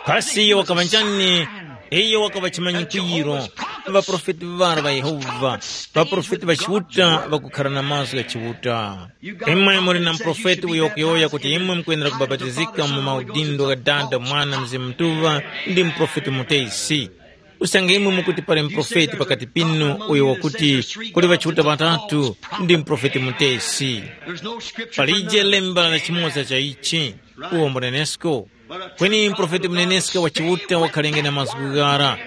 Kasi iyo wakaŵa njani? Iyo wakaŵa chimanyikwiro. Ŵaprofeti ŵara ŵa Yehova, ŵaprofeti ŵa Chiuta ŵakukhara na mazgu gha Chiuta. Imwe muli na muprofeti uyo wakuyowoya kuti imwe mukwenera kubapatizika mu maudindo gha Dada, Mwana, Mzimu Mutuŵa, ndi muprofeti mutesi. Usange imwe mukuti pali muprofeti pakati pinu uyo wakuti kuli ŵachiuta ŵatatu, ndi muprofeti mutesi. Palije lemba la chimoza cha ichi, uwo mbunenesko. Kweni muprofeti muneneska wa Chiuta wakhalenge na mazgu ghara.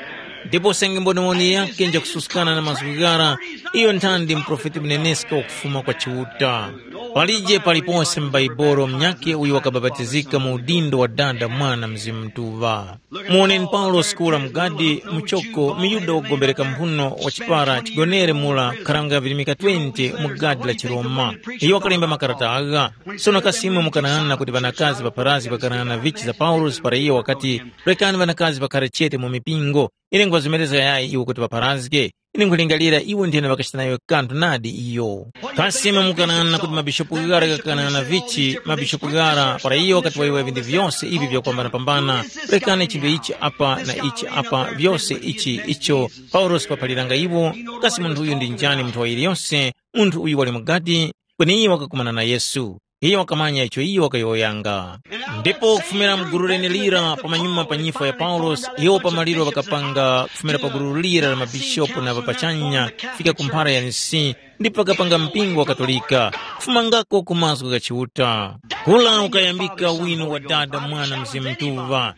Ndipo usange mboniwoni yakhe njakususkana na mazgu ghara, iyo nthandi muprofeti muneneska wakufuma kwa Chiuta. Palije palipose mu Baibolo munyakhe uyo wakabapatizika mu udindo wa Dada, Mwana, Mzimu Mutuŵa. Muwoneni Paulosi kura mu gadi, muchoko, muYuda wogombereka mphuno wa chipara chigonere mura kukharanga virimika twenty mu gadi la chiRoma. Iyo wakalemba makarata agha. Sono kasi imwe mukanang'ana kuti ŵanakazi ŵapharazgi ŵakanang'ana vichi za Paulosi para iyo wakati, rekani ŵanakazi ŵakhare chete mu mipingo? Ine nkhuŵazomerezga yayi iwo kuti ŵapharazge. Ine nkhulingalira iwo nthena ŵakachita nayo kanthu nadi iyo. Kasi imwe mukanang'ana kuti mabishopu ghara ghakanang'ana vichi, mabishopu ghara para iyo wakati wayowoya vinthu vyose ivi vyakupambanapambana, rekani chinthu ichi apa na ichi apa, vyose ichi icho Paulosi waphaliranga iwo, kasi munthu uyu ndi njani munthu wa yiliyose, munthu uyu wali mu gadi, kweni iyo wakakumana na Yesu. Iyo wakamanya icho iyo wakayowoyanga. Ndipo kufumira mu gulu lenelira pamanyuma pa nyifwa ya Paulosi, iwo pamaliro ŵakapanga kufumira pa gulu lira la mabishopu na ŵapachanya kufika ku mphara ya nsi, ndipo ŵakapanga mpingo wa Katolika, kufumangako ku mazgu gha Chiuta. Kula ukayambika wino wa Dada, Mwana, Mzimu Mutuŵa.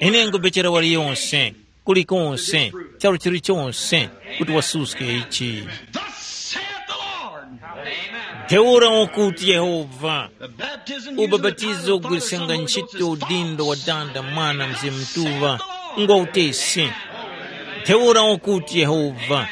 Ine ngubechera waliyonse, kulikonse, charu chilichonse, kuti wasuske ichi. Thus saith the Lord. Ntheura wakuti Yehova, The baptism using the title ubapatizo of Father, Son, ugwirisanga Holy ntchito Ghost, udindo wa Dada, Mwana, Mzimu Mutuŵa, ngwa utesi. Ntheura wakuti Yehova,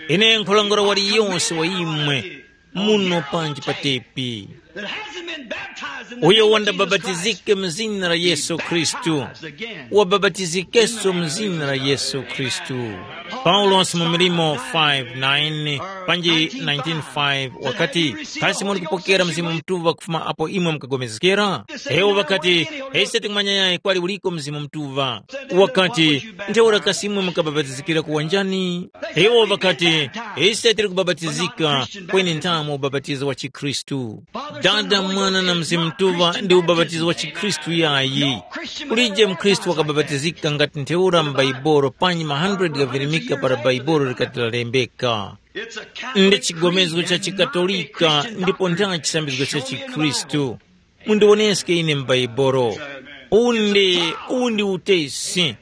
ine nkhulangula waliyonse wa imwe muno panji pa tepi, that hasn't been baptized in the uyo name of Jesus Christ, wandabapatizike mu zina la Yesu Khristu, baptized again. Wabapatizikenso mu zina la Yesu Khristu. Paulosi mu Milimo five nine panji nineteen five wakati, kasi muli kupokera Mzimu Mutuŵa kufuma apo imwe mukagomezgera? Iwo ŵakati, ise tikumanya yayi kwali uliko Mzimu Mutuŵa. Wakati, ntheura kasi imwe mukabapatizikira kuwanjani? Iwo ŵakati, ise tili kubapatizika, kweni nthamu ubapatizo wa chikhristu. Dada, Mwana na Mzimu Mutuŵa ndi ubapatizo wa chikhristu yayi. Kulije mkhristu wakabapatizika ngati ntheura m'Baibolo panyi ma hundred ghavirimika para Baibolo likati lalembeka. Ndi chigomezgo cha chikatolika ndipo ntha chisambizgo cha chikhristu. Mundiwoneske ine m'Baibolo. Undi, undi utesi.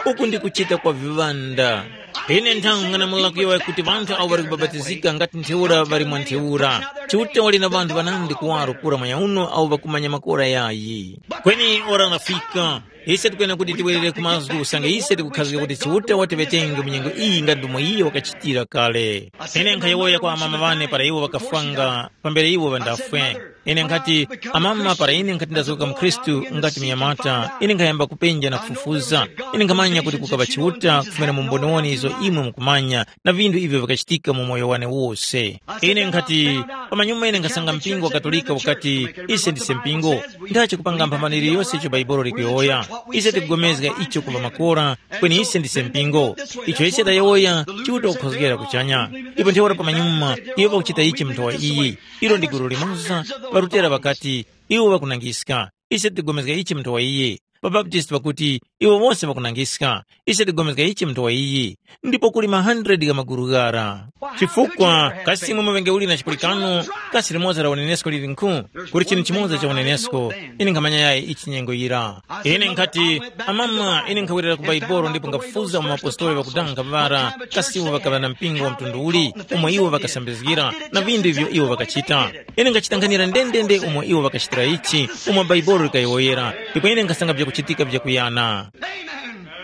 Uku ndi kuchita kwa viŵanda. Ine nthang'ana mulakiwa kuti ŵanthu awo ŵali kubapatizika ngati ntheura ŵali mwa ntheura. Chiuta wali na ŵanthu ŵanandi kuwaro kura manyauno awo ŵakumanya makora yayi. Kweni ora lafika. Ise tikuyena kuti tiwerere ku mazgu usange ise tikukhazika kuti Chiuta watiŵetenge mu nyengo iyi ngati ndomwe iye wakachitira kale. Ine nkhayowoya kwa amama ŵane para iwo ŵakafwanga pambere iwo ŵandafwe. Ine nkhati, amama, para ine nkhati ndazoka mkhristu ngati mnyamata, ine nkhayamba kupenja na kufufuza. Ine nkhamanya kuti kukaŵa Chiuta kufumira mu mboniwoni izo imwe mukumanya na vinthu ivyo vikachitika mu moyo wane wose. Ine nkhati, pamanyuma ine nkhasanga mpingo wa Katolika ukati, ise ndise mpingo. Ndachi kupanga mphambaniro yose icho Baibolo likuyowoya. Ise tikupulikana icho kuŵa makora, kweni ise ndise mpingo. Icho ise tayowoya, Chiuta kukhozgera kuchanya. Ipo ntheura pamanyuma, iwo pakuchita ichi mnthowa iyi. Ilo ndi gulu limoza, pa Lutera ŵakati, iwo ŵakunangiska. Ise tigomezga ichi mnthowa iyi. Pa Baptisti ŵakuti, iwo wose ŵakunangiska. Ise tigomezga ichi mnthowa iyi. Ndipo kuli ma hundred gha maguru ghara. Chifukwa, kasi imwe muŵenge uli na chipulikano, kasi limoza la unenesko lili nkhu? Kuli chinthu chimoza cha unenesko. Ine nkhamanya yayi ichi nyengo yira. Ine nkhati, amama, ine nkhawerera ku Baibolo ndipo ngafufuza mu apostoli ŵakudanga ŵara, kasi iwo ŵakaŵa na mpingo wa mtundu uli, umo iwo ŵakasambizgira, na vindu ivyo iwo ŵakachita. Ine ngachitanghanira ndendende umo iwo ŵakachitira ichi, umo Baibolo likayowoyera, ndipo ine nkhasanga vyakuchitika vyakuyana.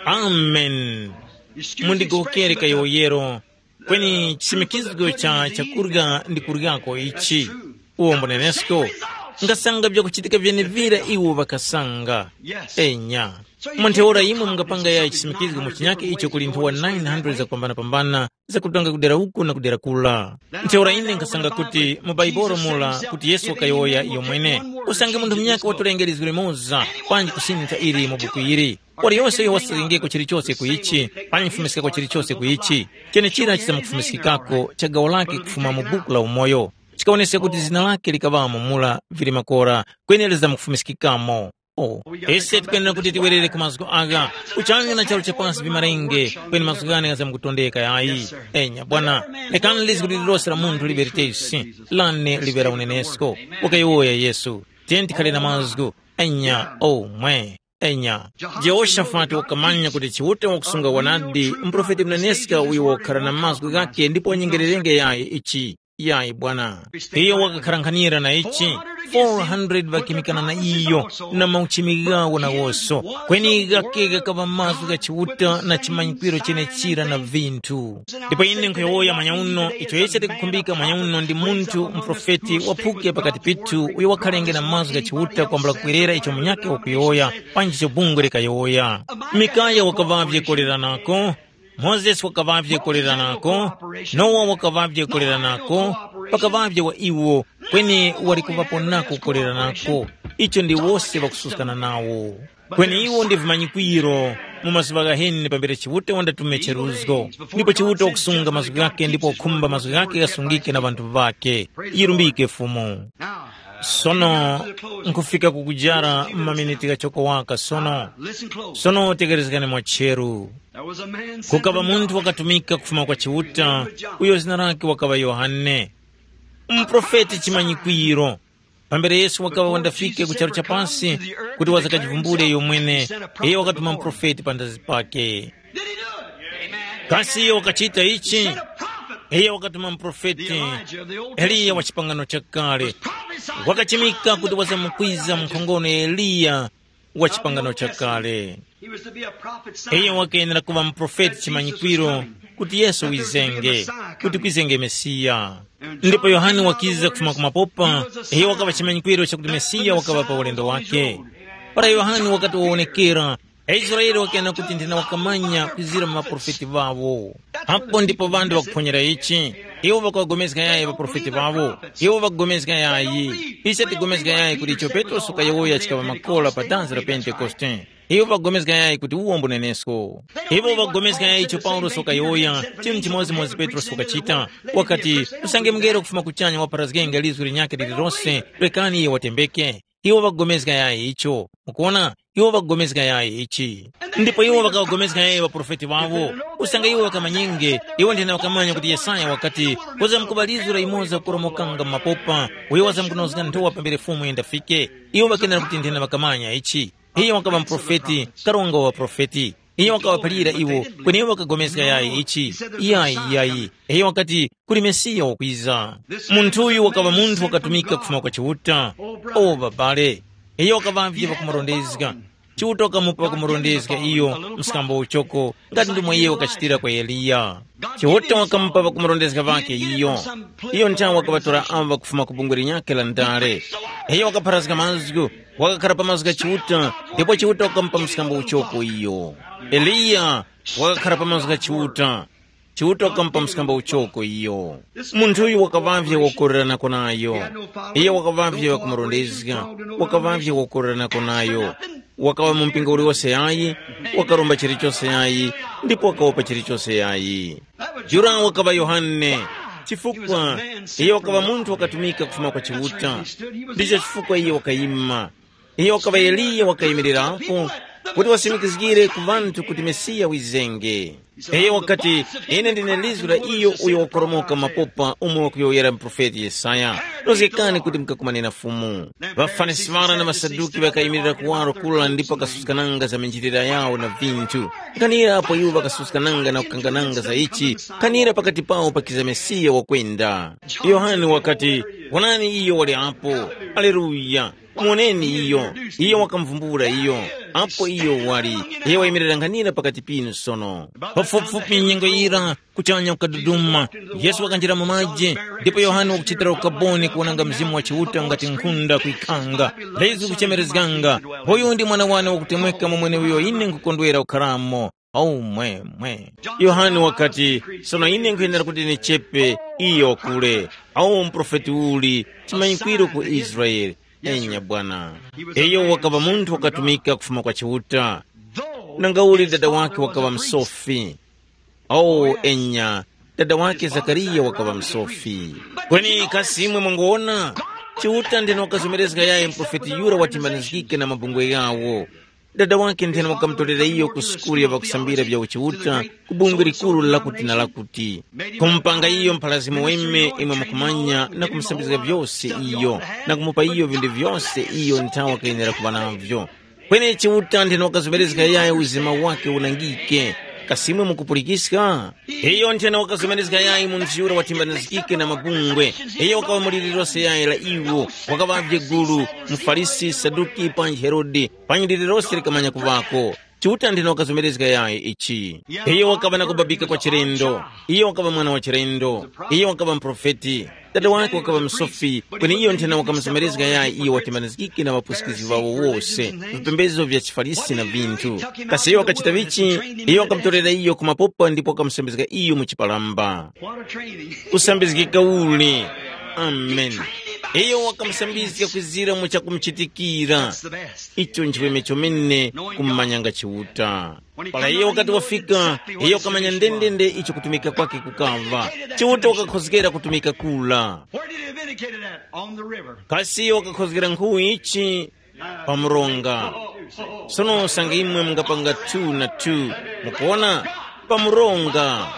Amen. Mundigowokere kayowoyero, kweni chisimikizgo cha chakurya ndi kuryako ichi. Uwo mbunenesko, ngasanga vyakuchitika vyenevira iwo ŵakasanga. Enya. Mu ntheura imwe mungapanga ya chisimikizgo mu chinyake icho kuli nthowa nine hundred zakupambanapambana, zakutanga kudera uku na kudera kula. Ntheura ine nkasanga kuti mu Baibolo mura kuti Yesu wakayowoya iyo mwene, usange munthu munyakhe watolenge lizgu limoza, panji kusintha ili mu buku ili. Waliyose uyo wasakengeko chilichose ku ichi, panji kufumiskako chilichose ku ichi, chenechira chizamukufumiskikako cha gawo lake kufuma mu buku la umoyo. Chikawoneska kuti zina lake likaŵamo mura vili makora, kweni lizamkufumiskikamo. Oh, ise tikwenera kuti tiwerere ku mazgu agha, kuchanya na charu cha pasi vimarenge, kweni mazgu ghane ghazamkutondeka yayi. Enya, bwana, lekani lizgu lililose la munthu liŵe litesi, lane liŵe la unenesko. Wakayowoya Yesu, tiyeni tikhale na mazgu. Enya, oh, mwe. Enya, Jehoshafati wakamanya kuti Chiuta wakusunga wanadi mprofeti muneneska uyo wakukhara na mazgu ghakhe ndipo wanyengererenge yayi ichi. Yayi bwana. Iyo wakakharankhanira na ichi, four hundred ŵakimikana na iyo, na mauchimi ghawo nawonso. Kweni ghakhe ghakaŵa mazgu gha Chiuta na chimanyikwiro chenechira na vinthu. Ndipo ine nkhuyowoya manyauno, icho ise tikukhumbika manyauno ndi munthu muprofeti waphuke pakati pithu uyo wakhalenge na mazgu gha Chiuta kwambula kukwerera icho munyakhe wakuyowoya, panji icho bungwe likayowoya. Mikaya wakaŵavye koleranako, Mozesi wakaŵavye koleranako, Nowa wakaŵavye koleranako, pakaŵavye wa iwo, kweni wali kuŵapo nako koleranako. Icho ndi wose ŵakususkana nawo. Kweni iwo ndi vimanyikwiro mu mazuŵa ghaheni pambere Chiuta wandatume cheruzgo, ndipo Chiuta wakusunga mazgu ghakhe ndipo wakhumba mazgu ghakhe ghasungike na ŵanthu ŵakhe. Yirumbike Fumu. Sono nkufika kukujara maminiti ghachoko waka sono. Sono tekerezgani mwa cheru. Kukaŵa munthu wakatumika kufuma kwa Chiuta, uyo zina lake wakaŵa Yohane, muprofeti chimanyikwiro. Pambere Yesu wakaŵa wandafike ku charu cha pasi kuti wazakajivumbule iyo mwene, iyo wakatuma muprofeti pandazi pake. Kasi iyo wakachita ichi? Iyo wakatuma muprofeti Eliya wa chipangano chakale. Wakachimika kuti wazamkwiza mu nkhongono ya Eliya wa chipangano chakale. Iyo wakenera kuŵa muprofeti chimanyikwiro kuti Yesu wizenge, kuti kwizenge Mesiya. Ndipo Yohane wakiza kufuma ku mapopa, iyo wakaŵa chimanyikwiro chakuti Mesiya wakaŵa pa ulendo wake. Para Yohane wakati wawonekera, aIsraele ŵakayana kuti nthena ŵakamanya kwizira mu ŵaprofeti ŵawo. Apo ndipo ŵanthu ŵakuphonyera ichi. Iwo ŵakaŵagomezga yayi ŵaprofeti ŵawo. Iwo ŵakugomezga yayi. Ise tigomezga yayi kuti icho Petrosi wakayowoya chikaŵa makora pa danzi la Pentekoste. Iwo ŵakugomezga yayi kuti uwo mbunenesko. Iwo ŵakugomezga yayi icho Paulosi wakayowoya, chinthu chimodzimodzi Petrosi wakachita. Wakati, usange mngelo kufuma kuchanya wapharazgenga lizwi linyakhe lililose, rekani iye watembeke. Iwo ŵakugomezga yayi icho. Mukuona? Iwo ŵakugomezga yayi ichi. Ndipo iwo ŵakawagomezga yayi ŵaprofeti ŵawo. Usange iwo ŵakamanyenge, iwo nthena ŵakamanya kuti Yesaya wakati, kuzamkuŵa lizo la yumoza kukoromokanga mu mapopa, uyo wazamkunozga nthowa pambere Fumu yindafike. Iwo ŵakenera kuti nthena ŵakamanya ichi. Iyo wakaŵa muprofeti, karonga wa ŵaprofeti. Iyo wakaŵaphalira iwo, kweni iwo ŵakagomezga yayi ichi. Yayi, yayi. Iyo wakati, kuli Mesiya wakwiza. Munthuyu wakaŵa munthu wakatumika kufuma kwa Chiuta. O babale, iyo wakaŵavye pakumurondezga. Chiuta wakamupa pakumurondezga iyo mskambo uchoko, ngati ndimo iye wakachitira kwa Eliya. Chiuta wakamupa pakumurondezga ŵakhe iyo. Iyo nthawe wakaŵatora ava kufuma ku bungwe linyakhe la ndale. Iyo wakapharazga mazgu, wakakhara pa mazgu gha Chiuta, ndipo Chiuta wakamupa mskambo uchoko iyo. Eliya wakakhara pa mazgu gha Chiuta. Chiuta wakamupa mskambo uchoko iyo. Munthu uyu wakaŵavye wakukoreranako nayo. Iyo wakaŵavye wakumurondezga, wakaŵavye wakukoreranako nayo. Wakaŵa mu mpingo uliwose yayi, wakaromba chilichose yayi, ndipo wakawopa chilichose yayi. Yura wakaŵa Yohane, chifukwa iyo wakaŵa munthu wakatumika kufuma kwa Chiuta. Ndicho chifukwa iyo wakayima. Iyo wakaŵa Eliya wakayimirirapo kuti wasimikizgire ku ŵanthu kuti Mesiya wizenge. Iyo wakati, ine ndine lizgu la iyo uyo wakoromoka mapopa umo wakuyowoyera muprofeti Yesaya. Nozgekani kuti mukakumane na Fumu. །Ŵafarisi ŵara na ŵaSaduki ŵakayimirira kuwaro kura ndipo ŵakasuska nanga za minjilira yawo na vinthu. Nkhanira apo iwo ŵakasuska nanga na kukanga nanga za ichi, nkhanira pakati pawo pakiza Mesiya wakwenda. Yohane wakati, wonani iyo wali apo. Aleluya. Muwoneni iyo. Iyo wakamuvumbula iyo. Apo iyo wali. Iyo wayimirira nkhanira pakati pinu sono. Pafupifupi nyengo yira, kuchanya kukaduduma. Yesu wakanjira mu maji, ndipo Yohane wakuchitira ukaboni kuwonanga Mzimu wa Chiuta ngati nkhunda kuyikhanga, lezi kuchemerezganga, uyu ndi mwana wane wakutemweka mu mweneuyo ine nkukondwera kukharamo. Aumwemwe. Yohane wakati, sono ine nkhuyenera kuti ndichepe, iyo wakule. Awu muprofeti uli, chimanyikwiro ku Israele. Enya bwana. Iyo wakaŵa munthu wakatumika kufuma kwa Chiuta. Nangauli dada wake wakaŵa msofi. Awu enya, dada wake Zakariya wakaŵa msofi. Kweni kasi imwe mwangowona? Chiuta ndeno wakazomerezga yaye muprofeti yura watimbanizgike na mabungwe ghawo. Dada wake nthena wakamutorera iyo ku sukulu ya ŵakusambira vya uchiuta ku bungwe likuru lakuti na lakuti, kumupanga iyo mphalazimo weme imwe mukumanya na kumusambizga vyose iyo, na kumupa iyo vinthu vyose iyo nthawe wakayenera kuŵa navyo. Kweni Chiuta nthena wakazomerezga yaye uzima wake unangike. Kasi imwe mukupulikiska? Iyo nthena wakazomerezga yayi munthu yura watimbanizgike na mabungwe. Iyo wakaŵa mu liri lose yayi la iwo, wakaŵavye gulu, muFarisi, Saduki, panji Herode, panyi liri lose likamanya kuŵako. Chiuta nthena wakazomerezga yayi ichi. Iyo wakaŵa na kubabika kwa chilendo. Iyo wakaŵa mwana wa chilendo. Iyo wakaŵa muprofeti. Dada wake wakaŵa msofi, kweni iyo nthena wakamuzomerezga yayi iyo watimbanizgike na ŵapusikizgi ŵawo wose, vipembezo vya chiFarisi na vinthu. Kasi iyo wakachita vichi? Iyo wakamutorera iyo ku mapopa ndipo wakamusambizga iyo mu chipalamba. Kusambizgika uli! Amen. Iyo wakamusambizga kwizira mu chakumuchitikira. Icho nchiweme chomene kumanyanga Chiuta. Para iyo wakati wafika, iyo wakamanya ndendende icho kutumika kwake kukava. Chiuta wakakhozgera kutumika kula. Where did he have indicated that? On the river. Kasi iyo wakakhozgera nkhu ichi? Pa mronga. Sono usange imwe mungapanga two na two, mukuona, pa mronga.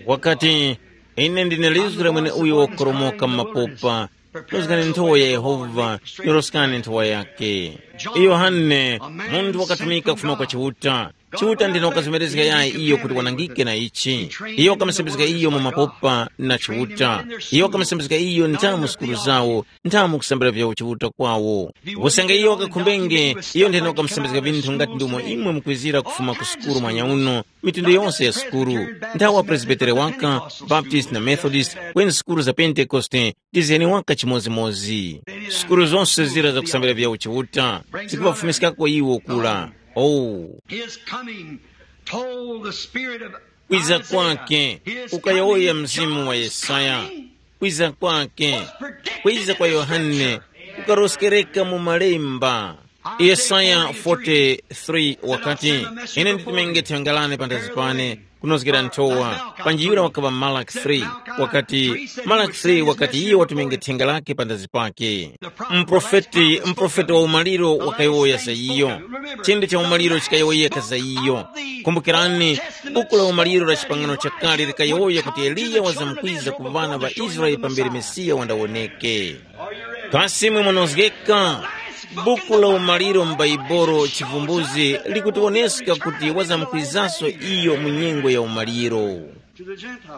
Wakati, ine ndine lizgu la mwene uyo wakoromoka m'mapopa. Nozgani nthowa ya Yehova, nyoroskani nthowa yake. Yohane, munthu wakatumika kufuma kwa Chiuta. Chiuta ndine wakazomerezga yayi iyo kuti wanangike na ichi. Iyo wakamusembezga iyo mu mapopa na Chiuta. Iyo wakamusembezga iyo nda mu sukulu zawo, nda mu kusambira vyawo Chiuta kwawo. Usange iyo wakakhumbenge, iyo ndine wakamusembezga vinthu ngati ndumo imwe mukwizira kufuma ku sukulu mwanyauno, mitundu yonse ya sukulu. Nthawa Presbitere waka, Baptist na Methodist, kweni sukulu za Pentekoste, ndizeni waka chimodzimodzi. Sukulu zonse zira zakusambira vya uchiuta, zikuŵafumiskako iwo kula. Oh, His coming told the spirit of kwiza Isaiah, kwake his kukayowoya coming, mzimu wa John's Yesaya. Coming. Kwiza kwake, kwiza kwa Yohane, kukaroskereka mu malemba. Yesaya forty-three wakati, ine nditumenge thenga lane panthazi pane, kunozgera nthowa. Panji yura wakaŵa Malaki three, wakati, Malaki three wakati iye watumenge thenga lake panthazi pake. Mprofeti, mprofeti wa umaliro wakayowoya za iyo. Chindi cha umaliro chikayowoyeka za iyo. Kumbukirani, buku la umaliro la chipangano chakale likayowoya kuti Eliya wazamkwiza ku ŵana ŵa Israele pambere Mesiya wandawoneke. Kasi mwe munozgeka? Buku la umaliro m'Baibolo Chivumbuzi likutiwoneska kuti wazamkwizaso iyo mu nyengo ya umaliro.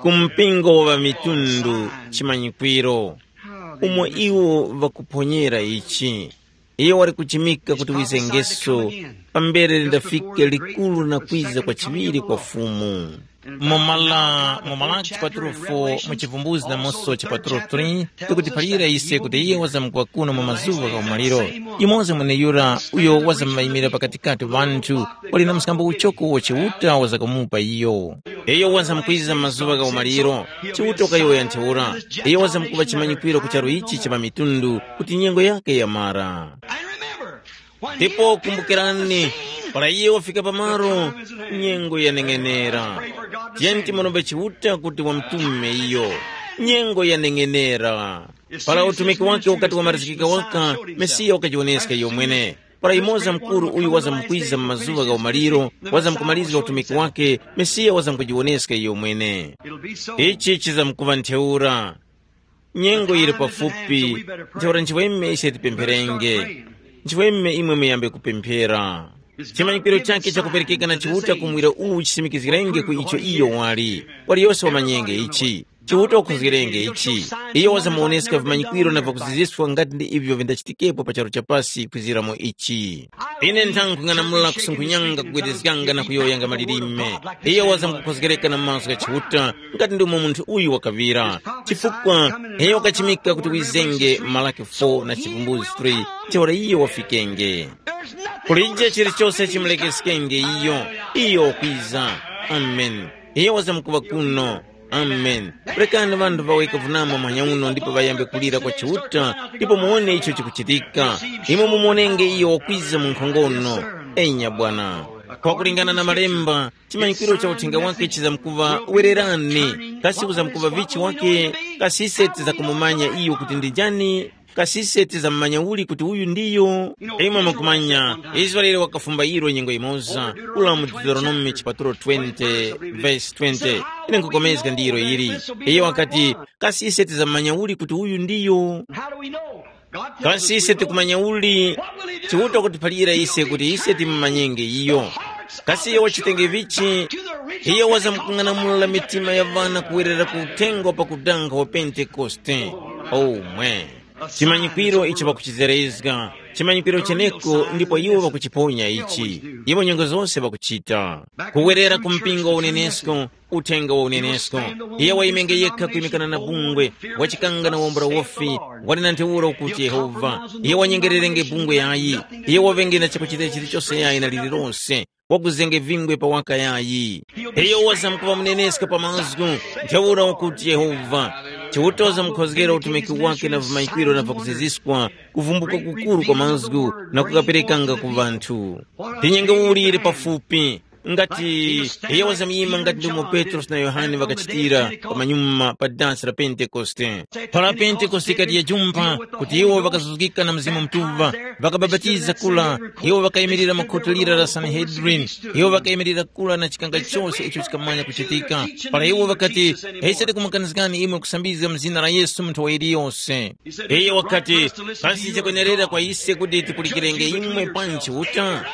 Ku mpingo wa ŵamitundu chimanyikwiro, umo iwo ŵakuphonyera ichi. Iyo wali kuchimika kuti wizengeso pambere lindafike likuru na kwiza kwa chiŵiri kwa Fumu. Mumala, mu Malaki chipatulo four, mu Chivumbuzi namonso chipatulo three, tikutiphalira ise kuti iye wazamkuŵa kuno mu mazuŵa gha umaliro. Yumoza mweneyura uyo wazammayimira pakatikati ŵanthu, wali na mskambo uchoko wa Chiuta wazakamupa iyo. Iyo wazamkwiza mu mazuŵa gha umaliro, Chiuta wakayowoya ntheura. Iyo wazamkuŵa chimanyikwiro ku charu ichi cha ŵamitundu kuti nyengo yake yamara. Ndipo kumbukirani, para iye wafika pamaro, nyengo yaneng'enera. Tiyeni timurombe Chiuta kuti wamtume iyo. Nyengo yaneng'enera. Para utumiki wake ukati wamarizikika waka, Mesiya wakajiwoneska iyo mwene. Para yumoza mukuru uyu wazamkwiza mu mazuŵa gha umaliro, wazamkumarizga utumiki wake, Mesiya wazamkujiwoneska iyo mwene. Ichi chizamkuŵa ntheura. Nyengo yili pafupi, ntheura nchiweme ise tipempherenge. Nchiweme imwe muyambe kupemphera. Chimanyikiro chakhe chakuperekeka na Chiuta kumwira uwu chisimikizgirenge ku icho iyo wali. Waliyose wamanyenge ichi. Chiuta wakhuzgirenge ichi. Iyo wazamuwoneska vimanyikwiro na vakuziziswa ngati ndi ivyo vindachitikepo pa charu cha pasi kwizira mu ichi. Ine nthangung'anamula kusunkhunyanga kugwedezganga na kuyowoyanga malilime. Iyo wazamkukhozgereka na mazgu gha Chiuta, ngati ndomwe munthu uyu wakaŵira. Chifukwa iyo wakachimika kuti wizenge Malaki four na Chivumbuzi three, ntheura iyo wafikenge. Kulije chilichose chimulekeskenge iyo. Iyo wakwiza. Amen. Iyo wazamkuŵa kuno. Amen. Rekani ŵanthu ŵaweke vunama muhanya uno ndipo ŵayambe kulira kwa Chiuta, ndipo muwone icho chikuchitika. Imwe mumuwonenge iyo wakwiza mu nkhongono. Enya Bwana. Pakulingana na Malemba, chimanyikiro cha uthenga wake chizamkuŵa wererani. Kasi uzamkuŵa vichi wake? Kasi ise tizakumumanya iyo kuti ndi njani? Kasi ise tizammanya uli kuti uyu ndiyo? Imwe mukumanya, Israele wakafumba ilo nyengo imoza, ula mu Deuteronomy chipatulo twenty, verse twenty. Ine nkukomezga ndi ilo ili. Iyo wakati, kasi ise tizammanya uli kuti uyu ndiyo? Kasi ise tikumanya uli? Chiuta kutiphalira ise kuti ise timumanyenge iyo. Kasi iyo wachitenge vichi? Iyo wazamkung'anamula mitima ya ŵana kuwerera ku uthenga wa pakudanga wa Pentekoste. Omwe. Chimanyikwiro icho ŵakuchizerezga, chimanyikwiro cheneko ndipo iwo ŵakuchiponya ichi. Iwo nyengo zose ŵakuchita. Kuwerera ku mpingo wa unenesko, uthenga wa unenesko. Iye wayimenge yekha kuyimikana na bungwe, wachikanga na wombora wofi, wali na ntheura ukuti Yehova. Iye wanyengererenge bungwe yayi. Iye waŵenge na chakuchita chilichose yayi na lililose. Wakuzenge vingwe pa waka yayi. Iyo wazamkuŵa muneneska pa mazgu, ntheura wakuti Yehova. Chiutoza mukhozgera utumiki wake na vimayikwiro na vakuziziskwa, kuvumbuka kukuru kwa mazgu na kukaperekanga ku ŵanthu. Ndi nyengo uli yili pafupi, ngati iyo wazamyima ngati ndomwe Petrosi na Yohane ŵakachitira pamanyuma pa dansi la Pentekoste. Para Pentekoste ikati yajumpha, kuti iwo ŵakazuzgika na Mzimu Mutuŵa, ŵakabapatiza kula, iwo ŵakayimirira mu khoti lira la Sanhedrini, iwo ŵakayimirira kula na chikanga chose icho chikamanya kuchitika. Para iwo ŵakati, ise tikumukanizgani imwe kusambizga mu zina la Yesu munthu wa yiliyose. Iye wakati, kasi chakwenerera kwa ise kuti tipulikirenge imwe panji uta?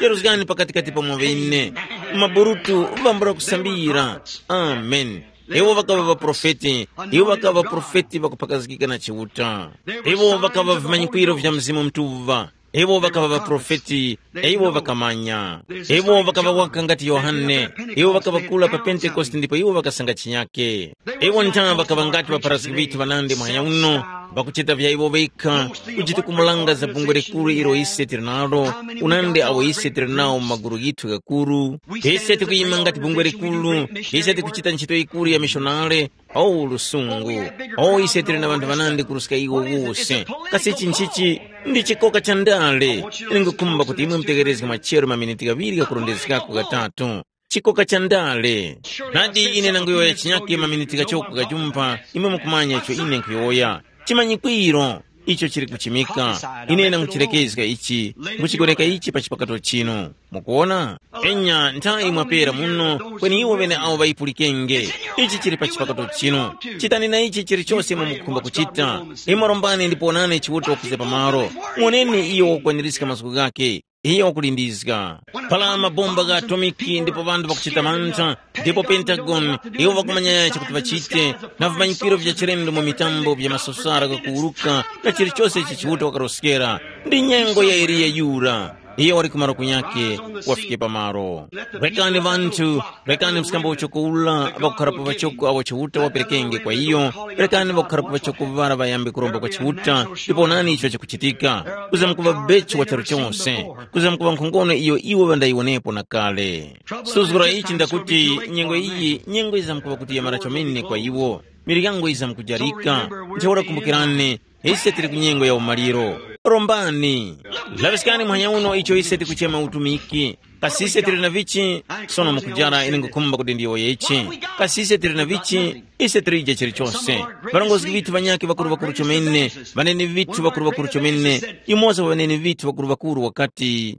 Yaruzgani pakatikati pamwe ŵene. Maburutu vambula kusambira. Amen. Iwo ŵakaŵa ŵaprofeti, iwo ŵakaŵa ŵaprofeti ŵakuphakazgika na Chiuta. Iwo ŵakaŵa vimanyikwiro vya Mzimu Mutuŵa. Iwo ŵakaŵa ŵaprofeti, iwo ŵakamanya. Iwo ŵakaŵa waka ngati Yohane. Iwo ŵakaŵa kula pa Pentekoste ndipo iwo ŵakasanga chinyake. Iwo nthawe ŵakaŵa ngati ŵaparaski ŵithu ŵanandi muhanya uno, ŵakuchita vya iwo ŵekha, kujitukumulanga za bungwe likuru ilo ise tili nalo, unandi awo ise tili nawo mu magulu ghithu ghakuru. Ise tikuyima ngati bungwe likuru, ise tikuchita ntchito yikuru ya mishonare. O lusungu! O ise tili na ŵanthu ŵanandi kuruska iwo wose. Kasi ichi nchichi ndi chikoka cha ndale? Ine ngukhumba kuti imwe mutegherezge machero maminiti ghaŵiri ghakurondezgako ghatatu. Chikoka cha ndale. Nadi ine nanguyowoya chinyake maminiti ghachoko ghajumpha, imwe mukumanya icho ine nkhuyowoya. Chimanyikwiro icho chili kuchimika. Ine nanguchilekezga ichi, nguchigoreka ichi pa chipakato chinu. Mukuwona? Enya, nthawi mwapera muno, kweni iwo ŵene awo ŵayipulikenge. Ichi chili pa chipakato chinu. Chitani na ichi chilichose imwe mukukhumba kuchita. Imwe rombani ndipo wonani Chiuta wakuza pamalo. Muwoneni iyo wakukwanirizga mazgu ghakhe. Iyo wakulindizga. Pala mabomba gha atomiki ndipo ŵanthu ŵakuchita mantha, ndipo Pentagon, iwo ŵakumanya chakuti ŵachite, na vimanyikiro vya chilendo mu mitambo vya masosara ghakuwuruka, na chilichose ichi Chiuta wakaroskera. Ndi nyengo ya Eliya yura. Iyo wali ku malo kunyakhe, wafike pamalo. Rekani ŵanthu, rekani mskambo uchoko ula ŵakukharapo ŵachoko awo Chiuta waperekenge kwa iyo, rekani ŵakukharapo ŵachoko ŵara ŵayambe kuromba kwa Chiuta, ndipo onani icho chikuchitika. Kuzamkuŵa bechi wa charu chose, kuzamkuŵa nkhongono iyo iwo ŵandayiwonepo na kale. Suzgura ichi ndakuti nyengo iyi, nyengo yizamkuŵa kuti yamara chomene kwa iwo. Miryango yizamkujarika. Ntheura kumbukirani, ise tili ku nyengo ya umaliro. Rombani. Laŵiskani muhanya uno icho ise tikuchema utumiki. Kasi ise tili na vichi? Sono mukujara ine ngukhumba kuti ndiyowoye ichi. Kasi ise tili na vichi? Ise tilije chilichonse. Ŵarongozgi ŵithu ŵanyakhe ŵakuru-ŵakuru chomene, ŵaneni ŵithu ŵakuru-ŵakuru chomene, yumoza wa ŵaneni ŵithu ŵakuru-ŵakuru wakati,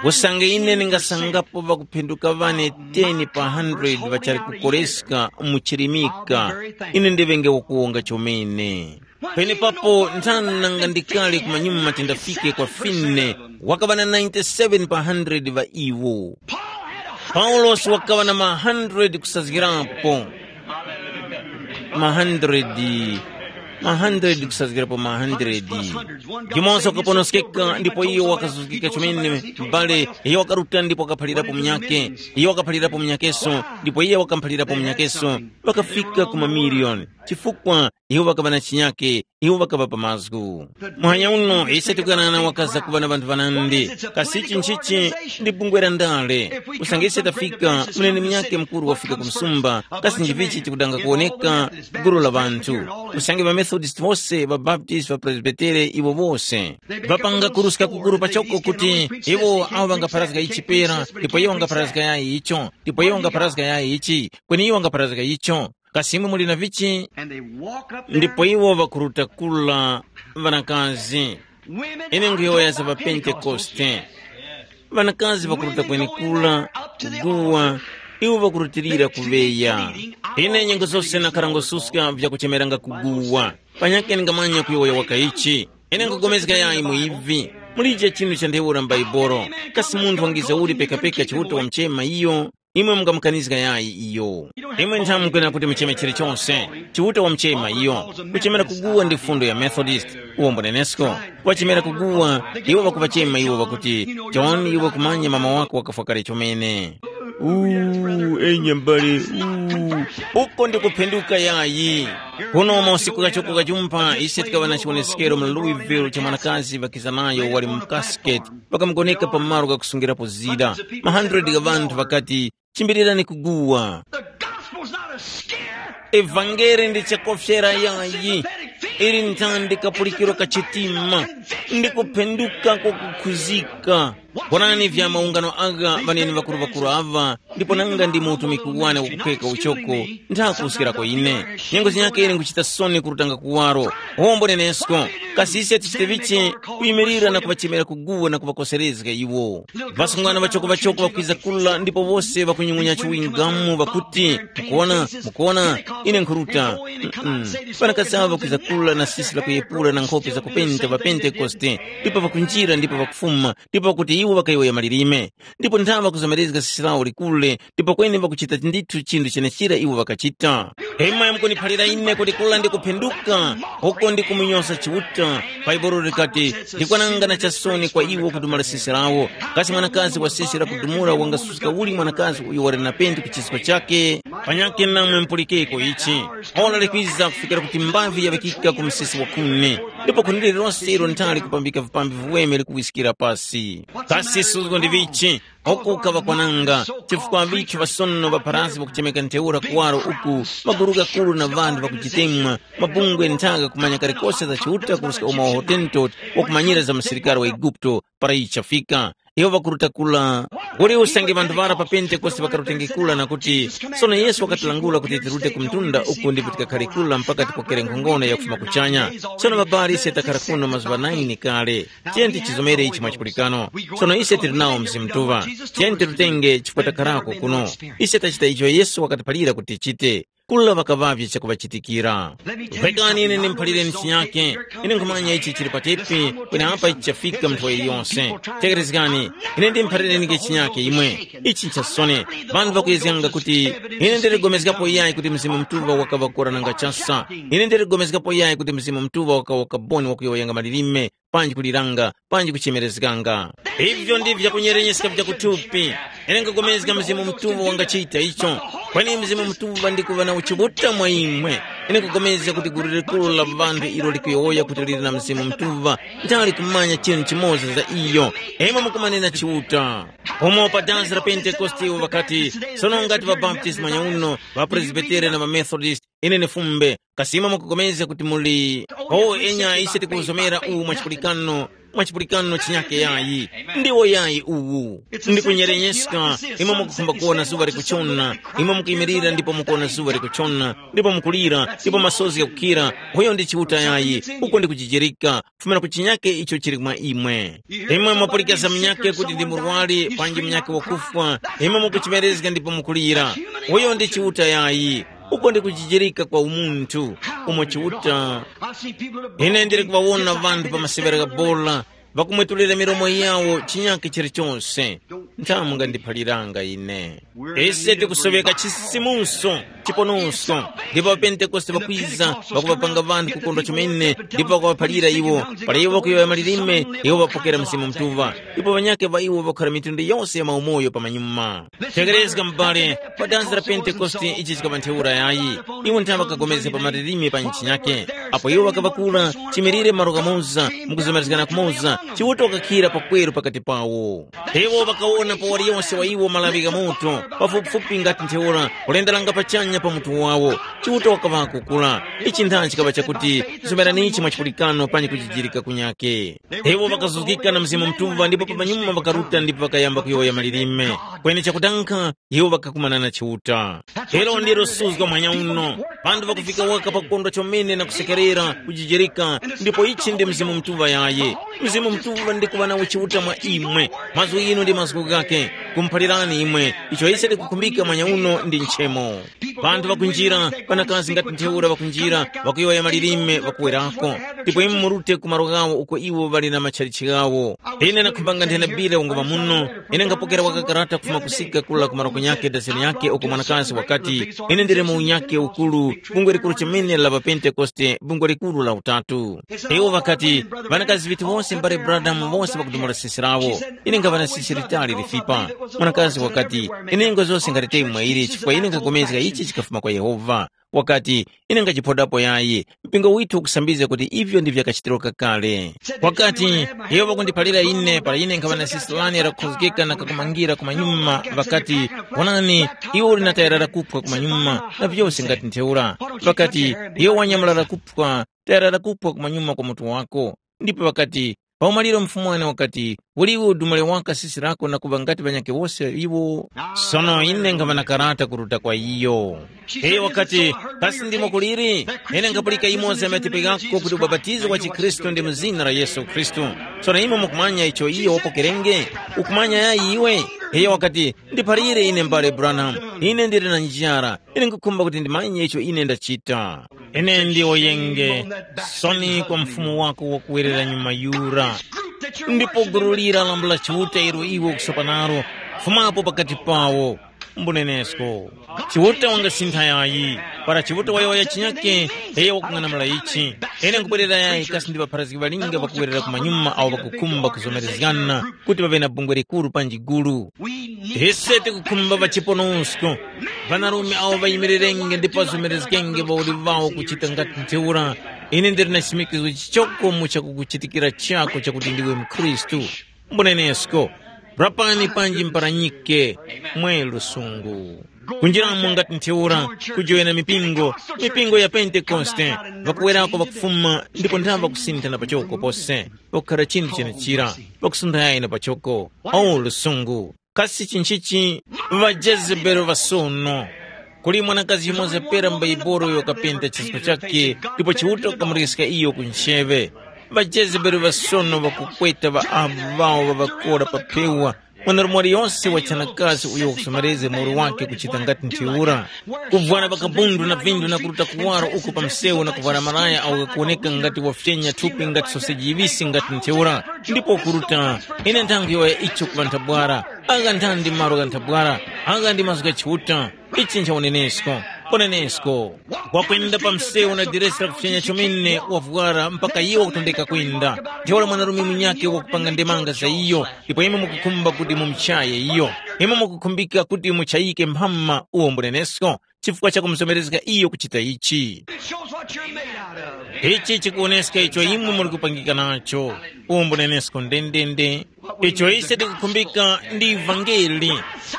usange ine ningasangapo ŵakuphinduka ŵane ten pa hundred ŵachali kukoreska mu chirimika, ine ndiŵenge wakuwonga chomene. Penepapo nthani nanga ndikale kumanyuma tindafike kwa fine, wakaŵa na ninety-seven pa hundred ŵa iwo. Paulosi wakaŵa na ma hundred kusazgirapo. Ma hundred, ma hundred kusazgirapo ma hundred. Jumoza wakaponoskeka ndipo iyo wakazuzgika chomene, m'bale. Iyo wakaruta ndipo wakaphalirapo munyake. Iyo wakaphalirapo munyakeso, ndipo iye wakamuphalirapo munyakeso. Ŵakafika ku mamiliyoni. Chifukwa iwo ŵakaŵa na chinyake, iwo ŵakaŵa pa mazgu. Muhanya uno ise tikuyang'ana wakaza kuŵa na ŵanthu ŵanandi. Kasi ichi nchichi? Ndi bungwe la ndale. Usange ise tafika, muneni munyakhe mukuru wafika ku msumba. Kasi nchivichi chikudanga kuwoneka? Gulu la ŵanthu. Usange ŵamethodist wose, ŵabaptist, ŵapresbitere, iwo wose ŵapanga kuruska kukuru pachoko kuti iwo awo ŵangapharazga ichi pera, ndipo iwo ŵangapharazga yayi icho, ndipo iwo ŵangapharazga yayi ichi, kweni iwo ŵangapharazga icho. Kasi imwe muli na vichi? And they walk up there. Ndipo iwo ŵakuruta kula ŵanakazi. Ine nkhuyowoya za ŵapentekoste. Ŵanakazi ŵakuruta kwenekura, kuguwa, iwo ŵakurutilira kuŵeya. Ine nyengo zose nakhara ngususka vyakuchemeranga kuguwa. Panyakhe ningamanya kuyowoya waka ichi. Ine nkugomezga yayi mu ivi. Mulije chinthu cha ntheura m'Baibolo. Kasi munthu wangiza uli pekapeka Chiuta wamuchema iyo? Imwe mungamukanizga yayi iyo. Imwe nthamu mukwena kuti mucheme chilichonse. Chiuta wamuchema iyo. Kuchemera kuguwa ndi fundo ya Methodist. Uwo mbunenesko. Wachemera kuguwa, iwo ŵakuvachema iwo ŵakuti, John, iwe kumanya mama wako wakafwa kale chomene. Uu, enya mbale, uu. Uko ndi kuphenduka yayi. Kuno mausiku ghachoko ghajumpha ise tikaŵa na chiwoneskero mu Louisville cha mwanakazi ŵakiza nayo wali mu casket. Ŵakamugoneka pa malo ghakusungirapo zida. Ma hundred gha ŵanthu ŵakati, chimbirirani kuguwa. The gospel's not a scare. Evangeli ndi chakofyera yayi. Ili nthandi kapulikiro ka chitima, ndi kuphenduka kwakukhuzika. Wonani vya maungano agha ŵaneni ŵakuru-ŵakuru aŵa, ndipo nanga ndi mu utumiki wane wakuphweka uchoko, nthakuskirako ine. Nyengo zinyakhe ine nkuchita soni kurutanga kuwaro. Wombo nenesko, kasi ise tichite vichi? Kuyimirira na kuŵachemera kuguwa na kuŵakoserezga iwo. Ŵasungwana ŵachoko-ŵachoko ŵakwiza kula ndipo wose ŵakunyung'unya chiwingamu ŵakuti, mukuona, mukuona, ine nkhuruta. Mm-mm. Ŵanakazi awo ŵakwiza kula na sisi lakuyepula na nkhope zakupenta pa Pentekoste, ndipo ŵakunjira ndipo ŵakufuma, ndipo ŵakuti iwo ŵakayowoya malilime. Ndipo nthawe ŵakuzomerezga sisi lawo likule, ndipo kweni ŵakuchita ndithu chinthu chenechira iwo ŵakachita. Imwe mukuniphalira ine kuti kula ndi kuphenduka, uko ndi kumunyoza Chiuta. Bhaibuli likati, ndikwananga na chasoni kwa iwo kudumula sisi lawo. Kasi mwanakazi wa sisi lakudumula wangasuska uli mwanakazi uyo wali na pentu ku chisko chake? Panyakhe namwe mupulikeko ichi. Ora likwiza kufikira kuti mbavi yaŵikika ku msisi wa khuni, ndipo khuni lililonse ilo nthali kupambika vipambi viweme likuwiskira pasi. Kasi suzgo ndi vichi? Uku kaŵakwananga, chifukwa ŵithu ŵasono ŵa pharasi ŵakuchemeka ntheura kuwaro uku, maguru ghakuru na ŵanthu ŵakujitemwa, mabungwe nthaka kumanya kalikose za Chiuta kuruska umo wa Hotentot wakumanyira za msilikari wa Eguputo para ichi chafika. Iwo ŵakuruta kula. Uli usange ŵanthu ŵara pa Pentekoste ŵakarutenge kula na kuti, sono Yesu wakatilangula kuti tirute ku mtunda uku ndipo tikakhare kula mpaka tipokere nkhongono yakufuma kuchanya. Sono ŵabali ise takhara kuno mazuŵa naini kale. Tiyeni tichizomere ichi mwachipulikano. Sono ise tili nawo Mzimu Mutuŵa. Tiyeni tirutenge chifukwa takharako kuno. Ise tachita icho Yesu wakatiphalira kuti tichite. Kula ŵakaŵavye chakuŵachitikira. Rekani ine ndimuphalireni chinyake. Ine nkhumanya ichi chili patepi, kwenapa ichi chafika munthu waliyonse. Tekerezgani, ine ndimuphalireni chinyake imwe. Ichi nchasoni. Vanthu ŵakuyezganga kuti ine ndiligomezgapo yayi kuti Mzimu Mutuŵa wakaŵa kora nanga chasa. Ine ndiligomezgapo yayi kuti Mzimu Mutuŵa wakaŵa kaboni wakuyowoyanga malilime, panji kuliranga, panji kuchemerezganga. Ivyo ndivyo vyakunyerenyeskeka vya kuthupi. Ine nkapulikana Mzimu Mutuŵa wangachita icho. Kweni Mzimu Mutuŵa ndi kuŵa na uchibuta mwa imwe. Ine nkapulikana kuti gulu likuru la ŵanthu ilo likuyowoya kuti lili na Mzimu Mutuŵa, ndali kumanya chinthu chimoza za iyo. Imwe mukumanena Chiuta. Umo pa dansi la Pentekoste iwo ŵakati, sono ngati ŵabaptisti manyauno, ŵapresbitere na ŵamethodist, ine ni fumbe, kasi imwe mukupulikana kuti muli, o enya ise tikuzomera uwu mwachipulikano, mwachipulikano chinyake yayi, ndiwo yayi uwu. Ndikunyerenyeskeka, imwe mukukhumba kuwona zuŵa likuchona, imwe mukuyimirira ndipo mukuwona zuŵa likuchona, ndipo mukulira, ndipo masozi ghakukhira, uyo ndi Chiuta yayi, uko ndi kujijirika, kufumira ku chinyake icho chili mwa imwe. Imwe mwapulikana munyake kuti ndi murwari, panji munyake wakufwa, imwe mukuchimerezga ndipo mukulira, uyo ndi Chiuta yayi, uko ndi kujijirika kwa umunthu, umo Chiuta. Ine ndili kuŵawona ŵanthu pa masewera gha bola, ŵakumwetulira milomo yawo chinyake chilichonse. Nthamu ngandiphaliranga ine. Ise tikusoŵeka chisimuso, chiponosko, ndipo ŵapentekoste ŵakwiza, ŵakuŵapanga ŵanthu kukondwa chomene, ndipo ŵakuŵaphalira iwo. Para iwo ŵakuyowoya malilime, iwo ŵapokera Mzimu Mutuŵa. Ndipo ŵanyakhe ŵa iwo ŵakhara mitundu yose ya maumoyo pamanyuma. Tekerezga m'bale, pa danzi la Pentekoste ichi chikaŵa ntheura yayi. Iwo nthawe ŵakagomezga pa malilime pa ntchi nyakhe. Apo iwo ŵakaŵakula, chimirire malo kamoza, mukuzomerezgana kumoza, Chiuta wakakhira pakweru pakati pawo. Iwo ŵakawona pa waliyonse wa iwo malaŵi gha moto, pafupifupi ngati ntheura, kulenderanga pachanya pa mutu wawo. Chiuta wakaŵa kukula. Ichi ntha chikaŵa chakuti, zomeranichi mwa chipulikano panyi kujijirika kunyake. Iwo ŵakazuzgika na Mzimu Mutuŵa ndipo pamanyuma ŵakaruta ndipo ŵakayamba kuyowoya malilime. Kweni chakutankha, iwo ŵakakumana na Chiuta. Ilo ndilo suzgo mphanya uno. Ŵanthu ŵakufika waka pakukondwa chomene na kusekerera, kujijirika, ndipo ichi ndi Mzimu Mutuŵa yaye. Mzimu Mutuŵa ndi kuŵa nawo Chiuta mwa imwe. Mazgu inu ndi mazgu ghakhe, kumuphalirani imwe, icho ise tikukhumbika mphanya uno ndi nchemo. Ŵanthu ŵakunjira, ŵanakazi ngati ntheura ŵakunjira, ŵakuyowoya malilime ŵakuwerako. Ndipo imwe murute ku malo ghawo uko iwo ŵali na matchalitchi ghawo. Ine ndakhumbanga nthena bile wanguŵa muno, ine ngapokera waka karata kufuma kusika kula ku malo kunyakhe dazeni yakhe uko mwanakazi wakati, ine ndili mu unyakhe ukuru, bungwe likuru chomene la ŵapentekoste, bungwe likuru la utatu. Iwo ŵakati, ŵanakazi ŵithu wose mbale Branham wose ŵakudumula sisi lawo. Ine ngaŵa na sisi litali lifipa. Mwanakazi wakati, inengo zose ngati temwe ili chifukwa ine nkapulikana ichi chikafuma kwa Yehova. Wakati, ine ngachiphodapo yayi, mpingo withu ukusambizga kuti ivyo ndi vyakachitiro kakale. Wakati, Yehova kundiphalira ine para ine nkhaŵa na sisilani lakukhozgeka na kakumangira kumanyuma, ŵakati, wonani, iwe uli na tayara lakupwa kumanyuma, na vyose ngati ntheura. Ŵakati, iwe wanyamula lakupwa, tayara lakupwa kumanyuma kwa mutu wako. Ndipo ŵakati, pa umaliro mfumuwani wakati, uliwe udumule waka sisi lako na kuŵa ngati ŵanyakhe wose iwo. Sono ine nkhaŵa na karata kuruta kwa iyo. Iyo wakati, kasi ndimo kuliri? Ine nkhapulika imoza ya matepi ghako kuti ubapatizo wa chikhristu ndi mu zina la Yesu Khristu. Sono imwe mukumanya icho iyo wapokerenge? Ukumanya yayi iwe? Iyo wakati, ndiphalire ine mbale Branham. Ine ndili na njara. Ine nkhukhumba kuti ndimanye icho ine ndachita. Ine ndiwo yenge, soni kwa mfumu wako wakuwerera nyuma yura. Ndipo gulu lira lambo la Chiuta ilo iwe ukusopa nalo, fumapo pakati pawo. Mbunenesko. Chiuta wangasintha yayi. Para Chiuta wayowoya chinyake, iyo wakung'anamula ichi. Ine nkubwerera yayi kasi ndi ŵapharazgi ŵalinga ŵakuwerera kumanyuma awo ŵakukhumba kuzomerezgana kuti ŵaŵe na bungwe likuru panji gulu. Ise tikukhumba ŵachiponosko, ŵanarume awo ŵayimirirenge ndipo ŵazomerezgenge ŵauli ŵawo kuchita ngati ntheura. Ine ndili na chimikizo chichoko mu chakukuchitikira chako chakuti ndiwe mkhristu. Mbunenesko, rapani panji mparanyike mwe lusungu. Kunjiramo ngati ntheura, kujoyana mipingo, mipingo ya Pentekoste, ŵakuwerako ŵakufuma ndipo nthambi ŵakusinthana pachoko pose, pakukhala chinthu chenechira, pakusuntha yayi na pachoko. O lusungu! Kasi chinchichi? Ŵajezebeli ŵasono. Kuli mwanakazi yumoza pera m'Baibuli uyo wakapenda chisko chakhe, ndipo Chiuta wakamureska iyo ku ncheŵe. Ŵajezebeli ŵasono ŵakukweta ŵa avu ŵawo ŵaŵakora pa phewa. Mwanarume waliyose wachanakazi uyo wakusomerezga muwoli wake kuchita ngati ntheura, kuvwara pakabundu na vindu na kuruta kuwaro uko pa msewu na kuvwara malaya awo ghakuwoneka ngati wafyenya thupi ngati soseji yiŵisi ngati ntheura, ndipo ukuruta, ine nthangwi yoya icho ku ŵanthabwara. Agha nthandi malo gha nthabwara, agha ndi mazgu gha Chiuta. Ichi ncha unenesko. Unenesko. Wakwenda pa msewu na diresi lakufyanya chomene wavwara mpaka iwo wakutondeka kwenda. Ntheura mwanarume munyakhe wakupanga ndemanga za iyo, ndipo imwe mukukhumba kuti mumuchaye iyo. Imwe mukukhumbika kuti muchayike mphama uwo mbunenesko chifukwa cha kumuzomerezga iyo kuchita ichi. It shows what you're made out of. Ichi chikuwoneska icho imwe muli kupangika nacho. Uwo mbunenesko ndendende. Icho ise tikukhumbika ndi ivangeli.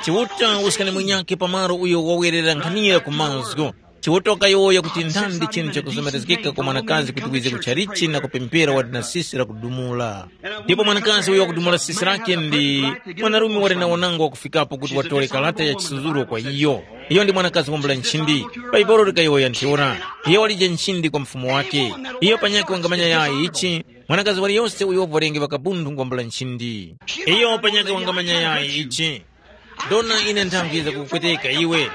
Chiuta uskani munyakhe pamalo uyo wawerera nkhanira ku mazgu. Chiuta wakayowoya kuti nthandi chinthu chakuzomerezgeka kwa mwanakazi kuti wize ku chalichi na kupemphera wati na sisi lakudumula. Ndipo mwanakazi uyo wakudumula sisi lake ndi mwanarume wali na wanango wakufikapo kuti watore kalata ya chisuzuro kwa iyo. Iyo ndi mwanakazi wambula nchindi. Bhaibuli likayowoya ntheura. Iyo walije nchindi kwa mfumu wake. Iyo panyakhe wangamanya yayi ichi, mwanakazi waliyose uyo wavwarenge ŵakabundhu ngwambula nchindi. Iyo panyakhe wangamanya yayi ichi. Dona ine nthangwiza kukupweteka iwe.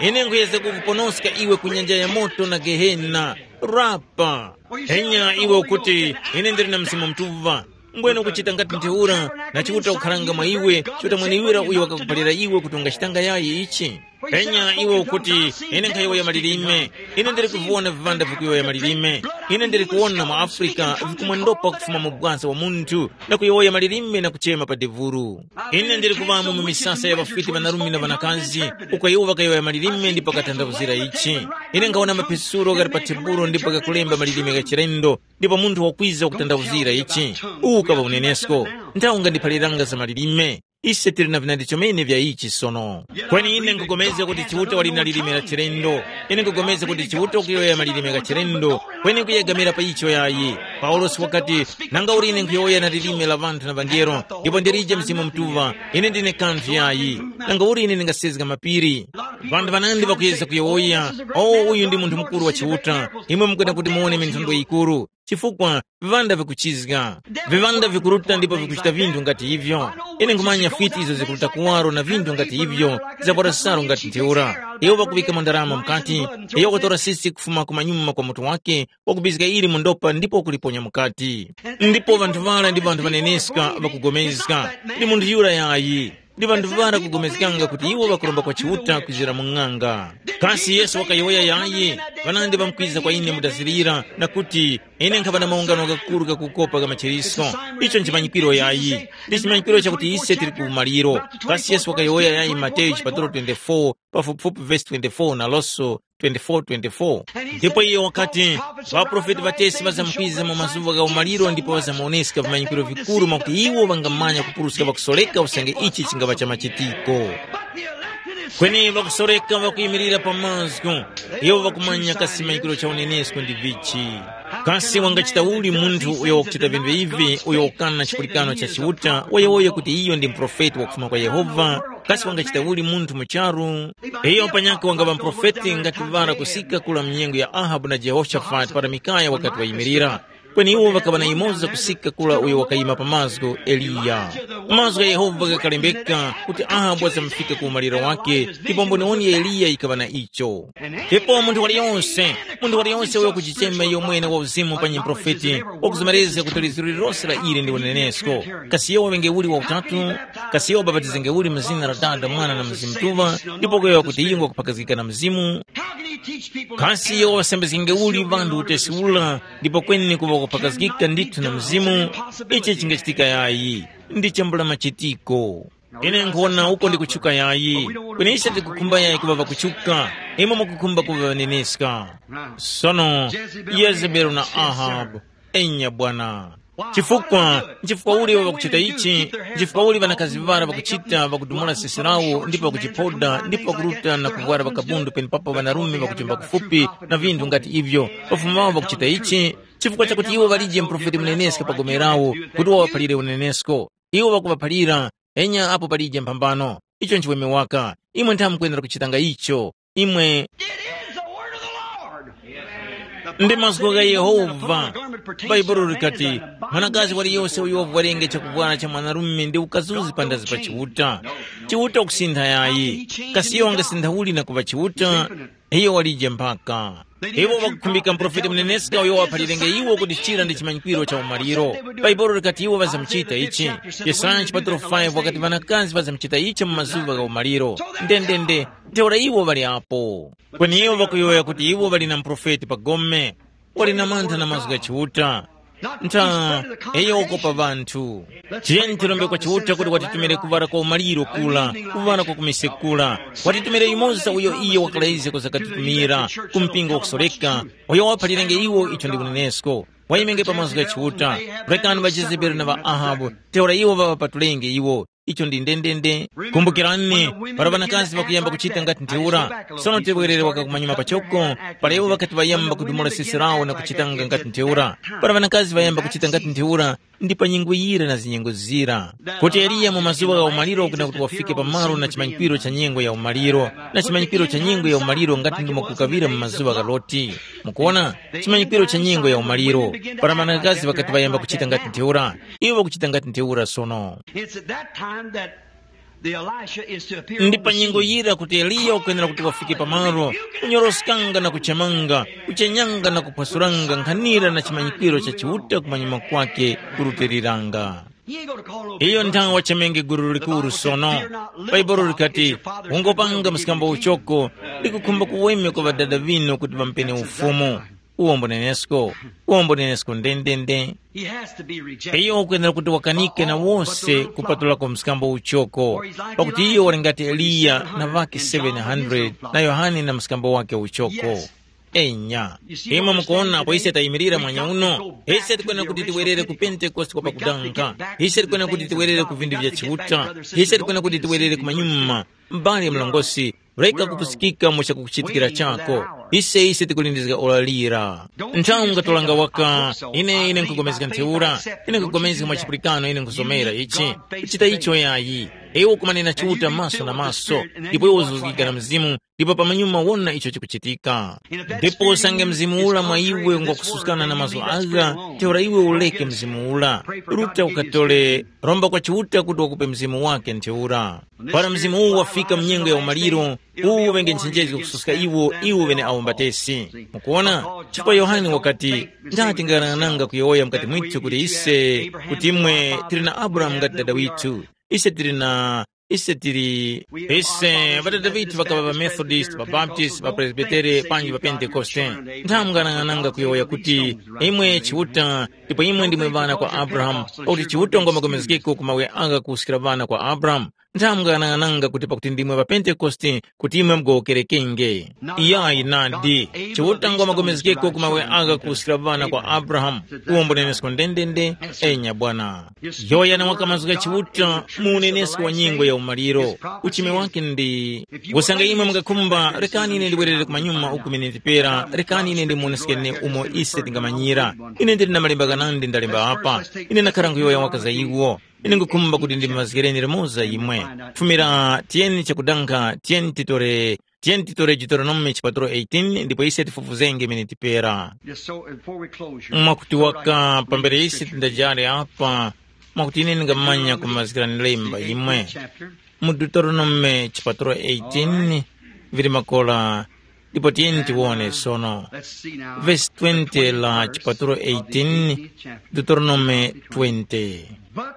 Ine nkhuyeza kukuponoska iwe ku nyanja ya moto na gehena. Rapa. Enya iwe ukuti, ine ndili na Mzimu Mutuŵa. Mbwene ukuchita ngati ntheura, na Chiuta ukharanga mwa iwe, Chiuta mweneuyo uyo wakakuphalira iwe kuti ungachitanga yayi ichi. Penya iwe ukuti, ine nkhayowoya malilime. Ine ndili kuvona viŵanda vikuyowoya malilime. Ine ndili kuwona mu Afrika vikumwendopa kufuma mu bwasa wa munthu na kuyowoya malilime na kuchema pa devuru. Ine ndili kuŵamo mu misasa ya ŵafwiti ŵanarume na ŵanakazi, uko iwo ŵakayowoya malilime ndipo ŵakatanthauzira ichi. Ine nkhawona mapisuro ghali pa tebulo ndipo ghakulemba malilime gha chilendo, ndipo munthu wakwiza wakutanthauzira ichi. Uwu ukaŵa unenesko. Nthawi ungandiphaliranga za malilime. Ise tili na vinandi chomene vya ichi sono. Kweni ine nkupulikana kuti Chiuta wali na lilime la chilendo. Ine nkupulikana kuti Chiuta wakuyowoya malilime gha chilendo. Kweni nkuyegamira pa icho yayi. Paulosi wakati, nanga uli ine nkuyowoya na lilime la ŵanthu na ŵangelo, ndipo ndilije Mzimu Mutuŵa, ine ndine kanthu yayi. Nanga uli ine ndingasezga mapiri? Ŵanthu ŵanandi ŵakuyezga kuyowoya, o uyu ndi munthu mukuru wa Chiuta. Imwe mukwenera kuti muwone minthondwe yikuru. Chifukwa viŵanda vikuchizga, viŵanda vikuruta ndipo vikuchita vinthu ngati ivyo. Ine nkhumanya fiti izo zikuruta kuwaro na vinthu ngati ivyo, zavwara salu ngati ntheura. Iwo ŵakuŵikamo ndarama mukati, iwo wakutora sisi kufuma ku manyuma kwa mutu wake, wakubizga ili mu ndopa ndipo wakuliponya mukati. Ndipo vanthu ŵara ndi vanthu ŵaneneska ŵakugomezga, ndi munthu yura yayi. Ndipo ndivara kugomezganga kuti iwo ŵakuromba kwa Chiuta kwizira mu ng'anga. Kasi Yesu wakayowoya yayi, ŵanandi ŵamkwiza kwa ine mutazirira, na kuti, ine nkhaŵa na maungano ghakuru ghakukopa gha machiriso. Icho nchimanyikiro yayi. Ndi chimanyikiro chakuti ise tili ku umaliro. Kasi Yesu wakayowoya yayi Mateyu chipatalo twenty-four, pafupifupi vesi twenty-four naloso twenty-four twenty-four. Ndipo iye wakati, ŵaprofeti ŵatesi ŵazamkwiza mu mazuŵa gha umaliro ndipo ŵazamuwoneska vimanyikiro vikuru mwakuti iwo ŵangamanya kupuruska ŵakusoreka usange ichi chingaŵa cha machitiko. Kweni ŵakusoreka ŵakuyimirira pa mazgu, iwo ŵakumanya kasi manyikiro cha unenesko ndi vichi. Kasi wangachita uli munthu uyo wakuchita vinthu ivi uyo wakana chipulikano cha Chiuta wayowoya kuti iyo ndi muprofeti wakufuma kwa Yehova? Kasi wangachita uli munthu mu charu? Iyo panyakhe wangaŵa muprofeti ngati vara kusika kula mu nyengo ya Ahabu na Jehoshafati para Mikaya wakati wayimirira. Kweni iwo ŵakaŵa na yumoza kusika kula uyo wakayima pa mazgu, Eliya. Mazgu gha Yehova ghakalembeka kuti Ahabu wazamufika ku umaliro wake, ndipo mboniwoni ya Eliya yikaŵa na icho. Ndipo munthu waliyonse, munthu waliyonse uyo kuchichema iyo mwene wa uzimu pa nyiprofeti, wakuzomerezga kuti liziro lilose la ili ndi unenesko. Kasi iyo waŵenge uli wa utatu? Kasi iyo wabapatizenge uli mu zina la Dada, Mwana na Mzimu Mutuŵa, ndipo kuyowoya kuti iyo ngwakuphakazgika na Mzimu? Kasi iyo wasambizgenge uli ŵanthu utesi ula, ndipo kweni kuŵa kuphakazgika ndithu na Mzimu? Ichi chingachitika yayi. Ndi chambula machitiko. Ine nkhuwona uko ndikutchuka yayi. Kweni ise tikukhumba yayi kuŵa ŵakutchuka. Imwe mukukhumba kuŵa ŵaneneska. Sono, Yezebeli na Ahabu. Enya bwana. Chifukwa, nchifukwa uli iwo ŵakuchita ichi? Nchifukwa uli ŵanakazi ŵara ŵakuchita ŵakudumula sesi lawo ndipo ŵakuchiphoda ndipo ŵakuruta na kuvwara ŵakabundu penepapo ŵanarume ŵakuchemba kufupi na vinthu ngati ivyo? Pafumu wawo ŵakuchita ichi chifukwa chakuti iwo ŵalije muprofeti muneneska pa gome lawo kuti wawaphalire unenesko. Iwo ŵakuŵaphalira, enya apo palije mphambano. Icho nchiweme waka. Imwe ntha mukwenera kuchitanga icho. Imwe It is the word of the Lord. Ndi mazgu gha Yehova. Baibulo likati, mwanakazi waliyose uyo wavwarenge chakuvwara cha mwanarume ndi ukazuzi pandazi pa Chiuta. Chiuta kusintha yayi. Kasi iyo wangasintha uli na kuŵa Chiuta? Iyo walije mpaka. Iwo ŵakukhumbika muprofeti muneneska uyo waphalirenge iwo kuti chira ndi chimanyikwiro cha umaliro. Baibulo likati iwo ŵazamuchita ichi. Yesaya chipatalo five wakati ŵanakazi ŵazamuchita ichi mu mazuŵa gha umaliro. Ndendende, ntheura iwo ŵali apo. Kweni iwo ŵakuyowoya kuti iwo ŵali na muprofeti pa gome, wali na mantha na mazgu gha Chiuta. Ntha, iyo wakopa ŵanthu. Tiyeni tirombe kwa Chiuta kuti watitumire kuŵala kwa umaliro kula, kuŵala kwa kumisekula. Watitumire yumoza uyo iye wakalaize kuzakatitumira, ku mpingo wakusoreka, uyo waphalirenge iwo icho ndi unenesko. Wayimenge pa mazgu gha Chiuta, rekani ŵa Jezebeli na ŵa Ahabu, ntheura iwo ŵaŵapatulenge iwo. Icho ndi ndendende. Kumbukirani, para ŵanakazi ŵakuyamba kuchita ngati ntheura, sono tewerere waka kumanyuma pachoko, para iwo ŵakati ŵayamba kudumula sisi lawo na kuchitanga ngati ntheura, para ŵanakazi ŵayamba kuchita ngati ntheura, ndi pa nyengo yira na zinyengo zira. Kuti Eliya mu mazuŵa gha umaliro kuna kuti wafike pamalo na chimanyikwiro cha nyengo ya umaliro, na chimanyikwiro cha nyengo ya umaliro ngati ndimo kukaŵira mu mazuŵa gha Loti. Mukuona, chimanyikwiro cha nyengo ya umaliro, para ŵanakazi ŵakati ŵayamba kuchita ngati ntheura, iwo ŵakuchita ngati ntheura sono. It's at that time that the Elisha is to appear. Ndi on pa the nyengo scene. Yira kuti Eliya ukwenera kuti wafike pamalo, kunyoroskanga na kuchemanga, kuchenyanga na kuphwasuranga nkhanira na chimanyikwiro cha Chiuta kumanyuma kwake kurutiliranga. He ain't gonna call no big iyo bus. Nthawi wachemenge guru likuru sono. Baibulo likati, ungopanga mskambo uchoko, likukhumba kuweme kwa ŵadada vino kuti ŵampene ufumu. Uwombo nenesko, uwombo nenesko ndendende. He has to be rejected. Iyo ukwenera kuti wakanike na wose kupatulako mskambo uchoko, pakuti iyo wali ngati Eliya na ŵake seven hundred na Yohane na mskambo wake uchoko. Enya. Imwe mukuona apo ise tayimirira mwanya uno, ise tikwenera kuti tiwerere ku Pentekoste kwa pakudanga. Ise tikwenera kuti tiwerere ku vindu vya Chiuta. Ise tikwenera kuti tiwerere ku manyuma. M'bale mlongosi, reka kupusikika mu chakukuchitikira chako. Ise ise tikulindizga ora lira. Nthawi ungatolanga waka, ine ine nkugomezga ntheura, ine nkugomezga mwa chipulikano ine nkusomera ichi. Kuchita icho yayi. Iwe ukumanena Chiuta maso na maso, ndipo iwe uzuzgika na Mzimu, ndipo pamanyuma wona icho chikuchitika. Ndipo usange Mzimu ula mwa iwe ngwakususkana na mazgu agha, ntheura iwe uleke Mzimu ula. Ruta ukatole, romba kwa Chiuta kuti wakupe Mzimu wake ntheura. Para Mzimu uwu wafika mu nyengo ya umaliro, uwu uŵenge nchenjezo kususka iwo, iwo ŵeneawo mbatesi. Mukuona? Chifukwa Yohane wakati, ndati tingayang'ananga kuyowoya mukati mwithu kuti ise, kuti imwe tili na Abrahamu ngati dada withu. Ise tili na Ise tili, ise ŵadada ŵithu ŵakaŵa ŵaMethodist, ŵaBaptist, ŵaPresbitere panji ŵaPentekoste. Nthamu nganang'ananga kuyowoya kuti, imwe Chiuta, ndipo imwe ndimwe ŵana kwa Abrahamu, pakuti Chiuta ngwa magomezgeko ku mawe agha kuwuskira ŵana kwa Abrahamu. Nthamu nganang'ananga kuti pakuti ndimwe ŵaPentekoste, kuti imwe mugowokerekenge. Iyayi nadi, Chiuta ngwa magomezgeko ku mawe agha kuwuskira ŵana kwa Abrahamu. Uwo mbunenesko ndendende, enya bwana. Yohane wakamazga Chiuta mu unenesko wa nyengo ya umaliro. Uchimi wake ndi, usange imwe mungakhumba, rekani ine ndiwerere kumanyuma uku ine ndipera, rekani ine ndimuonesekeni umo ise tingamanyira. Ine ndili na malemba ghanandi ndalemba apa. Ine ndakhala nkuyowoya waka za iwo. Ine ngukhumba kuti ndimazgireni limoza imwe. Fumira tiyeni chakudankha, tiyeni titore, tiyeni titore Deuteronome chipaturo eighteen ndipo ise tifufuzenge imene tipera. Yes, so before we close your Mwakuti waka pambere ise tindajale apa, mwakuti ine ndingamanya kumazgirani lemba imwe. Chapter. Mu Deuteronome chipaturo eighteen, vili makola, ndipo tiyeni tiwone sono. Let's see now. Vesi twenty la chipaturo eighteen, Deuteronome twenty.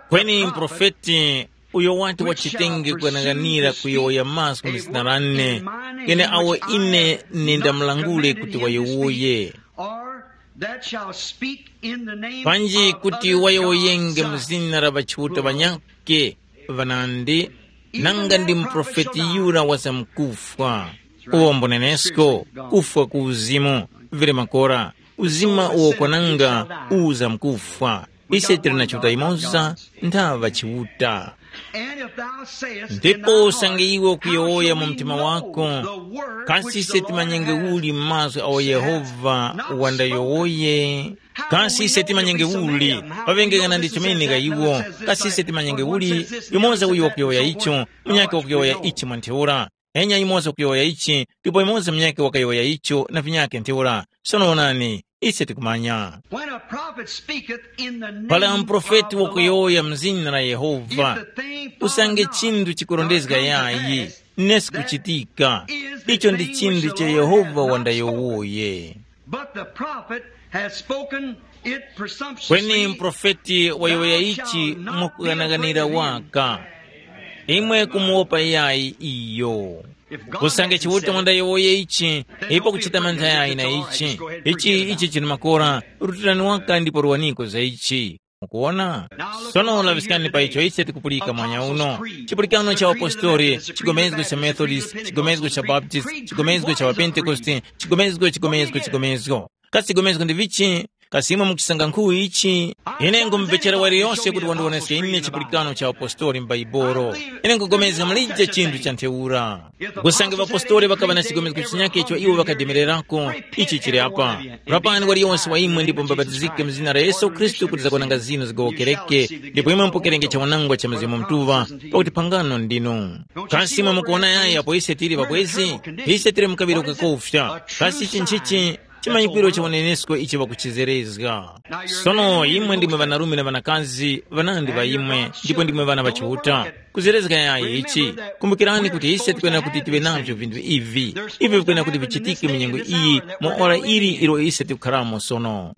Kweni mprofeti uyo wati wachitenge kuyang'anira kuyowoya mazgu mu zina lane, ghene awo ine nindamulangule kuti wayowoye. Or that shall speak in the name panji of kuti other wayowoyenge gods, mu zina la ŵachiuta ŵanyakhe ŵanandi, nanga ndi muprofeti yura wazamkufwa. Uwo mbunenesko, kufwa ku uzimu, vili makora, uzima uwo kwananga uzamkufwa. Ise tili na Chiuta yimoza, nthaŵa Chiuta. And if thou sayest in ndipo thy usange heart, iwe ukuyowoya mu mtima wako, the word kasi which ise the Lord timanyenge has uli mazwi awo Yehova wandayowoye? Kasi ise timanyenge uli? Pavengekana ndi chimene ka iwo. Kasi ise timanyenge uli? Yumoza uyo wakuyowoya icho, munyakhe wakuyowoya ichi mwa ntheura. Enya yumoza wakuyowoya ichi, ndipo yumoza munyakhe wakayowoya icho na vinyakhe ntheura. Sono onani, ise tikumanya. When a prophet speaketh in the name pala mprofeti of the wakuyowoya Lord, mzina la Yehova, if the thing fall usange not, chinthu chikurondezga not come to yayi, pass, nesi that kuchitika. Is the icho ndi thing chinthu which the cha Lord Yehova hath not wandayowoye. But the prophet has spoken it presumptuously. Kweni mprofeti wayowoya ichi mwakuyang'anira waka. Imwe kumuwopa yayi iyo. Usange Chiuta wandayowoye ichi, ipo kuchita mantha yayi na ichi. Ichi ichi chili makora, rutirani waka ndipo ruwaniko za ichi. Mukuwona? Sono laŵiskani pa icho ise tikupulika mwanya uno. Chipulikano cha Wapostori, chigomezgo cha Methodist, chigomezgo cha Baptist, chigomezgo cha Wapentekoste, chigomezgo, chigomezgo, chigomezgo. Kasi chigomezgo ndi vichi? Kasi imwe mukusanga nkhu ichi? Ine ngumupechera waliyose kuti wandiwoneske ine chipulikano cha Wapostori m'Baibolo. Ine nkugomezga mulije chinthu cha ntheura. Kusange ŵapostoli ŵakaŵa na chigomezgo chinyakhe icho iwo ŵakademererako, ichi chili apa. Rapani waliyonse wa imwe ndipo mubapatizike mu zina la Yesu Khristu kuti zakwananga zinu zigowokereke, ndipo imwe mupokerenge chawanangwa cha Mzimu Mutuŵa, pakuti phangano ndinu. Kasi imwe mukuwona yayi apo ise tili ŵabwezi? Ise tili mu kaŵiro kakofya. Kasi ichi nchichi? Chimanyikwiro cha unenesko ichi ŵakuchizerezga. Sono imwe ndimwe ŵanarume na ŵanakazi ŵanandi ŵa imwe, ndipo ndimwe ŵana ŵa Chiuta. Kuzerezga yayi ichi, kumbukirani kuti ise tikwenera kuti tive navyo vinthu ivi. Ivi vikwenera kuti vichitike mu nyengo iyi, mu ora ili ilo ise tikukharamo sono.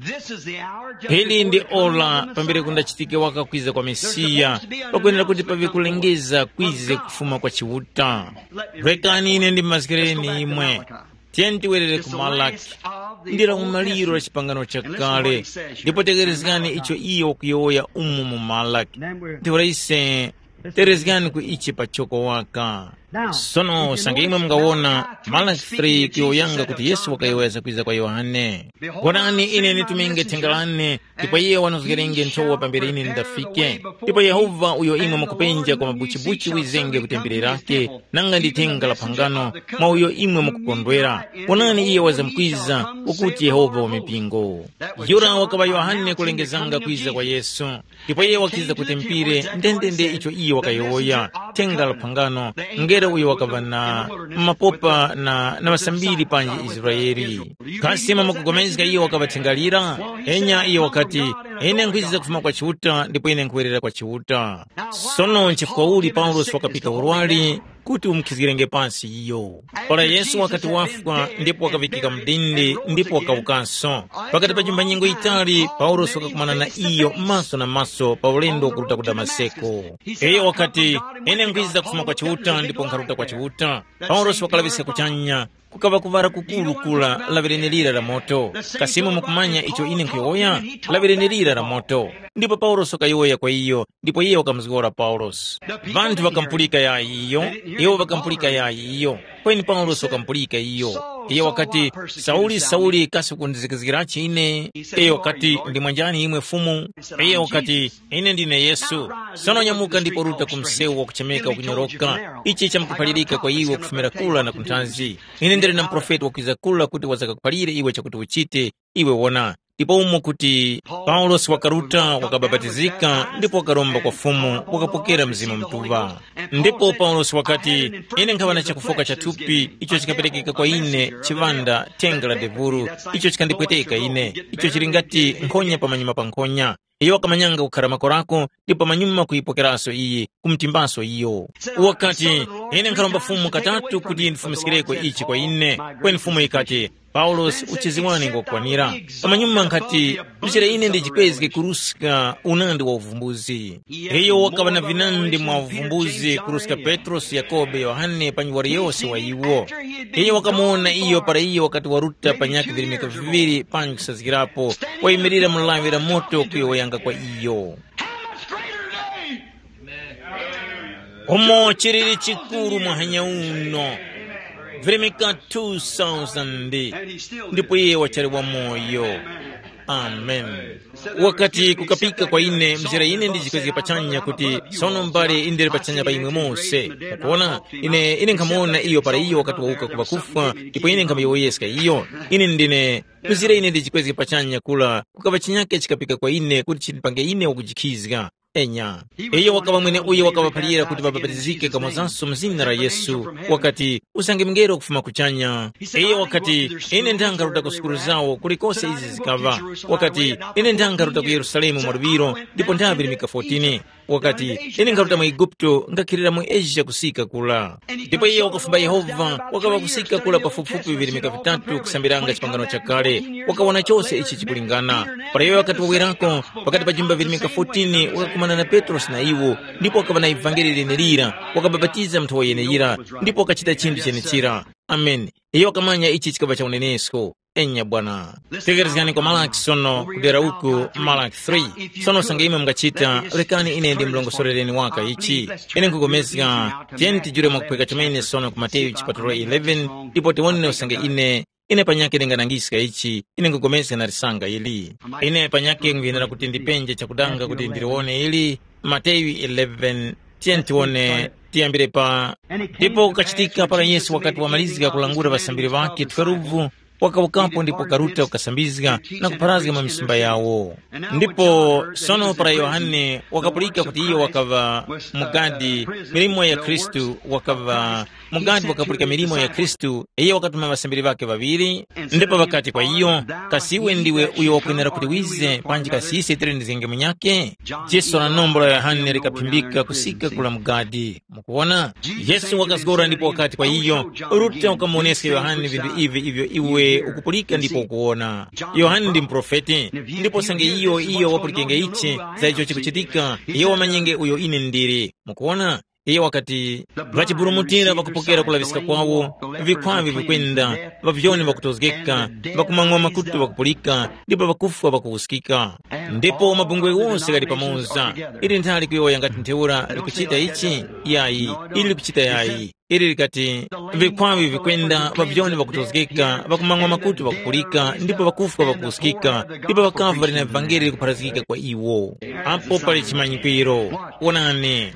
Ili ndi ora pambere kundachitike waka kwiza kwa Mesiya, pakwenera kuti paŵe kulengeza kwize kufuma kwa Chiuta. Rekani ine ndimazgireni imwe. Tiyeni tiwerere ku Malaki. Ndi la umaliro la chipangano chakale, ndipo tekerezgani icho iyo wakuyowoya umu mu Malaki. Ntheura ise tekerezgani ku ichi pachoko waka. Sono usange imwe mungawona Malaki three kuyowoyanga kuti Yesu wakayowoya zakwiza kwa Yohane. Wonani, ine nditumenge thenga lane, ndipo iye wanozgerenge nthowa pambere ine ndafike. Ndipo Yehova uyo imwe mukupenja kwa mabuchibuchi wizenge ku tembere lake, nanga ndi thenga la phangano, mwa uyo imwe mukukondwera. Wonani iye wazamkwiza, ukuti Yehova wa mipingo. Yura wakaŵa Yohane kulengezanga kwiza kwa Yesu. Ndipo iye wakiza kuti mpire ndendende icho iye wakayowoya, thenga la phangano, ngere uyo wakaŵa na mapopa na, na ŵasambiri panji Israeli. Kasi mwamukupulikana iyo wakaŵa thenga lira? Enya iyo wakati, ine nkhwiza kufuma kwa Chiuta ndipo ine nkhuwerera kwa Chiuta. Sono nchifukwa uli Paulosi wakapika urwari? kuti umukhizgirenge pansi iyo. Para Yesu wakati wafwa ndipo wakaŵikika mu dindi ndipo wakawukanso, pakati pa chimbanyengo yitali Paulosi wakakumana na iyo maso na maso pa ulendo wakuruta ku Damaseko. Iyo wakati, “Ine nkhwiza kufuma kwa Chiuta ndipo nkharuta kwa Chiuta.” Paulosi wakalaŵiska kuchanya, kukaŵa kuŵala kukuru kura laŵireni lira la moto. Kasi imwe mukumanya icho ine nkhuyowoya? Laŵireni lira la moto. Ndipo Paulosi wakayowoya kwa iyo, ndipo iye wakamuzgora Paulosi. Vanthu ŵakamupulika yayi iyo, iwo ŵakamupulika yayi iyo. Kweni Paulosi wakamupulika iyo. Iye wakati, “Sauli, Sauli, kasi ukundizikizgirachi ine?” Iyo wakati, “Ndi mwanjani imwe Fumu?” Iye wakati, “Ine ndine Yesu. Sono nyamuka ndipo ruta ku msewu wakuchemeka wakunyoroka. Ichi chamkuphalirika kwa iwe kufumira kura na kunthazi. Ine ndili na muprofeti wakwiza kura kuti wazakakuphalire iwe chakuti uchite. Iwe wona.” Ndipo umo kuti Paulosi wakaruta, wakabapatizika ndipo wakaromba kwa Fumu, wakapokera Mzimu Mutuŵa. Ndipo Paulosi wakati, “Ine nkhaŵa na chakufoka cha thupi icho chikaperekeka kwa ine chiŵanda thenga la devuru, icho chikandipweteka ine, icho chili ngati nkhonya pamanyuma pa nkhonya.” Iyo wakamanyanga kukhara makorako ndipo pamanyuma kuyipokeraso iyi, kumtimbaso iyo. Wakati, “Ine nkharomba Fumu katatu kuti ndifumiskireko ichi kwa ine.” Kweni Fumu yikati, “Paulosi, uchizi wane ngwakwanira.” Pamanyuma nkhati, “Mchira ine ndijipezge kuruska unandi wa uvumbuzi.” Iyo wakaŵa na vinandi mwa uvumbuzi kuruska Petrosi, Yakobe, Yohane panji wali yose wa iwo. Iyo wakamuwona iyo para iyo wakati waruta panyakhe virimika viŵiri panji kusazgirapo, wayimirira mu lawi la moto kuyowoyanga kwa iyo. How much greater name? Umo chilili chikuru muhanya uno, virimika two thousand, ndipo iye wachali wamoyo. Amen. Wakati kukapika kwa ine mzera ine ndijikwezge pachanya kuti, sono mbale indili pachanya pa imwe mose. Mukuona, ine ine nkhamuwona iyo para iyo wakati wawuka ku ŵakufwa, ndipo ine nkhamuyowoyeska iyo. Ine ndine mzera ine ndijikwezge pachanya kula, kukaŵa chinyake chikapika kwa ine kuti chindipange ine wakujikhizga. Enya. Iyo wakaŵa mwene uyo wakaŵaphalira kuti ŵabapatizike kamozanso mu zina la Yesu. Wakati, usange mngelo kufuma kuchanya. Iyo wakati, ine ndangharuta ku sukulu zawo kulikose izi zikaŵa. Wakati, ine ndangharuta ku Yerusalemu mwaluŵiro ndipo ndaŵirimika fourteen. Wakati, ine nkharuta mu Eguputo ngakhilira mu Asia kusika kula. Ndipo iye wakufumba Yehova wakaŵa kusika kula pafupifupi virimika vitatu kusambiranga chipangano chakale. Wakawona chose ichi chikulingana. Para iye wakati wawerako, pakati pa jimba virimika fourteen wakakumana na Petrosi na iwo, ndipo wakaŵa na ivangeli lenelira, wakabapatiza munthu wa yeneyira, ndipo wakachita chinthu chenechira. Ameni. Iyo wakamanya ichi chikaŵa cha unenesko. Enya bwana. Tekerezgani kwa Malaki sono kudera uku, Malaki three. Sono usange imwe mungachita, lekani ine ndimulongosorereni waka ichi. Ine nkugomezga, tiyeni tijule mwakuphweka chomene sono ku Mateyu chipatulo eleven, ndipo tiwone usange ine, ine panyakhe ndinganangiska ichi, ine nkugomezga na lisanga ili. Ine panyakhe nkhuyenera kuti ndipenje chakudanga kuti ndiliwone ili, Mateyu eleven, tiyeni tiwone, tiyambire pa. Ndipo kukachitika para Yesu wakati wamalizga kulangula ŵasambiri ŵakhe twelve, wakawukapo ndipo karuta kukasambizga na kupharazga mwa misumba yawo. Ndipo sono para Yohane wakapulika kuti iyo wakaŵa mugadi milimo ya Khristu, wakaŵa mugadi wakapulika milimo ya Khristu, iyo wakatuma ŵasambiri ŵakhe ŵaŵiri, ndipo ŵakati kwa iyo, kasi iwe ndiwe uyo wakwenera kuti wize panji kasi ise tili ndi zenge munyakhe? Jiso la nombo la Yohane likaphimbika kusika kula mugadi. Mukuwona? Yesu wakazgora ndipo wakati kwa iyo, “Ruta ukamuwoneske Yohane vinthu ivi ivyo iwe ukupulika ndipo ukuwona. Yohane ndi muprofeti, ndipo usange iyo iyo wapulikenge ichi za icho chikuchitika, iyo wamanyenge uyo ine ndili.” Mukuwona? Iyo wakati, “Ŵachiburumutira ŵakupokera kulaŵiska kwawo, vikhwavi vikwenda, ŵavyoni ŵakutozgeka, ŵakumang'wa makutu ŵakupulika, ndipo ŵakufwa ŵakuwuskika.” Ndipo mabungwe ghose ghali pamoza. Ili nthali kuyowoya ngati ntheura likuchita ichi? Yayi, ili likuchita yayi. Ili likati, vikhwavi vikwenda, ŵavyoni ŵakutozgeka, ŵakumang'wa makutu ŵakupulika, ndipo ŵakufwa ŵakuwuskika, ndipo ŵakavu ŵali na vangeli likupharazgika kwa iwo. Apo pali chimanyikwiro. Wonani.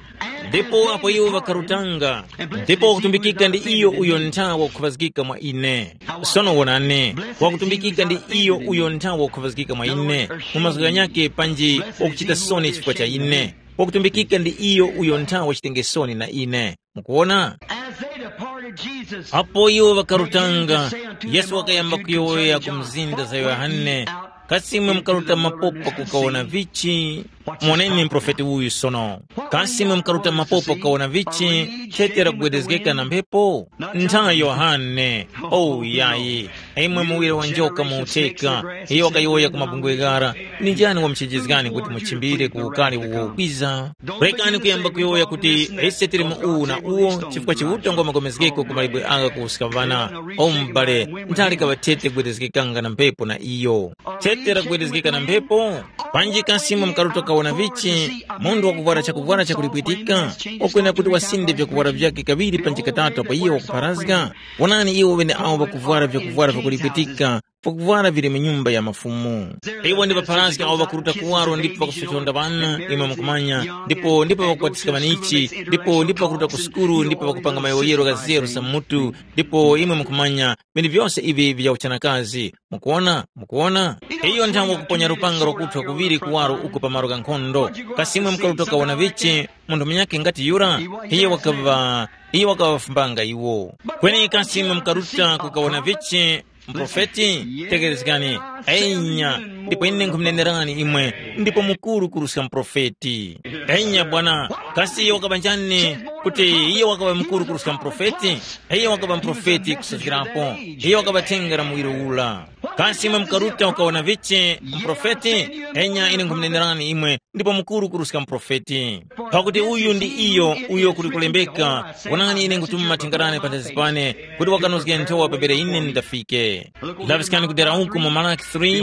Ndipo apo iwo ŵakarutanga, ndipo wakutumbikika ndi iyo uyo ntha wakukhavazgika mwa ine. Sono wonani, wakutumbikika ndi iyo uyo ntha wakukhavazgika mwa ine, mu mazgu ghanyakhe panji wakuchita soni chifukwa cha ine. Wakutumbikika ndi iyo uyo ntha wachitenge soni na ine. Mukuwona? As they departed, Jesus Apo iwo ŵakarutanga, Yesu wakayamba kuyowoya ku mzinda za Yohane, kasi imwe mukaruta mapopa kukawona vichi? Moneni muprofeti uyu sono. Kasi imwe mukaruta mapopo kawona vichi? Thete lakugwedezgeka na mphepo? Ntha Yohane. Oh yayi. Imwe muwire wa njoka mu utheka. Iyo wakayowoya ku mabungwe ghara. Ndi njani wamuchejezgani kuti muchimbire ku ukari uwo ukwiza? Rekani kuyamba kuyowoya kuti ise tili mu uwu na uwo, chifukwa Chiuta ngwa magomezgeko ku mawe agha kuwuska vana. O m'bale, ntha likaŵa thete kugwedezgekanga na mphepo na iyo. Thete lakugwedezgeka na mphepo? Panji kasi imwe mukaruta kawona vichi? Munthu wakuvwara chakuvwara chakulipwitika, wakwenera kuti wasinde vyakuvwara vyakhe kaŵiri panji katatu apo iye wakupharazga? Wonani iwo ŵeneawo ŵakuvwara vyakuvwara vyakulipwitika, vakuvwara vili mu nyumba ya mafumu. Iwo ndi ŵapharazga awo ŵakuruta kuwaro ndipo ŵakusochonda ŵana, imwe mukumanya, ndipo ndipo ŵakukwatiska ŵanichi, ndipo ndipo ŵakuruta ku sukulu ndipo ŵakupanga mayowoyero gha zeru sa mutu, ndipo imwe mukumanya, vinthu vyose ivi vya uchanakazi. Mukuwona? Mukuwona? Iyo nthawe kuponya lupanga lwakuthwa kuŵiri kuwaro uko pa malo gha nkhondo. Kasi imwe mukaruta kawona vichi? Munthu munyakhe ngati yura, iye wakaŵa iye wakaŵafumbanga iwo. Kweni kasi imwe mukaruta kukawona vichi? Muprofeti? Tekerezgani. Enya, ndipo ine nkhumunenerani imwe, ndipo mukuru kuruska muprofeti. Enya bwana, kasi iyo wakaŵa njani? Kuti iyo wakaŵa mukuru kuruska muprofeti? Iyo wakaŵa muprofeti kusazgirapo. Iyo wakaŵa thenga la muwiro ula. Kasi imwe mukaruta ukawona vichi? Muprofeti? Enya ine nkhumunenerani imwe, ndipo mukuru kuruska muprofeti. Pakuti uyu ndi iyo uyo kuli kulembeka, wonani ine nkutuma mathenga ghane panthazi pane, kuti wakanozge nthowa pambere ine ndindafike. Laŵiskani kudera uku mu Malaki three,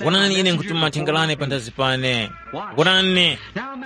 wonani ine nkutuma mathenga ghane panthazi pane. Wonani,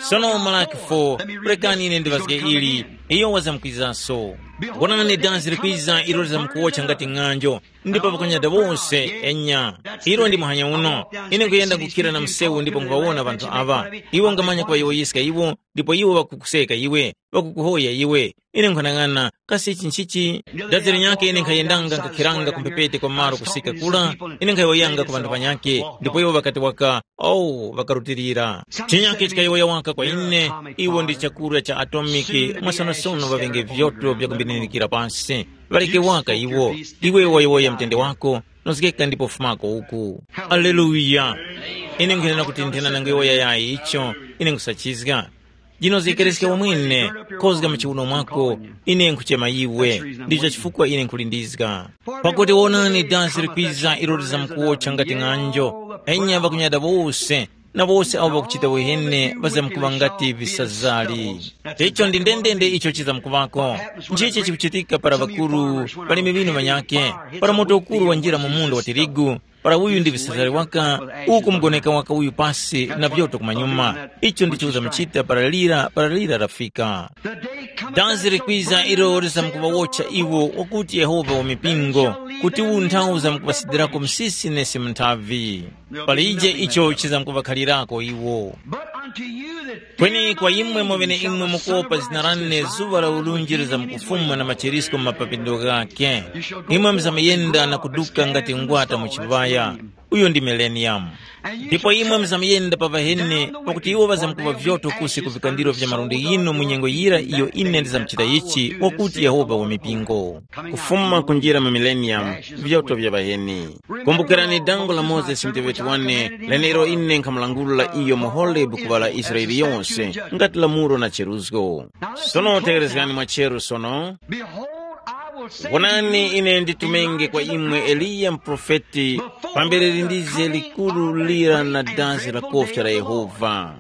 sono Malaki four, rekani ine ndiŵazge ili, iyo wazamkwizanso. Wonani dazi likwiza ilo lizamkuwotcha ngati ng'anjo, ndipo pakunyada wose, enya. Ilo ndi muhanya uno. Ine nkuyenda kukhira na msewu ndipo nkuŵawona ŵanthu aŵa. Iwo ngamanya kuŵayowoyeska iwo, ndipo iwo ŵakukuseka iwe, ŵakukuhoya iwe. Ine nkhanang'ana, kasi ichi nchichi? Dazi linyakhe ine nkhayendanga nkhakhiranga ku mphepete kwa malo kusika kura, ine nkhayowoyanga ku ŵanthu ŵanyakhe, ndipo iwo ŵakati waka, oh, ŵakarutilira. Chinyakhe chikayowoya waka kwa ine, iwo ndi chakurya cha atomiki, mwasonosono ŵaŵenge vyoto vyakumbininikira pasi. Ŵaleke waka iwo, iwe wayowoya mtende wako, nozgeka ndipo fumako uku. Aleluya! Ine nkwenera kuti nthena nangoyowoya yayi icho, ine nkhusachizga. Jinozgekereske wamwene, kozga mu chiwuno mwako, ine nkhuchema iwe, ndicho chifukwa ine nkhulindizga. Pakuti wonani, dansi likwiza ilo lizamkuwotcha ngati ng'anjo, enya ŵakunyada wose, na wose awo ŵakuchita uheni ŵazamkuŵa ngati visazali. Icho ndi ndendende icho chizamkuŵako. Nchichi chikuchitika para ŵakuru ŵalimi ŵinu ŵanyakhe, para moto ukuru wanjira mu munda wa tirigu, para uyu ndi visazali waka, uku mugoneka waka uyu pasi na vyoto kumanyuma. Icho ndicho uzamuchita para lira, para lira lafika. Danzi likwiza ilo lizamkuŵawotcha iwo wakuti Yehova wa mipingo, kuti unthawu uzamkuŵasidirako msisi nesi mu nthavi. Palije icho chizamkuŵakhalirako iwo. But unto you that Kweni kwa imwe mweneimwe mukuopa zina lane, zuŵa la ulunji lizamkufuma na machirisko mu mapapindiro ghakhe. Imwe muzamuyenda na kuduka ngati ngwata mu chiŵaya. Uyo ndi mileniyamu. Ndipo imwe muzamuyenda pa ŵaheni, pakuti iwo ŵazamkuŵa vyoto kusi ku vikandiro vya malundi ghinu mu nyengo yira iyo ine ndizamuchita ichi, wakuti Yehova wa mipingo. Kufuma kunjira mu mileniyamu, vyoto vya ŵaheni. Kumbukirani dango la Mozesi muteŵeti wane, lenelo ine nkhamulangulula iyo mu Horebu ku ŵa la Israele yose, ngati lamulo na cheruzgo. Sono tegherezgani mwacheru sono. Behold, I will send Wonani, ine nditumenge kwa imwe Eliya muprofeti, pambere lindize likuru lira na dazi la kofya la Yehova.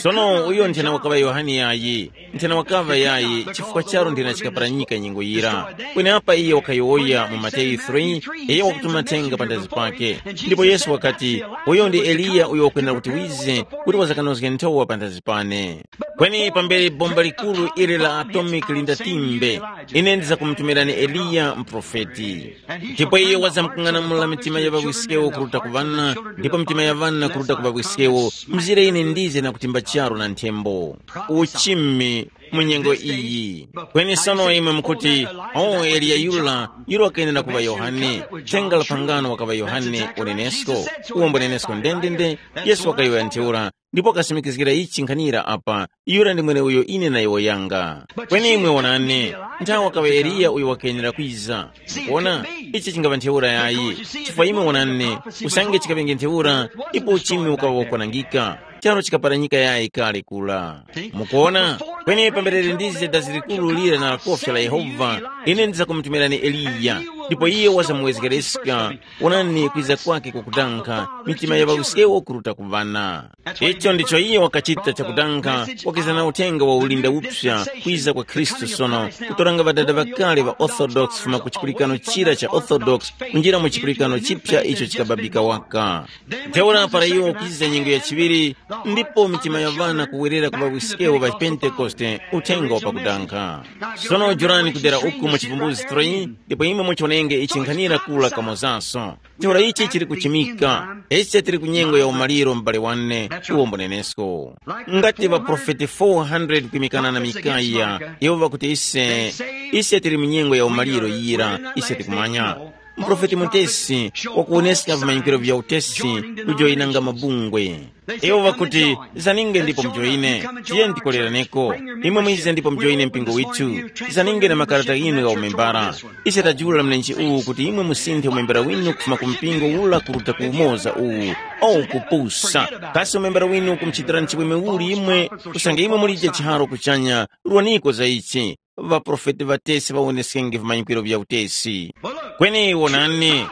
Sono uyo nthena wakaŵa Yohane yayi, nthena wakaŵa yayi, chifukwa charo nthena chikaparanyika nyengo yira. Kweneapa iye wakayowoya mu Mateyu three, iye wakutuma thenga panthazi pake. Ndipo Yesu wakati, uyo ndi Eliya uyo wakwenera kuti wize, kuti wazakanozge nthowa panthazi pane. Kweni pambere bomba likuru ili la atomiki lindatimbe, ine ndizakumutumirani Eliya muprofeti. Ndipo iyo wazamkung'anamula mitima ya ŵawiskewo kuruta ku ŵana, ndipo mitima ya ŵana kuruta ku ŵawiskewo, mzire ine ndize na kutimba charu na nthembo. Uchimi mu nyengo iyi. Kweni sono imwe mukuti, o Eliya yura, yura wakayenera kuŵa Yohane, thenga la phangano wakaŵa Yohane unenesko, uwombo nenesko ndendende, Yesu wakayowoya ntheura, ndipo wakasimikizgira ichi nkhanira apa, yura ndi mweneuyo ine nayowoyanga. Kweni imwe wonani, nthawe wakaŵa Eliya uyo wakayenera kwiza. Mukuona, ichi chingaŵa ntheura yayi, chifukwa imwe wonani, usange chikaŵenge ntheura, ipo uchimi ukaŵa wakwanangika. Charu chikaparanyika yayi kale kula. Mukuona? Kweni pamberere ndize dazi likuru lira na kofya la Yehova, ine ndizakumutumirani Eliya, ndipo iye wazamuwezgereska. Wonani kwiza kwake kwakudanga, mitima ya ŵawiskewo kuruta ku ŵana. Icho ndicho iye wakachita chakudanga, wakiza na uthenga wa ulinda upsa kwiza kwa Khristu sono, kutoranga ŵadada ŵakale ŵa Orthodox kufuma ku chipulikano chira cha Orthodox kunjira mu chipulikano chipya icho chikababika waka. Ntheura para iwo kuchiza nyengo ya chiŵiri, ndipo mitima ya ŵana kuwerera ku ŵawiskewo ŵa Pentekoste, uthenga wa pakudanga. Sono jorani kudera uku mu chivumbuzi three, ndipo imwe muchonenge ichi nkhanira kula kamozaso. Ntheura ichi chili kuchimika, ise tili ku nyengo ya umaliro m'bale wane, uwo mbunenesko. Ngati ŵaprofeti four hundred kwimikana na Mikaya, iwo ŵakuti ise, ise tili mu nyengo ya umaliro yira, ise tikumanya. Muprofeti mutesi wakuwoneska vimanyikiro vya utesi kujoyinanga mabungwe. Iwo ŵakuti, zaninge ndipo mujoyine, tiyeni tikoleraneko. Imwe mwize ndipo mujoyine mpingo withu. Zaninge na makarata ghinu gha umembara. Ise tajula mlenje uwu kuti imwe musinthe umembera winu kufuma ku mpingo ula kuruta ku umoza uwu, au kupusa. Kasi umembera winu ukumuchitirani chimwemwe uli imwe? Usange imwe mulije chiharo kuchanya, rwaniko za ichi. Ŵaprofeti ŵatesi ŵawoneskenge vimanyikwiro vya utesi. Kweni wonani,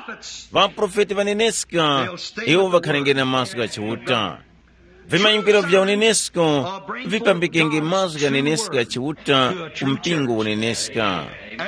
ŵaprofeti ŵaneneska, iwo ŵakhalengere na mazgu gha Chiuta. Vimanyikwiro vya unenesko vipambikenge mazgu ghaneneska gha Chiuta ku mpingo uneneska.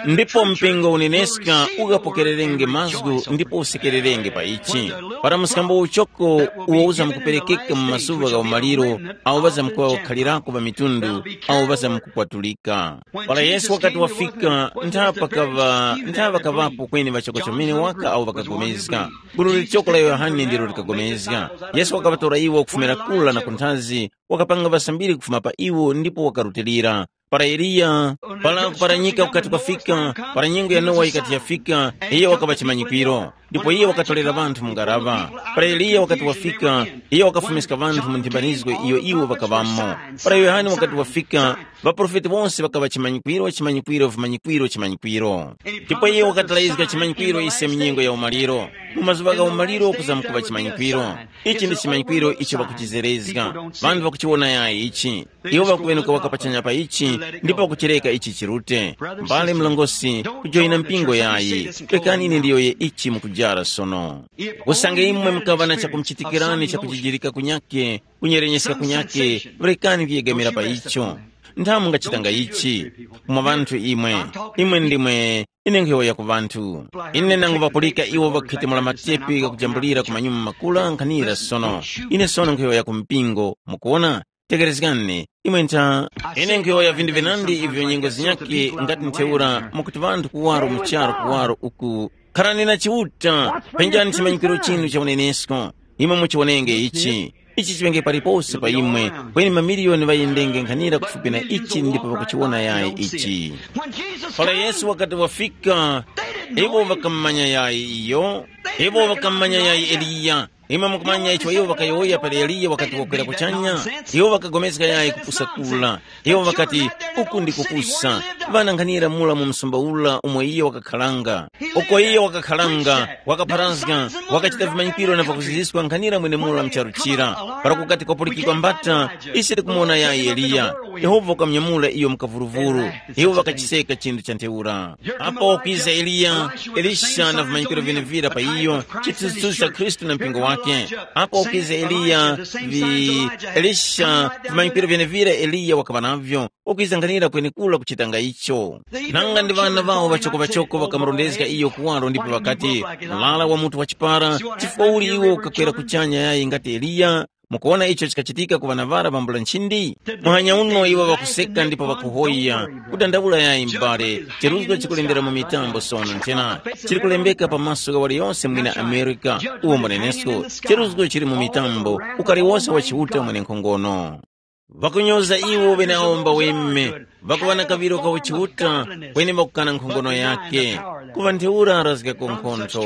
Ndipo mpingo uneneska ukapokererenge mazgu ndipo usekererenge pa ichi. Para mskambo uchoko uwo uzamkuperekeka mu mazuŵa gha umaliro, awo ŵazamkuŵa wakhalirako pa mitundu, awo ŵazamkukwatulika. Para Yesu wakati wafika, ntha pakaŵa ntha ŵakaŵapo kweni ŵachoko chomene waka awo ŵakagomezga. Gulu lichoko la Yohane ndilo likagomezga. Yesu wakaŵatora iwo kufumira kula na kunthazi, wakapanga ŵasambiri kufuma pa iwo ndipo wakarutilira. Para Eliya, para kuparanyika kukati kwafika, para nyengo ya Nowa yikati yafika, iyo wakaŵa chimanyikwiro. Ndipo iyo wakatolera ŵanthu mu ngaraŵa. Para Eliya wakati wafika, iyo wakafumiska ŵanthu mu nthimbanizgo iyo iwo ŵakaŵamo. Para Yohane wakati wafika, ŵaprofeti wose ŵakaŵa chimanyikwiro, chimanyikwiro, vimanyikwiro, chimanyikwiro. Ndipo iye wakatilayizga chimanyikwiro ise m'nyengo ya umaliro. Mu mazuŵa gha umaliro kuzamkuŵa chimanyikwiro. Ichi ndi chimanyikwiro icho ŵakuchizerezga. Ŵanthu ŵakuchiwona yayi ichi. Iwo ŵakuŵenuka waka pachanya pa ichi, ndipo ŵakuchireka ichi chirute. Mbale mlongosi, kujoyina mpingo yayi. Rekani ine ndiyoye ichi mukujara sono. Usange imwe mukaŵa na chakumuchitikirani chakujijirika kunyake, kunyerenyeskeka kunyakhe, rekani kuyegamira pa icho. Nthamu mungachitanga ichi. Kumwa ŵanthu imwe, imwe ndimwe, ine nkhuyowoya ku ŵanthu. Ine nangu ŵapulika iwo ŵakukhwitemula matepi ghakujambulira ku manyuma makula nkhanira sono. Ine sono nkhuyowoya ku mpingo, mukuwona? Tekerezgani, imwe ntha. Ine nkhuyowoya vinthu vinandi ivyo nyengo zinyakhe ngati ntheura mwakuti ŵanthu kuwaro mu charu kuwaro uku. Kharani na Chiuta, penjani chimanyikiro chinu cha unenesko. Imwe muchiwonenge ichi. Ichi chiŵenge palipose pa imwe, kweni mamiliyoni ŵayendenge nkhanira kufupi na ichi ndipo ŵakuchiwona yayi ichi. Para Yesu wakati wafika, iwo ŵakammanya yayi iyo, iwo ŵakammanya yayi Eliya. Imwe mukumanya icho iwo ŵakayowoya pali Eliya wakati wakwera kuchanya? Iwo ŵakagomezga yayi kupusa kula. Iwo ŵakati, uku ndi kupusa. Ŵana nkhanira mura mu msumba ula umo iye wakakharanga. Uko iye wakakharanga, wakapharazga, wakachita vimanyikiro na pakuziziswa nkhanira mwenemura mcharu chira. Para kukati kwapulikikwa mbata, ise tikumuwona yayi Eliya. Yehova wakamunyamula iyo mukavuruvuru. Iwo ŵakachiseka chinthu cha ntheura. Apo wakwiza Eliya, Elisha na vimanyikiro vyenevira pa iyo, chithunzithunzi cha Khristu na mpingo wake. Apo wakwiza Eliya, vi, Elisha, vimanyikiro vyenevira Eliya wakaŵa navyo, wakwiza nkhanira kwenekura kuchitanga icho. Nanga ndi ŵana ŵawo ŵachoko-ŵachoko ŵakamurondezga iyo kuwaro ndipo ŵakati, mlala wa mutu wa chipara, chifukwa uli iwo ukakwera kuchanya yayi ngati Eliya? Mukuwona icho chikachitika ku ŵanaŵara ŵambula nchindi? Muhanya uno iwo ŵakuseka ndipo ŵakuhoya, kudandaula yayi m'bale, cheruzgo chikulembera mu mitambo sono nthena, chili kulembeka pa maso gha waliyonse mwina Amerika, uwo mbunenesko, cheruzgo chili mu mitambo, ukali wose wa Chiuta mwenenkhongono. Ŵakunyoza iwo ŵeneawo mbaweme, Ŵakuŵa na kaŵiro ka uchiuta, kweni ŵakukana nkhongono yake. Kuŵa ntheura arazgako nkhontho.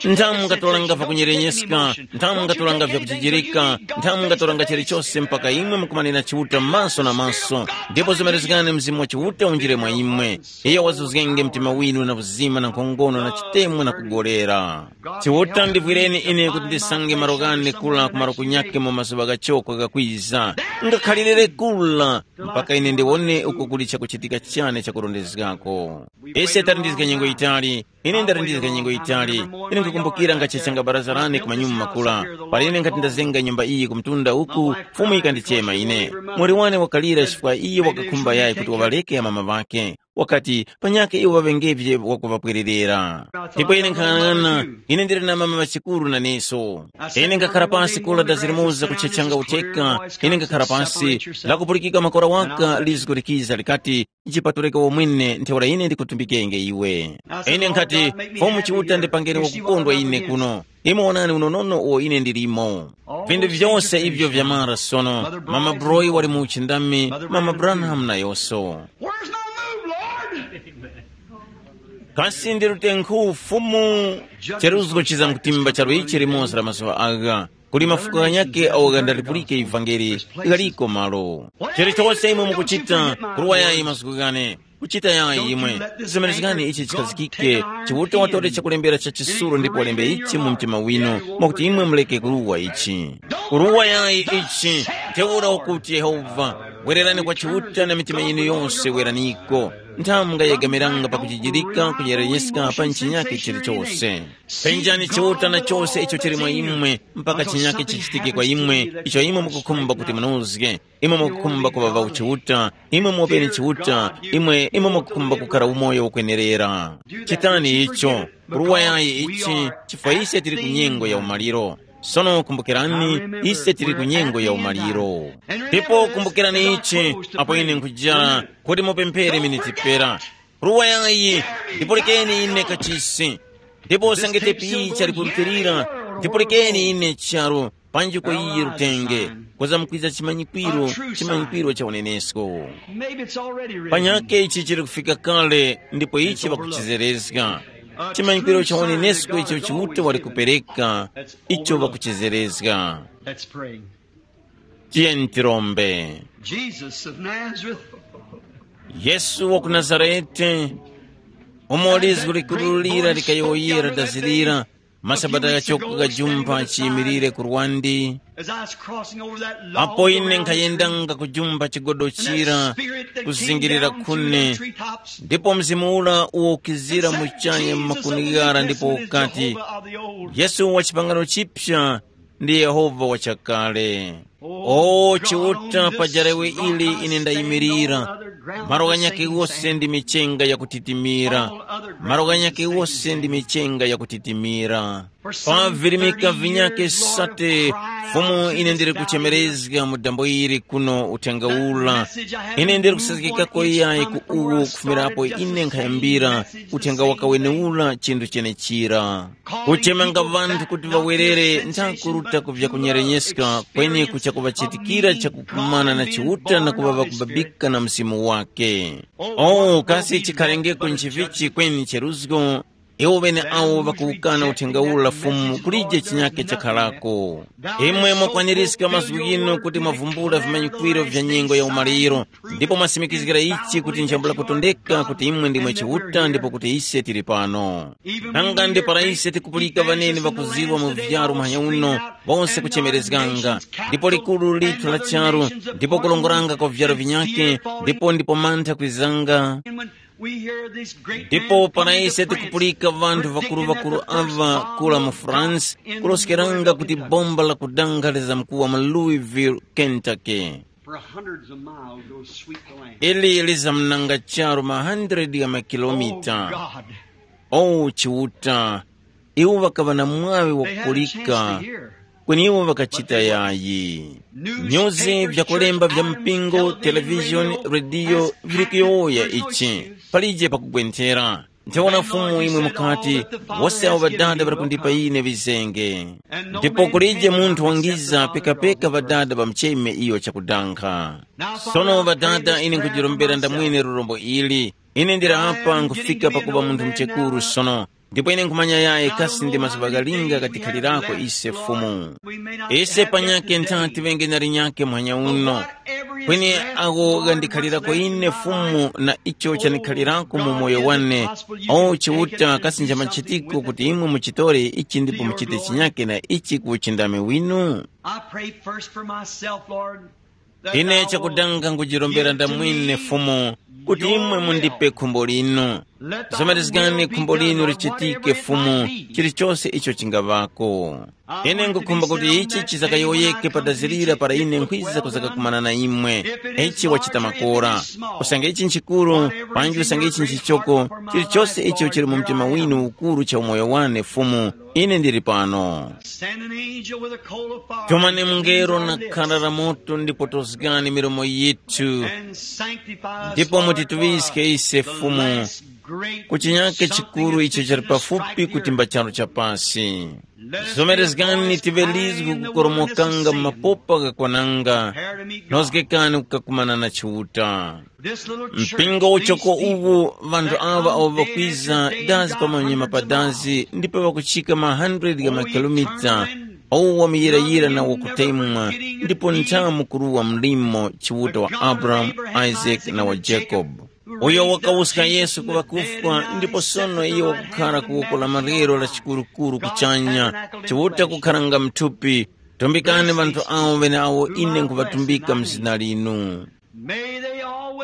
Nthamu mungatoranga vyakunyerenyeska, nthamu mungatoranga vyakuchijirika, nthamu mungatoranga chilichose mpaka imwe mukumanena Chiuta maso na maso, ndipo zimerezgani Mzimu wa Chiuta unjire mwa imwe. Iyo wazuzgenge mtima winu na uzima na nkhongono na chitemwa na kugolera. Chiuta ndivwireni ine kuti ndisange malo ghane kula ku malo kunyakhe mu mazuŵa ghachoko ghakwiza. Ngakhalirire kula mpaka ine ndiwone uko kuli chakuchitika chane chakurondezgako. Ise talindizga nyengo yitali, ine ndarindizga nyengo yitali. Ine nkukumbukira ngachechanga baraza lane ku manyuma makula, pali ine nkhati ndazenga nyumba iyi ku mtunda uku, Fumu yikandichema ine. Muli wane wakalira chifukwa iyo wakakhumba yayi kuti waŵaleke amama ŵake. Wakati, panyakhe iwo ŵaŵengevye wakuŵapwererera. Ndipo ine nkhanang'ana, ine ndili na mama ŵachikuru naneso. Ine ngakhara pasi kula dazirimoza kuchechanga utheka, ine ngakhara pasi, lakupulikika makora waka lizgo likiza likati, jipatulike womwene ntheura ine ndikutumbikenge iwe. Ine nkhati, Fumu Chiuta ndipangeni wakukondwa ine kuno. Imwe wonani unonono uwo ine ndilimo. Vinthu vyose ivyo vyamara sono, mama Broy wali mu uchindami, mama Branham nayonso. Where's my move, Lord? Kasi ndi lutenkhu Fumu? Cheruzgo chizamkutimba chalo ichi limoza la mazuŵa agha. Kuli mafuko ghanyakhe awo ghandaripulike ivangeli ghaliko malo. Chilichose imwe mukuchita, kuruwa yayi masiku ghane. Kuchita yayi imwe. Zimenezgani ichi chikhazikike, Chiuta watore chakulembera cha chisuro ndipo walembe ichi mu mtima winu, mwakuti imwe muleke kuruwa ichi. Kuruwa yayi ichi, ntheura ukuti Yehova, wererani kwa Chiuta na mitima yinu yose weraniko. Nthamu ngayegamiranga pakuchijirika kuyereyeska pa chinyake chilichose. Penjani Chiuta na chose icho chili mwa imwe, mpaka chinyake chichitike kwa imwe, icho imwe mukukhumba kuti munozge. Imwe mukukhumba kuŵa ŵauchiuta, imwe mopeni Chiuta, imwe imwe mukukhumba kukhala umoyo ukwenerera. Chitani icho, kuruwa yayi ichi, chifukwa ise tili ku nyengo ya umaliro. Sono kumbukirani, ise tili ku nyengo ya umaliro. Ndipo kumbukirani ichi, apo ine nkujara, kuti mupemphere miniti pera. Ruwa yayi, ndipulikeni ine kachisi. Ndipo sangete piyi chalipulikirira, ndipulikeni ine charu, panji kwa iye rutenge, kuza mukwiza chimanyikwiro, chimanyikwiro cha unenesko. Maybe it's already written. Panyake ichi chili kufika kale, ndipo ichi ŵakuchizerezga. Chimanyikwiro cha unenesko icho Chiuta wali kupereka, icho ŵakuchizerezga. Let's pray. Tiyeni tirombe. Jesus of Nazareth. Yesu wa ku Nazarete, umo lizgu likurulira likayowoyera dazilira, masabata ghachoko ghajumpha chiyimirire ku rwandi. As I was crossing over that long apo ine round nkhayendanga kujumba chigodo chira, kuzingirira khune, ndipo mzimu ula uwo ukizira muchanya mmakunighara ndipo ukati, Jehovah of the old. Yesu wa chipangano chipya ndi Yehova wa chakale. O Chiuta, pa jalewe ili ine ndayimirira. Malo ghanyakhe wose ndi michenga yakutitimira. Malo ghanyakhe wose ndi michenga yakutitimira. Pa virimika vinyakhe sate, Fumu, ine ndiri kuchemerezga mu dambo ili kuno uthenga ula. Ine ndiri kusazgikako yayi ku uwo kufumirapo ine nkhayambira uthenga wakaweneula chinthu chenechira. Kuchemanga ŵanthu kuti ŵawerere nthakuruta ku vyakunyerenyeskwa kweni kucha kuŵachitikira chakukumana na Chiuta na kuŵa ŵakubabika na Mzimu wake. O kasi chikhalengeko nchivichi kweni cheruzgo, iwo ŵeneawo ŵakuwukana uthenga ula Fumu kulije chinyake chakharako. Imwe mwakwanirizga mazgu ghinu kuti mwavumbula vimanyikwiro vya nyengo ya umaliro, ndipo mwasimikizgira ichi kuti nchambula kutondeka kuti imwe ndimwe Chiuta ndipo kuti ise tili pano. Nanga ndi para ise tikupulika ŵaneni ŵakuzirwa mu vyaru muhanya uno, bose kuchemerezganga, ndipo likuru lithu la charu, ndipo kulongoranga kwa vyaru vinyakhe, ndipo ndipo mantha kwizanga. Ndipo para ise tikupulika ŵanthu ŵakuru-ŵakuru aŵa kula mu France, kuloskeranga kuti bomba la kudanga lizamkuwa mu Louisville, Kentucky. For hundreds of miles, those sweet the land. Ili lizamnanga charu ma hundred ya makilomita. Oh God. O Chiuta, iwo ŵakaŵa na mwaŵi They had a chance wakukulika, to hear. Kweni iwo ŵakachita yayi. Nyuzi, vyakulemba vya mpingo, televishoni, rediyo vili kuyowoya ichi. Palije pakugwenthera. Ntheura Fumu imwe mukati, wose awo ŵadada ŵali kundipa ine vizenge. Ndipo kulije munthu wangiza pekapeka ŵadada ŵamucheme iyo chakudankha. Sono ŵadada, ine nkujirombera ndamwene lurombo ili. Ine ndili apa nkufika pakuŵa munthu muchekuru sono. Ndipo ine nkhumanya yaye kasi ndi mazuŵa ghalinga gatikhalirako ise Fumu. Ise panyakhe ntha tiŵenge na linyakhe muhanya uno. Kweni agho ghandikhalirako ine Fumu na icho chanikhalirako mu moyo wane, o Chiuta kasi nja machitiko kuti imwe muchitore ichi ndipo muchite chinyakhe na ichi ku uchindami winu? I pray first for myself, Lord. Ine chakudanga nkujirombera ndamwine Fumu, kuti imwe mundipe khumbo linu. Zomerezgani khumbo linu lichitike Fumu, chilichose icho chingaŵako. Ine ngukhumba kuti ichi chizakayowoyeke padazirira para ine nkhwiza kuzakakumana na imwe. Ichi wachita makora. Usange ichi nchikuru, panji usange ichi nchichoko, chilichose icho chili mu mtima winu ukuru cha umoyo wane Fumu, ine ndili pano. Send an angel with a coal of fire. Tumani mungelo na khara la moto ndipo tozgani milomo yithu. And sanctify us, ndipo Lord, mutituwiske for ise the Fumu last great ku chinyake something chikuru that's icho fixing chali to pafupi strike the kuti earth. Mbachalo cha pasi. Zomerezgani tiŵe lizgu kukoromokanga mu mapopa ghakwananga. Nozgekani kukakumana na Chiuta. Mpingo uchoko uwu, ŵanthu aŵa awo ŵakwiza dazi pamanyuma pa dazi ndipo ŵakuchika ma hundred gha makilomita, awo wamuyirayira na wakutemwa, ndipo nthamu kuruwa mlimo Chiuta wa Abrahamu, Isaac na wa Jacob, uyo wakawuska Yesu ku ŵakufwa ndipo sono iyo wakukhara ku woko la malero la chikurukuru kuchanya, Chiuta kukharanga mthupi. Tumbikani ŵanthu awo ŵeneawo ine nkhuŵatumbika mu zina linu.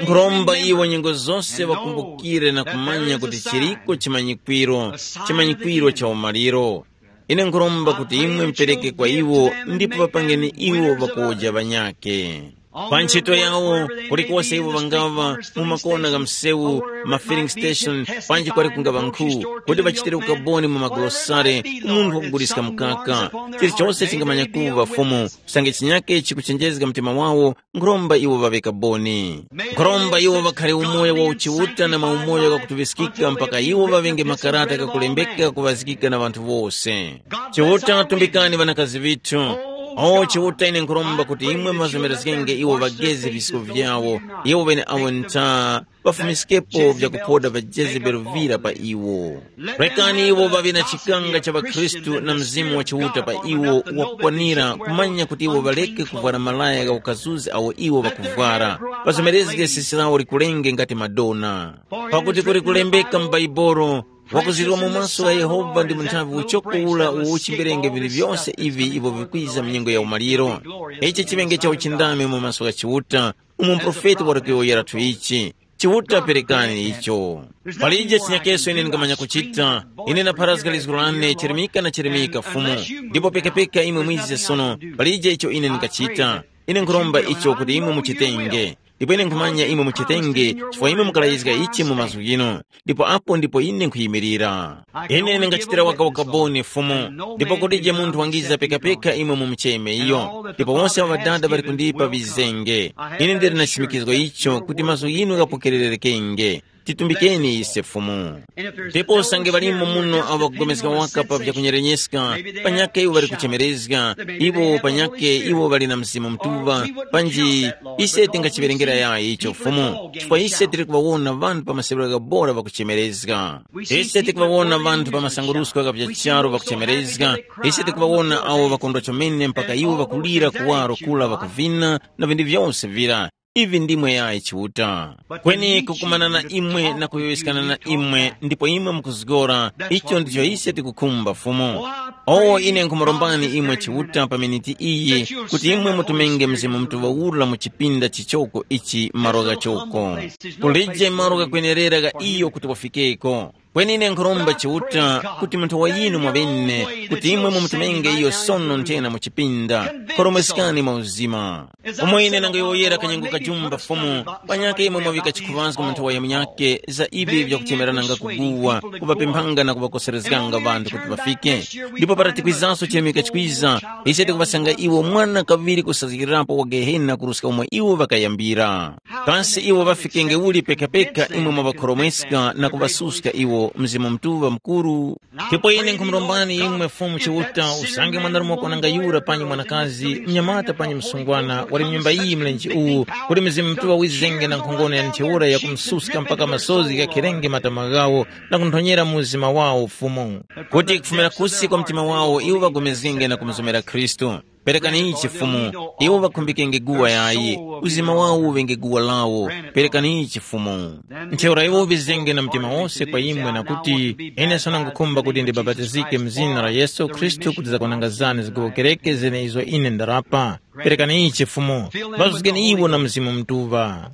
Nkhuromba iwo nyengo zose ŵakumbukire na kumanya kuti chiriko chimanyikwiro, chimanyikwiro cha umaliro. Ine nkhuromba kuti imwe mupereke kwa iwo ndipo ŵapangeni iwo ŵakuwoja ŵanyakhe. Pa ntchito yawo, kulikose iwo ŵangaŵa, mu makona gha msewu, ma filling station, panji kwali kungaŵa nkhu, kuti ŵachitire ukaboni mu magulosale ku munthu wakuguliska mukaka. Chilichose chingamanya kuŵa Fumu, usange chinyake chikuchenjezga mtima wawo, nkhuromba iwo ŵaŵe kaboni. Nkhuromba iwo ŵakhare umoyo wa uchiuta na maumoyo ghakutuŵiskika mpaka iwo ŵaŵenge makarata ghakulembeka kuŵazgika na ŵanthu wose. Chiuta, tumbikani ŵanakazi ŵithu. O Chiuta, ine nkhuromba kuti imwe muŵazomerezgenge iwo ŵageze visiko vyawo, iwo ŵeneawo ntha ŵafumiskepo vyakuphoda vya Jezebeli vira pa iwo. Rekani iwo ŵaŵe na chikanga cha ŵakhristu na Mzimu wa Chiuta pa iwo wakukwanira kumanya kuti iwo ŵaleke kuvwara malaya gha ukazuzi awo iwo ŵakuvwara, ŵazomerezge sisi lawo likulenge ngati Madonna. Pakuti kuli kulembeka mu Baibolo, wakuzirwa mu maso gha Yehova ndi munthavi uchoko ula uwo uchimberenge vinthu vyose ivi ivyo vikwiza mu nyengo ya umaliro. Ichi chiŵenge cha uchindami mu maso gha Chiuta, umo muprofeti wali kuyowoyerathu ichi. Chiuta perekani icho. Palije chinyakeso ine ndingamanya kuchita. Ine napharazga lizgu lane chirimika na chirimika Fumu, ndipo pekapeka imwe mwize sono, palije icho ine ndingachita. Ine nkhuromba icho kuti imwe muchitenge. Ndipo ine nkhumanya imwe muchitenge, chifukwa imwe mukalayizga ichi mu mazgu ghinu. Ndipo apo ndipo ine nkhuyimirira. Ine ndingachitira waka ukaboni Fumu, ndipo kutije munthu wangiza pekapeka imwe mumucheme iyo. Ndipo wonse awo ŵadada ŵali kundipa vizenge. Ine ndili na chimikizgo icho kuti mazgu ghinu ghapokererekenge. Titumbikeni ise Fumu. Ndipo usange ŵalimo muno awo ŵakupulikana waka pa vyakunyerenyeskeka, panyakhe iwo ŵali kuchemerezga, iwo panyakhe iwo ŵali na Mzimu Mutuŵa, panji ise tingachiwerengera yayi icho Fumu, chifukwa ise tili kuŵawona ŵanthu pa maseŵero ghabora ŵakuchemerezga. Ise tikuŵawona ŵanthu pa masangurusko gha vya charu ŵakuchemerezga, ise tikuŵawona awo ŵakondwa chomene mpaka iwo ŵakulira kuwaro kula ŵakuvina na vinthu vyose vira. Ivi ndimwe yayi Chiuta. Kweni kukumana na imwe na kuyowoyeskana na imwe ndipo imwe mukuzgora, icho ndicho ise tikukhumba Fumu. Owo ine nkhumurombani imwe Chiuta pa miniti iyi kuti imwe mutumenge Mzimu Mutuŵa ura mu chipinda chichoko ichi malo ghachoko. Kulije malo ghakwenerera gha iyo kuti wafikeko. Kweni ine nkhuromba Chiuta kuti munthu wa yinu mwaŵene kuti imwe mumutumenge iyo sono nthena mu chipinda. Khoromweskani mwa uzima. Umo ine nangoyowoyera kanyengo kajumba Fumu, panyakhe imwe mwaŵika chikhuŵazgo mu nthowa ya munyakhe za ivi vyakuchemerananga kuguwa, kuŵapemphanga na kuŵakoserezganga ŵanthu kuti ŵafike. Ndipo para tikwizanso chilemeka chikwiza, ise tikuŵasanga iwo mwana kaŵiri kusazgikirapo wa Gehena kuruska umo iwo ŵakayambira. Kasi iwo ŵafikenge uli pekapeka imwe mwaŵakhoromweska na kuŵasuska iwo? Mzimu Mutuŵa mukuru. Ndipo ine nkhumurombani imwe Fumu Chiuta, usange mwanarume wakwananga yura panyi mwanakazi, mnyamata panyi msungwana, wali mu nyumba iyi mlenje uwu, kuti Mzimu Mutuŵa wizenge na nkhongono ya ntheura yakumususka mpaka masozi ghakherenge matama ghawo, na kunthonyera mu uzima wawo Fumu. Kuti kufumira kusi kwa mtima wawo iwo ŵagomezgenge na kumuzomera Khristu. Perekani ichi Fumu, iwo ŵakhumbikenge guwa yayi, uzima wawo uŵenge guwa lawo. Perekani ichi Fumu. Ntheura iwo ŵizenge na mtima wose kwa imwe na kuti, ine sonangukhumba kuti ndibapatizike mu zina la Yesu Khristu kuti zakwananga zane zigowokereke zene izo ine ndarapa. Perekani ichi Fumu, ŵazuzgeni iwo na Mzimu Mutuŵa.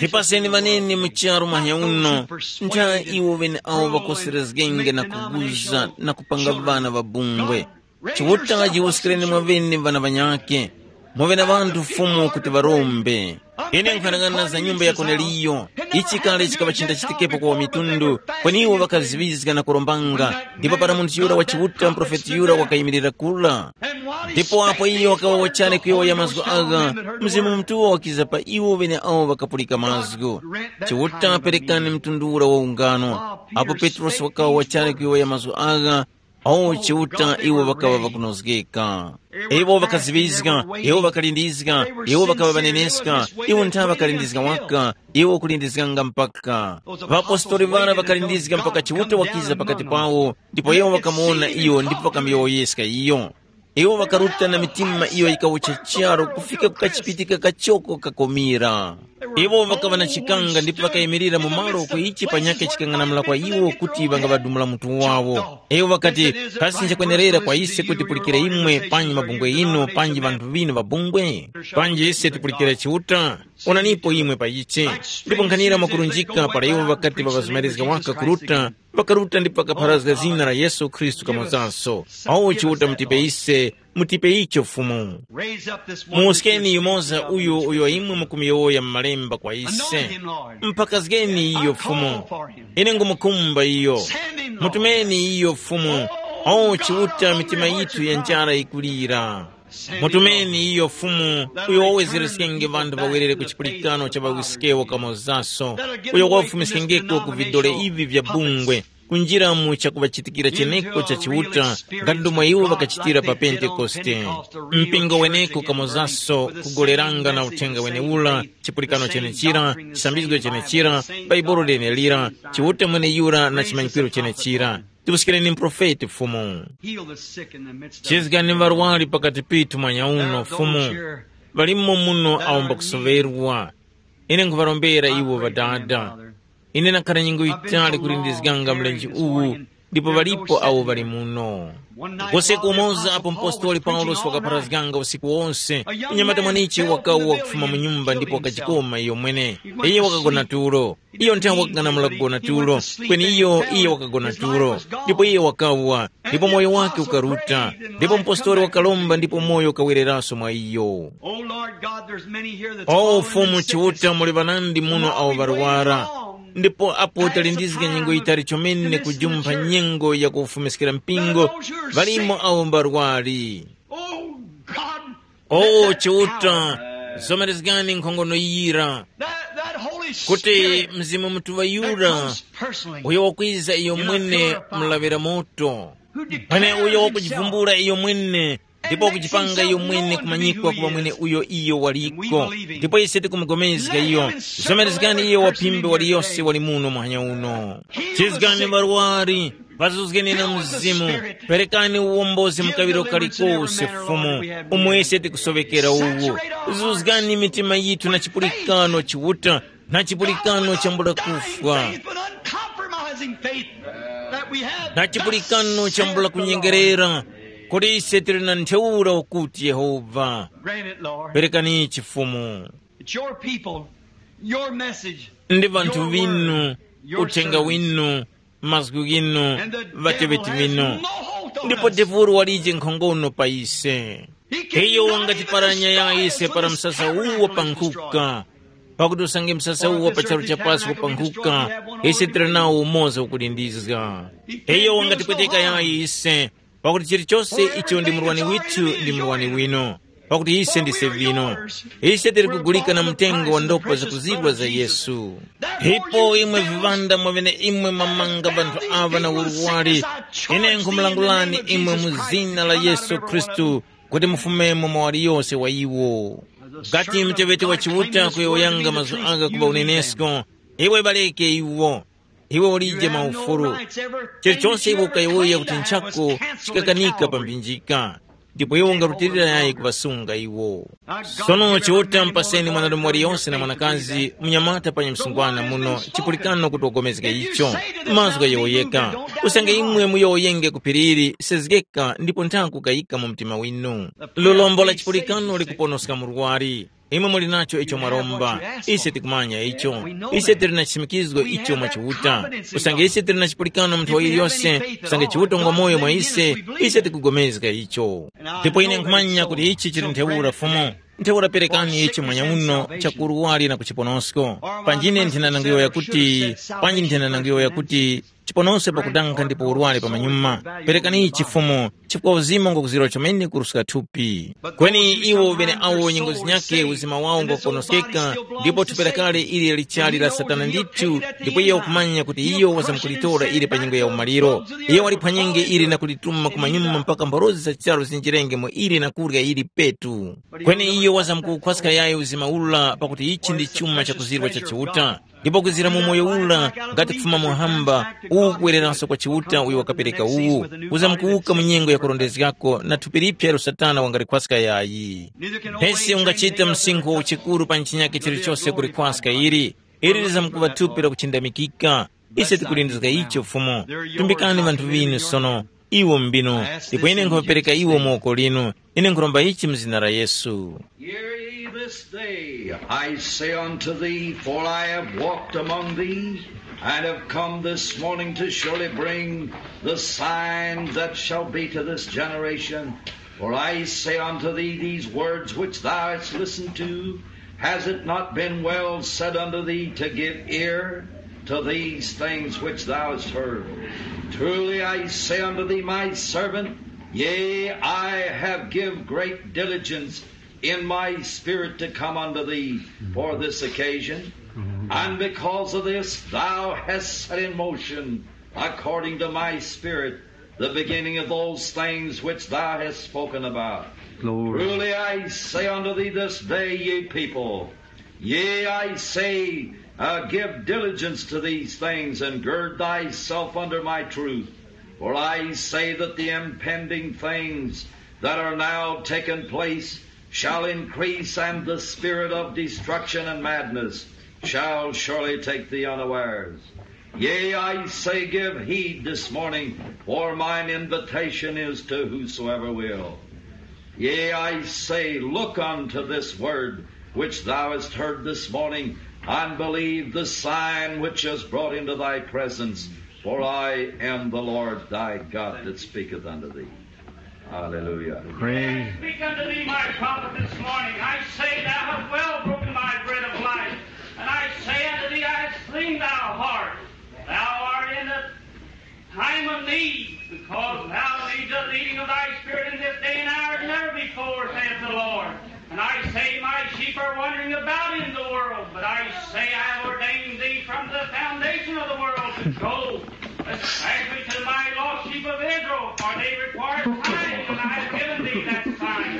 Tipaseni ŵanene mu charu mahanya uno, ntha iwo ŵene awo ŵakoserezgenge na kuguza na kupanga ŵana ŵabungwe. Chiuta jiwuskireni mwaŵene ŵana ŵanyakhe, muŵe na ŵanthu Fumu kuti ŵarombe. Ine nkhanang'ana za nyumba ya Korneliyo, ichi kale chikaŵa chintachitikepo kwa ŵamitundu, kweni iwo ŵakaziŵizga na kurombanga, ndipo para munthu yura wa Chiuta muprofeti yura wakayimirira kura. Ndipo apo iyo wakaŵa wachali kuyowoya mazgu agha, Mzimu Mutuŵa wakiza pa iwo ŵeneawo ŵakapulika mazgu. Chiuta perekani mtundu ura wa ungano. Apo Petrosi wakaŵa wachali kuyowoya mazgu agha, O Chiuta, iwo ŵakaŵa ŵakunozgeka. Iwo ŵakaziŵizga, iwo ŵakalindizga, iwo ŵakaŵa ŵaneneska, iwo ntha ŵakalindizga waka, iwo kulindizganga mpaka. Ŵapostori ŵara ŵakalindizga mpaka Chiuta wakiza pakati pawo, ndipo iwo ŵakamuwona iyo ndipo ŵakamuyowoyeska iyo. Iwo ŵakaruta na mitima iyo yikawucha charu kufika ku kachipitika kachoko kakomira. Iwo ŵakaŵa na chikanga ndipo ŵakayimirira mu malo uko ichi panyakhe chikang'anamula kwa iwo kuti ŵangaŵadumula mutu wawo. Iwo ŵakati, kasi nchakwenerera kwa ise kuti tipulikire imwe panji mabungwe inu panji ŵanthu ŵinu ŵabungwe? Panji ise tipulikire Chiuta? Onanipo imwe pa ichi. Ndipo nkhanira mwakurunjika para iwo ŵakati ŵaŵazumarizga waka kuruta, ŵakaruta ndipo ŵakapharazga zina la Yesu Khristu kamozanso. Awo Chiuta mutipe ise, mutipe icho Fumu. Muwuskeni yumoza uyu uyo imwe mukumuyowoya mu malemba kwa ise. Mpakazgeni iyo Fumu. Ine ngumukhumba iyo. Mutumeni iyo Fumu. O Chiuta, mitima yithu ya njara yikulira. Mutumeni iyo Fumu, uyo wawezereskenge ŵanthu ŵawerere ku chipulikano cha ŵawisikewo kamozaso, uyo wafumiskengeko ku vidole ivi vya bungwe, kunjira mu chakuŵachitikira cheneko cha Chiuta, ngati ndomwe iwo ŵakachitira pa Pentekoste. Mpingo weneko kamozaso kugoleranga na uthenga wenewura, chipulikano chenechira, chisambizgo chenechira, Bhaibuli lenelira, Chiuta mweneyura na chimanyikiro chenechira. Tipuskireni muprofeti Fumu. Heal the sick in the midst of Chizgani varwari pakati pithu mwanyauno Fumu. Valimo muno awo mbakusoverwa. Ine nkhuvarombera iwo Ŵadada. Ine nakhara nyengo yitali kulindizganga mlenje uwu, ndipo ŵalipo awo ŵali muno. Kose kumoza apo mpostoli Paulosi wakapharazganga usiku wonse, mnyamata mwanichi wakawa wakufuma mu nyumba ndipo wakachikoma iyo mwene. Iye wakagona tulo. Iyo nthawi wakang'anamula kugona tulo, kweni iyo iye wakagona tulo, ndipo iye wakawa, ndipo moyo wake ukaruta. Ndipo mpostori wakalomba ndipo moyo ukawereranso mwa iyo. O Lord God, there's many here that's O fallen Fumu and sickness. Chiuta, muli ŵanandi muno awo ŵarwara. Ndipo apo talindizga nyengo yitali chomene kujumpha nyengo ya kufumiskira mpingo, ŵalimo awo mbarwari. Oh God, O Chiuta, zomerezgani nkhongono yira, that, that Holy kuti Spirit Mzimu Mutuŵa that yura comes personally uyo wakwiza iyo in a mwene pillar of fire, mulaŵira moto, who declares pane uyo himself wakujivumbula iyo mwene, ndipo wakujipangira iyo mwene kumanyikwa kuŵa mwene uyo iyo waliko. Ndipo ise tikumugomezga iyo. Zomerezgani iyo waphimbe waliyose wali muno muhanya uno. Chizgani ŵarwari, ŵazuzgeni na Mzimu. Perekani uwombozi mu kaŵiro kalikose, Fumu, umo ise tikusoŵekera uwu. Zuzgani mitima yithu na chipulikano Chiuta, na chipulikano chambula kufwa, na chipulikano chambula kunyengerera, kuti ise tili na ntheura ukuti Yehova. Perekani ichi Fumu. It's your people, your message, ndi vanthu vinu, uthenga winu, mazgu ghinu, ŵateŵeti vinu. Ndipo devulu walije nkhongono pa ise. Iyo wangatiparanya yaya ise para msasa uwo pankhuka, pakuti usange msasa uwo pa charu cha pasi wapankhuka, ise tili nawo umoza ukulindizga. Iyo wangatipweteka yaya ise, pakuti chilichose icho ndi murwani withu ndi murwani winu. Pakuti ise ndise vino, ise tili kugulika na mtengo wa ndopa zakuzidwa za Yesu. Ipo imwe viŵanda mwa vyeneimwe mwamanga ŵanthu aŵa na urwari, ine nkhumulangulani imwe mu zina la Yesu Khristu kuti mufumemo mwa waliyose wa iwo. Ngati muteŵeti wa Chiuta kuyowoyanga mazgu agha kuŵa unenesko, iwe ŵareke iwo. Iwe ulije maufulu. Chilichonse iwe ukayowoya kuti nchako chikakanika pa mphinjika, ndipo iwe ungarutilira yayi kuŵasunga iwo. Sono Chiuta mpaseni mwanarume waliyonse na mwanakazi, munyamata panya msungwana muno, chipulikano kuti wagomezge icho. Mazgu ghayowoyeka. Usange imwe muyowoyenge ku phiri ili, sezgeka ndipo nthaku kayika mu mtima winu. Lulombo la chipulikano likuponoska murwari. Imwe muli nacho icho mwaromba. Ise tikumanya icho. Ise tili na chisimikizgo icho mwa Chiuta. Usange ise tili na chipulikano munthu waliyose, usange Chiuta ngwa moyo mwa ise, ise tikugomezga icho. Ndipo ine nkhumanya kuti ichi chili ntheura Fumu. Ntheura perekani ichi mwanya uno chakurwari na kuchiponosko. Panjine nthena nanguyowoya kuti, panji nthena nanguyowoya kuti, chiponosko pakudanga ndipo urwari pamanyuma. Perekani ichi Fumu, chifukwa uzima ngwakuzirwa chomene kuruska thupi. Kweni iwo bene awo nyengo zinyakhe uzima wawo ngwakuponoskeka, ndipo thupi lakale ili lichali la Satana ndithu, ndipo iyo wakumanya kuti iyo wazamkulitora ili pa nyengo ya umaliro. Iyo waliphwanyenge ili na kulituma kumanyuma mpaka mborozi za charu zinjirenge mu ili na kurya ili petu. Kweni iyo wazamkukhwaska yayi uzima ula pakuti ichi ndi chuma chakuzirwa cha Chiuta. Ndipo kwizira mu moyo ula ngati kufuma muhamba, uwu kuwereranso kwa Chiuta uyo wakapereka uwu, kuzamkuwuka mu nyengo yakurondezgako na thupi liphya ilo Satana wangalikhwaska yayi. Mpesi ungachita msinkhu wa uchikuru pa chinyakhe chilichose kulikhwaska ili, ili lizamkuŵa thupi lakuchindamikika. Ise tikulindizga icho Fumu. Tumbikani ŵanthu ŵinu sono, iwo mbino, ndipo ine nkhuŵapereka iwo mu woko linu. Ine nkhuromba ichi mu zina la Yesu. Hear ye this day, I say unto thee, for I have walked among thee, and have come this morning to surely bring the sign that shall be to this generation. For I say unto thee, these words which thou hast listened to, has it not been well said unto thee to give ear to these things which thou hast heard? Truly I say unto thee, my servant, yea, I have give great diligence in my spirit to come unto thee for this occasion. And because of this thou hast set in motion, according to my spirit, the beginning of those things which thou hast spoken about. Glory. Truly I say unto thee this day, ye people, yea, I say, uh, give diligence to these things, and gird thyself under my truth. For I say that the impending things that are now taking place shall increase, and the spirit of destruction and madness shall surely take thee unawares. Yea, I say, give heed this morning, for mine invitation is to whosoever will. Yea, I say, look unto this word which thou hast heard this morning, and believe the sign which is brought into thy presence, for I am the Lord thy God that speaketh unto thee. Hallelujah. Praise. I speak unto thee, my prophet, this morning. I say, thou hast well broken my bread of life. And I say unto thee, I have seen thy heart. Thou art in the time of need, because thou needs the leading of thy Spirit in this day and hour as never before, saith the Lord. And I say, my sheep are wandering about in the world, but I say, I have ordained thee from the foundation of the world to go, especially to my lost sheep of Israel, for they require a sign, and I have given thee that sign.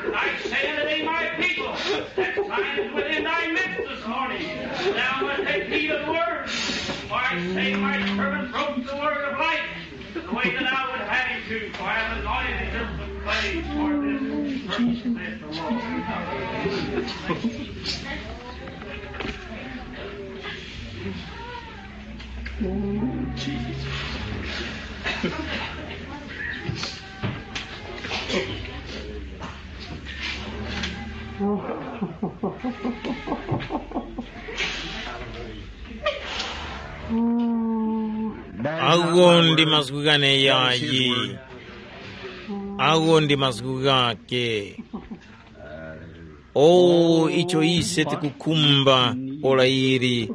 And I say unto thee, my people, that sign is within thy midst this morning. Thou must take heed of the word. For I say, my servant broke the word of life. The way that I would have you to, for I have anointed him with clay for this purpose, saith the Lord. Agho ndi mazgu ghane yayi. Agho ndi mazgu ghake. O, icho ise tikukhumba, ora ili,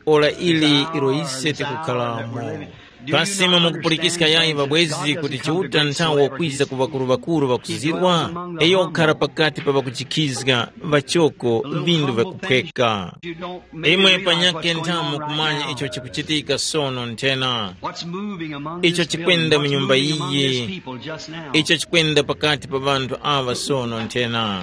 ora ili ilo ise tikukharamo. Kasi imwe mukupulikiska yayi ŵabwezi kuti Chiuta nthawo wakwiza ku ŵakuru-ŵakuru ŵakuzizirwa? Iyo wakukhara pakati pa ŵakujikhizga, ŵachoko, vindu vyakuphweka. Imwe panyakhe nthamu kumanya icho chikuchitika sono nthena, icho chikwenda mu nyumba iyi, icho chikwenda pakati pa ŵanthu aŵa sono nthena.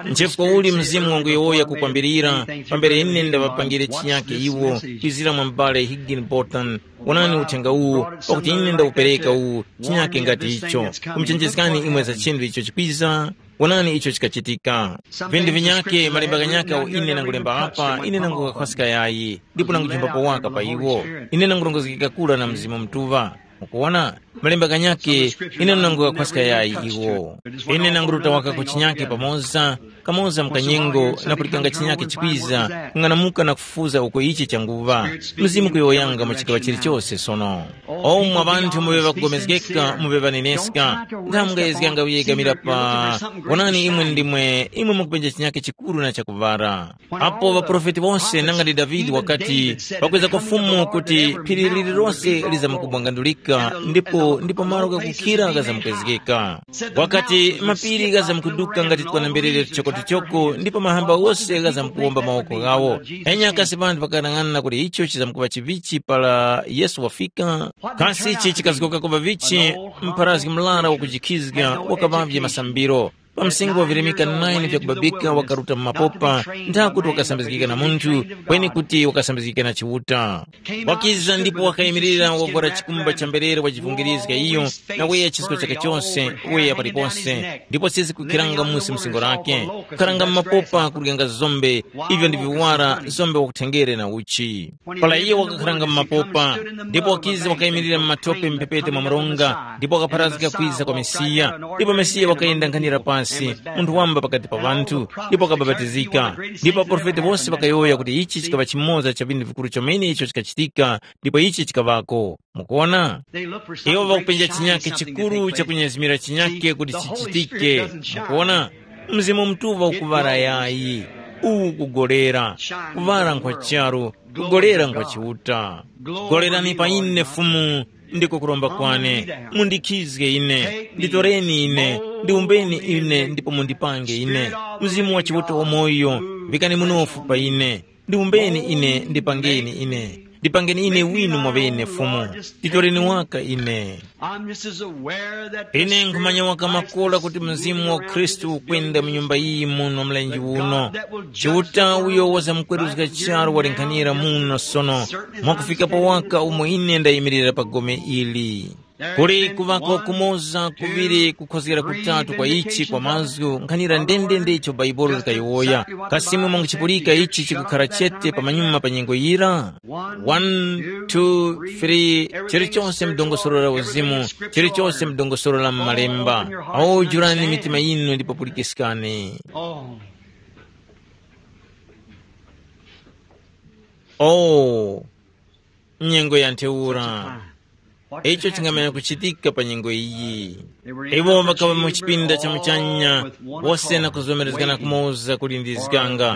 Nchifukwa uli Mzimu wangu yowoya kukwambirira, pambere ine ndaŵapangire chinyake iwo, kwizira mwa m'bale Higginbotham, wonani uthenga uwu, pakuti ine ndawupereka uwu, chinyake ngati icho, kumuchenjezgani imwe za chinthu icho chikwiza. Wonani icho chikachitika. Vinthu vinyake malemba ghanyaka awo ine nangulemba apa, ine nangukakhwaska yayi, ndipo nangujimbapo waka pa iwo. Ine nangurongozgeka kura na Mzimu Mutuŵa. Mukuwona? Malemba ghanyake, ine nangukakhwaska yayi iwo. Ine nanguruta waka ku chinyake pamoza, kamoza mu kanyengo, na pulikanga chinyake chikwiza, kung'anamuka na kufufuza uko ichi changuŵa. Mzimu kuyowoyanga mu chigaŵa chilichose sono. O mwa ŵanthu muŵe ŵakugomezgeka, muŵe ŵaneneska, nga mungayezganga kuyegamira pa, wonani imwe ndimwe, imwe mukupenja chinyake chikuru na chakuŵara. Apo ŵaprofeti wose nanga ndi Davide wakati, pakweza kwa Fumu kuti phiri lililose lizamkubwangandulika, ndipo ndipo malo ghakukhira ghazamkwezgeka. Wakati mapiri ghazamkuduka ngati twanamberere tuchoko-tuchoko, ndipo mahamba ghose ghazamkuwomba mawoko ghawo. Enya kasi ŵanthu ŵakanang'ana kuti icho chizamkuŵa chivichi para Yesu wafika? Kasi ichi chikazgoka kuŵa vichi? Mpharazgi murara wakujikhizga wakaŵavye masambiro. Pa msinkhu wa virimika nine vyakubabika wakaruta mu mapopa, nthakuti wakasambizgika na munthu, kweni kuti wakasambizgika na Chiuta. Wakiza ndipo wakayimirira wavwara chikumba cha mberere wajivungirizga iyo, na weya chisko chake chose, weya paliponse, ndipo sisi kukhiranga musi msingo lake, kukharanga mu mapopa kuryanga zombe, ivyo ndi viwara zombe wakuthengere na uchi. Para iye wakakharanga mu mapopa, ndipo wakiza wakayimirira mu matope mphepete mwa mronga, ndipo wakapharazgika kwiza kwa Mesiya, ndipo Mesiya wakayenda nkhanira pasi, munthu wamba pakati pa ŵanthu, ndipo wakabapatizika. Ndipo aporofeti wose ŵakayowoya kuti ichi chikaŵa chimoza cha vinthu vikuru chomene icho chikachitika, ndipo ichi chikaŵako. Mukuona? Iwo ŵakupenja chinyake chikuru chakunyezimira chinyake kuti chichitike. Mukuona? Mzimu Mutuŵa ukuŵara yayi. Uwu kugolera. Kuŵara nkwa charu, kugolera nkwa Chiuta. Golerani pa ine Fumu, ndiko kuromba kwane. Mundikhizge ine, nditoreni ine, ndiumbeni ine ndipo mundipange ine. Mzimu wa Chiuta wamoyo, vikani munofu pa ine. Ndiumbeni ine, ndipangeni ine. Ndipangeni ine winu mwaŵene Fumu. Nditoreni waka ine. I'm just as aware that the Ine nkhumanya Spirit of waka Christ makora is kuti Mzimu wa moving around Khristu this ukwenda mu building, nyumba iyi muno mlenje that uno. God that will judge Chiuta the uyo world wazamkweruzga right here charo now, waling'anira just muno sono, certainly as I'm mwakufika pa standing waka umo ine ndayimirira pa gome ili. Kuli kuvako kumoza, kuŵiri, kukhozgera kutatu kwa ichi kwa mazgu, nkhanira ndendende icho Bhaibuli likayowoya. Kasimwe mwanguchipulika ichi chikukhara chete pamanyuma pa nyengo yira? One, two, three, chilichonse mdongosolo la uzimu, chilichonse mdongosolo la m'malemba. Awo jurani mitima yinu ndipo pulikiskani. Oh, nyengo ya ntheura. Icho chingamanya kuchitika pa nyengo iyi. Iwo ŵakaŵa mu chipinda cha muchanya, wose na kuzomerezgana kumoza kulindizganga,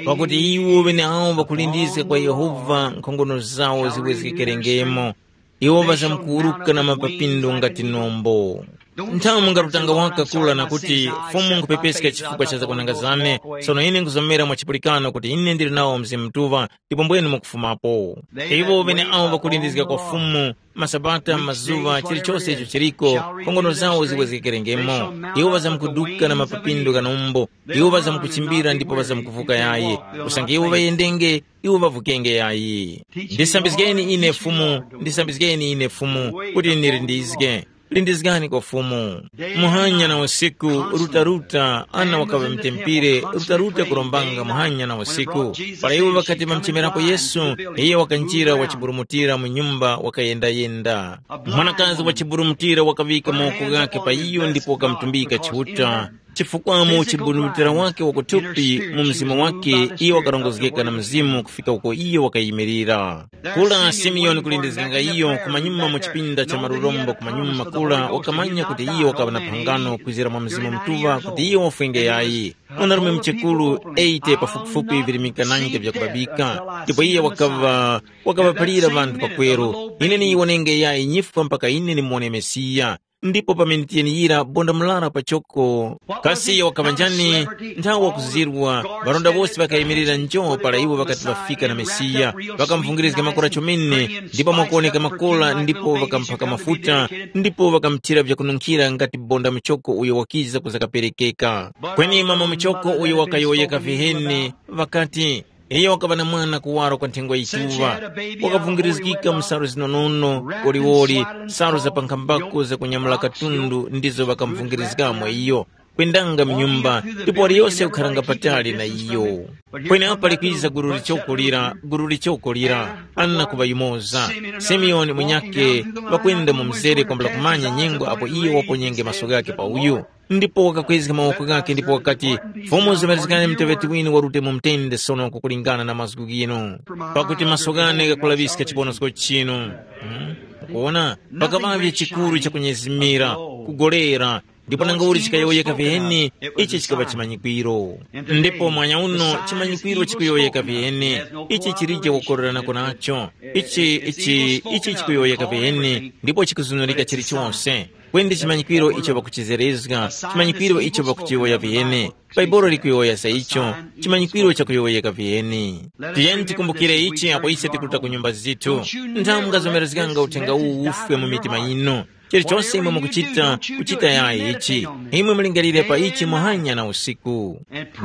pakuti iwo ŵeneawo ŵakulindizga kwa Yehova nkhongono zawo ziwezgekerengemo. Iwo ŵazamkuwuruka na mapapindu ngati nombo. Nthawi mungarutanga waka kula na kuti, Fumu, nkhupepeska chifukwa cha zakwananga zane, sono ine nkuzomera mwa chipulikano kuti ine ndili nawo Mzimu Mutuŵa, ndipo mbwenu mukufumapo. Iwo ŵeneawo ŵakulindizga kwa Fumu, masabata, mazuŵa, chilichose icho chiliko, nkhongono zawo ziwezgekerengemo. Iwo ŵazamkuduka na mapapindu gha nombo. Iwo ŵazamkuchimbira ndipo ŵazamkuvuka yayi, usange iwo ŵayendenge, iwo ŵavukenge yayi. Ndisambizgeni ine Fumu, ndisambizgeni ine Fumu, kuti nilindizge. Lindizgani kwa Fumu. Muhanya na usiku, rutaruta, ana wakaŵa mtempire, rutaruta kurombanga muhanya na usiku. Para iwo ŵakati ŵamuchemerapo Yesu, iye wakanjira wachiburumutira mu nyumba wakayendayenda. Mwanakazi wachiburumutira wakaŵika mawoko ghakhe pa iyo ndipo wakamutumbika Chiuta. Chifukwa mu chibundumutira wake wakuthupi, mu mzimu wake, iyo wakarongozgeka na Mzimu kufika uko iyo wakayimirira. Kula Simeoni kulindizganga iyo kumanyuma mu chipinda cha marurombo kumanyuma kula wakamanya kuti iyo wakaŵa na phangano kwizira mwa Mzimu Mutuŵa kuti iyo wafwenge yayi. Mwanarume muchekuru eighty pafupifupi virimika nine vyakubabika, ndipo iye wakaŵa wakaŵaphalira ŵanthu pakweru, ine niyiwonenge yayi nyifwa mpaka ine nimuwone Mesiya. Ndipo pamene tiyeniyira bonda murara pachoko, kasi iyo wakaŵa njani? Nthawi wakuzirwa, ŵalonda wose ŵakayimirira njo para iwo ŵakati ŵafika na Mesiya, ŵakamuvungirizga makora chomene, ndipo mwakuwoneka makora ndipo ŵakamphaka mafuta, ndipo ŵakamuthira vyakununkhira ngati bonda muchoko uyo wakiza kuza kaperekeka. Kweni mama muchoko uyo wakayowoyeka viheni, ŵakati, iyo wakaŵa na mwana kuwaro kwa nthengwa yituŵa, wakavungirizgika mu salu zinonono, koliwoli, salu za pankhambako zakunyamula katundu ndizo ŵakamuvungirizgamo iyo, kwendanga mu nyumba, ndipo waliyose wakharanga patali na iyo. Kweni apo likwiza guru lichokolira, guru lichokolira, ana kuŵa yumoza, Simeoni munyakhe, ŵakwenda mu mzere kwambula kumanya nyengo apo iyo waponyenge maso ghakhe pa uyu. Ndipo wakakwezga mawoko ghakhe ndipo wakati, “Fumu zimerezgani muteŵeti winu warute mu mtende sono kukulingana na mazgu ghinu, pakuti maso ghane ghakulaŵiska chiponosko chinu.” Hmm? Kuona, pakaŵavye chikuru chakunyezimira, kugolera, ndipo nangauli chikayowoyeka viheni, ichi chikaŵa chimanyikwiro. Ndipo mwanya uno chimanyikwiro chikuyowoyeka viheni, ichi chilije kukoreranako nacho. Ichi ichi ichi chikuyowoyeka viheni, ndipo chikuzunurika chilichonse. Kweni chimanyikwiro icho ŵakuchizerezga, chimanyikwiro icho ŵakuchiyowoya viheni. Bhaibuli likuyowoya za icho, chimanyikwiro chakuyowoyeka viheni. Tiyeni tikumbukire ichi apo ise tikuruta ku nyumba zithu. Nthawi mungazomerezganga uthenga uwu ufwe mu mitima yinu. Chilichonse imwe mukuchita, kuchita yayi ichi. Imwe mulingalire pa ichi muhanya na usiku.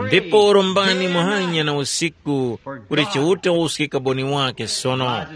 Ndipo rombani muhanya na usiku, kuti Chiuta uske kaboni wake sono.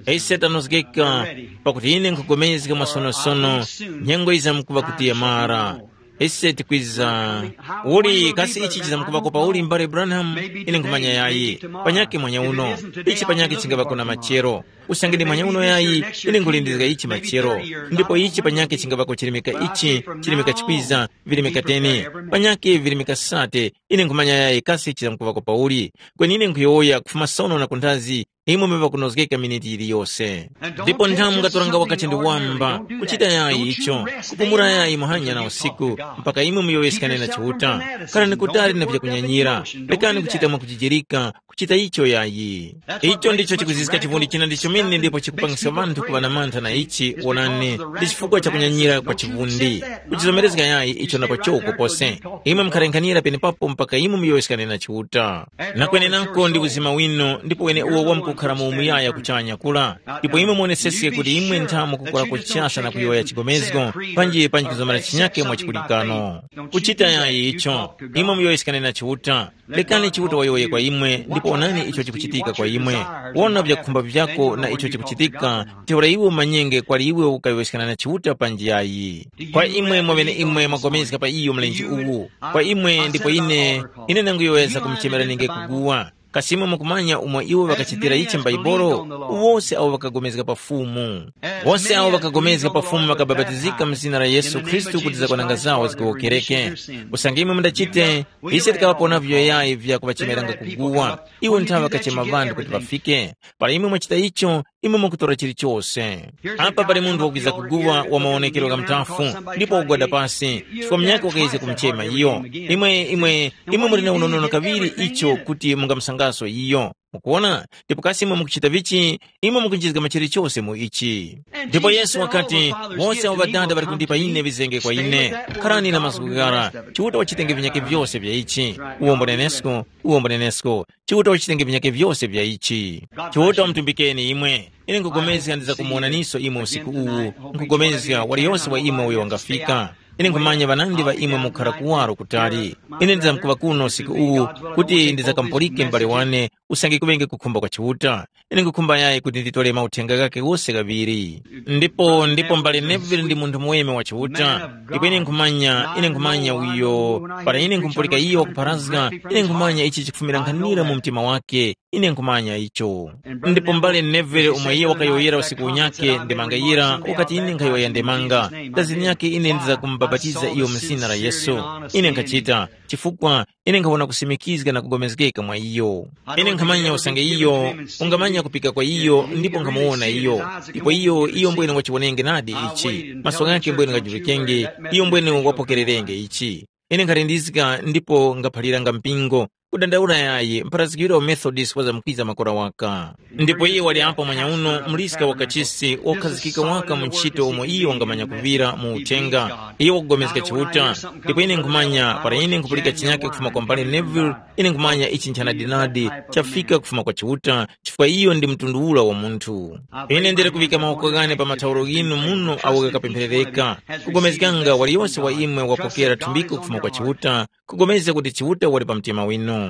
Ise tanozgeka, pakuti ine nkhupulikana masonosono, nyengo yizamkuŵa kuti yamara. Ise tikwiza, uli kasi ichi chizamkuŵako pauli mbale Branham? Ine nkhumanya yayi. Panyakhe mwanya uno, ichi panyakhe chingaŵako na machero. Usange ndi mwanya uno yayi, ine nkhulindizga ichi machero. Ndipo ichi panyakhe chingaŵako chirimika ichi, chirimika chikwiza, virimika teni, panyakhe virimika sate, ine nkhumanya yayi kasi chizamkuŵako pauli. Kweni ine nkhuyowoya kufuma sono na kunthazi, imwe mwe ŵakunozgeka miniti yiliyose. Ndipo nthamu ngatoranga wakati ndi wamba, kuchita yayi icho, kupumula yayi muhanya na usiku, mpaka imwe muyowoyeskane na Chiuta. Khalani kutali na vyakunyanyira, lekani kuchita mwakujijirika, kuchita icho yayi. Icho ndicho chikuziska chivundi china ndi chomene ndipo chikupangisa ŵanthu kuŵa na mantha na ichi, wonani, ndi chifukwa cha kunyanyira kwa chivundi. Kuchizomerezga yayi icho na pachoko pose. Imwe mukharenkhanira penepapo mpaka imwe muyowoyeskane na Chiuta. Na kwenenako ndi uzima winu, ndipo wene uwo wamkukhala mu umuyaya kuchanya kula. Ndipo imwe muoneseske kuti imwe nthamu kukora kuchasa na kuyowoya chigomezgo, panji panji kuzomera chinyake mwa chikulikano. Kuchita yayi icho, imwe muyowoyeskane na Chiuta. Lekani Chiuta wayowoye kwa imwe, ndipo onani icho chikuchitika kwa imwe. Wona vyakukhumba vyako na icho chikuchitika, ntheura iwe umanyenge kwali iwe ukayowoyeskana na Chiuta panji yayi. Kwa imwe mwaŵeneimwe mwagomezga pa iyo mlenje uwu, kwa imwe ndipo ine, ine nanguyowoyeza kumuchemerani nge kuguwa. Kasi imwe mukumanya umo iwo ŵakachitira ichi m'Baibulo? Wose awo ŵakagomezga pa Fumu. Wose awo ŵakagomezga pa Fumu ŵakabapatizika mu zina la Yesu Khristu kuti zakwananga zawo zigowokereke. Usange imwe mundachite, ise tikaŵapona vyoyayi vya kuŵachemeranga kuguwa. Iwo nthawe ŵakachema ŵanthu kuti ŵafike. Para imwe mwachita icho, imwe mukutora chilichose. Apa pali munthu wakwiza kuguwa wa mawonekero gha muthafu, ndipo wagwada pasi, chifukwa munyakhe wakayezga kumuchema iyo. Imwe, imwe, imwe muli na unonono kaŵiri icho kuti mungamusangaso iyo. Mukuwona? Ndipo kasi imwe mukuchita vichi, imwe mukunjizga machire chose mu ichi. Ndipo Yesu wakati, wose awo Ŵadada ŵali kundipa ine ŵizenge kwa ine. Kharani na mazgu ghara, Chiuta wachitenge vinyakhe vyose vya ichi. Uwombo nenesko, uwombo nenesko, Chiuta wachitenge vinyakhe vyose vya ichi. Chiuta wamutumbikeni imwe. Ine nkugomezga ndizakumuwonaniso imwe usiku uwu, nkugomezga waliyose wa imwe uyo wangafika. Ine nkhumanya ŵanandi ŵa imwe mukhara kuwaro kutali. Ine ndizamkuŵa kuno usiku uwu kuti ndizakamupulike m'bale wane usange kuŵenge kukhumba kwa Chiuta. Ine nkhukhumba yayi kuti nditole mauthenga ghakhe ghose ghaŵiri. Ndipo, ndipo mbale Neville ndi munthu muweme wa Chiuta. Ndipo ine nkhumanya, ine nkhumanya uyo, para ine nkhumupulika iyo wakupharazga, ine nkhumanya ichi chikufumira nkhanira mu mtima wake. Ine nkhumanya icho. Ndipo mbale Neville, umwe iye wakayowoyera usiku unyakhe, ndemanga yira, wakati, ine nkhayowoya ndemanga, dazini yake ine ndizakumubapatiza iyo mu zina la Yesu. Ine nkhachita, chifukwa ine nkhawona kusimikizga na kugomezgeka mwa iyo. Ine nkhamanya usange iyo ungamanya kupika kwa iyo, ndipo nkhamuwona iyo. Ndipo iyo, iyo mbwene wachiwonenge nadi ichi. Maso ghakhe mbwene ghajulikenge, iyo mbwene wapokererenge ichi. Ine nkhalindizika ndipo ngaphaliranga mpingo, kudandaula yayi, mpharazgikiro wa Methodist wazamkwiza makora waka. Ndipo iye wali apo mwanyauno, muliska wa kachisi wokhazikika waka mu ntchito umo iyo wangamanya kuŵira mu uthenga. Iye wakugomezga Chiuta, ndipo ine nkhumanya, para ine nkhupulika chinyake kufuma kwa mbale Neville, ine nkhumanya ichi nchanadinadi chafika kufuma kwa Chiuta, chifukwa iyo ndi mtundu ula wa munthu. Ine ndili kuŵika mawoko ghane pa mathauro ghinu muno awo ghakapempherereka, kugomezganga waliyose wa imwe wapokera thumbiko kufuma kwa Chiuta, kugomezga kuti Chiuta wali pa mtima winu.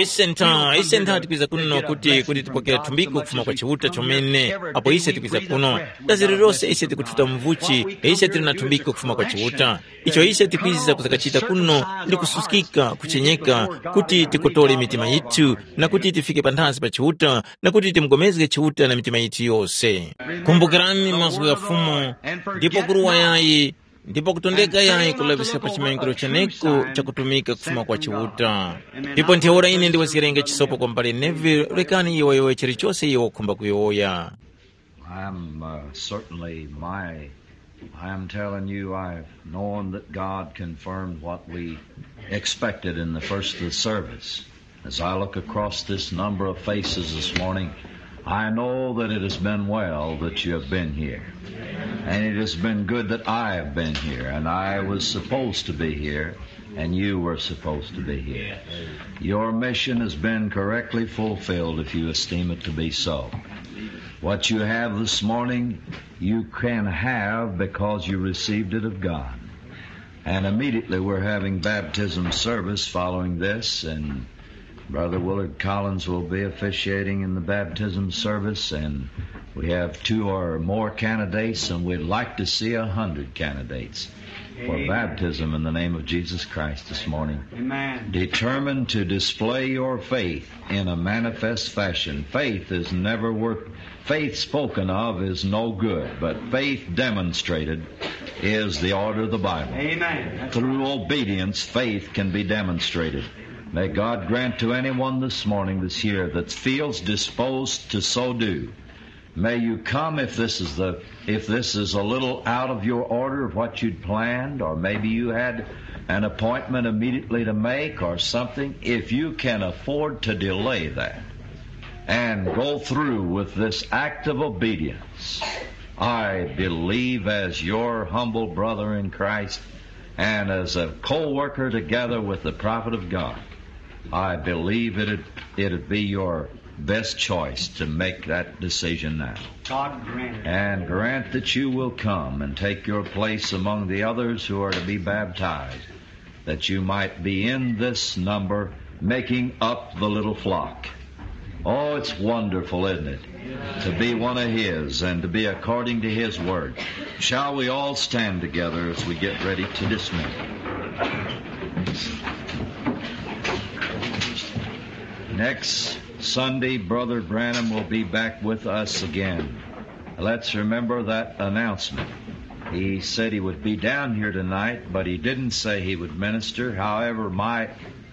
Ise ntha, ise ntha tikwiza kuno kuti, kuti tipokere thumbiko kufuma kwa Chiuta chomene, apo ise tikwiza kuno. Dazi lililose ise tikuthuta mvuchi, ise tili na thumbiko kufuma kwa Chiuta. Icho ise tikwiza kuzakachita kuno ndi kususkika, kuchenyeka, kuti tikotole mitima yithu, na kuti tifike panthazi pa Chiuta, na kuti timugomezge Chiuta na mitima yithu yose. Kumbukirani mazgu gha Fumu, ndipo kuruwa yayi, ndipo kutondeka yayi kulaŵiska pa chimanyikiro cheneko chakutumika kufuma kwa Chiuta. Ndipo ntheura ine ndiwezgerenge chisopo kwa mbale Neville, rekani iyo wayowoye chilichose iyo wakhumba kuyowoya. I'm uh, certainly my. I'm telling you, I've known that God confirmed what we expected in the first of the service. As I look across this number of faces this morning, I know that it has been well that you have been here. And it has been good that I have been here, and I was supposed to be here, and you were supposed to be here. Your mission has been correctly fulfilled if you esteem it to be so. What you have this morning, you can have because you received it of God. And immediately we're having baptism service following this, and Brother Willard Collins will be officiating in the baptism service, and we have two or more candidates, and we'd like to see a hundred candidates for baptism in the name of Jesus Christ this morning. Amen. Determined to display your faith in a manifest fashion. Faith is never worth, faith spoken of is no good, but faith demonstrated is the order of the Bible. Amen. Through obedience, faith can be demonstrated. May God grant to anyone this morning, this year, that feels disposed to so do, may you come if this is the if this is a little out of your order of what you'd planned, or maybe you had an appointment immediately to make or something. If you can afford to delay that and go through with this act of obedience, I believe, as your humble brother in Christ and as a co-worker together with the prophet of God, I believe it'd, it'd be your best choice to make that decision now. God grant it. And grant that you will come and take your place among the others who are to be baptized, that you might be in this number making up the little flock. Oh, it's wonderful, isn't it? To be one of His and to be according to His Word. Shall we all stand together as we get ready to dismiss? Next Sunday, Brother Branham will be back with us again. Let's remember that announcement. He said he would be down here tonight, but he didn't say he would minister. However, my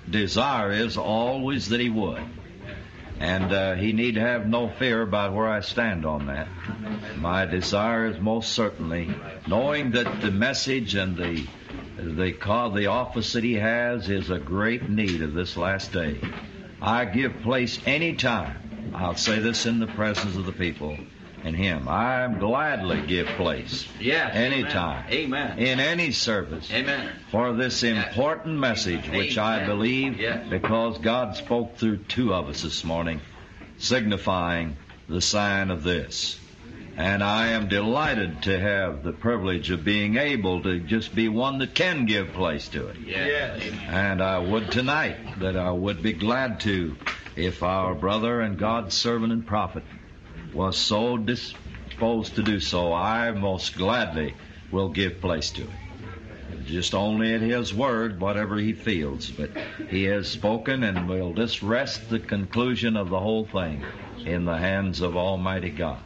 desire is always that he would. And uh, he need have no fear about where I stand on that. My desire is most certainly knowing that the message and the the call, the office that he has is a great need of this last day. I give place any time. I'll say this in the presence of the people and him. I gladly give place. Yes, amen. Any time. Amen. In any service. Amen. For this important message, which I believe, because God spoke through two of us this morning, signifying the sign of this. And I am delighted to have the privilege of being able to just be one that can give place to it. Yes. And I would tonight that I would be glad to If our brother and God's servant and prophet was so disposed to do so, I most gladly will give place to him. Just only at his word, whatever he feels, but he has spoken, and we'll just rest the conclusion of the whole thing in the hands of Almighty God.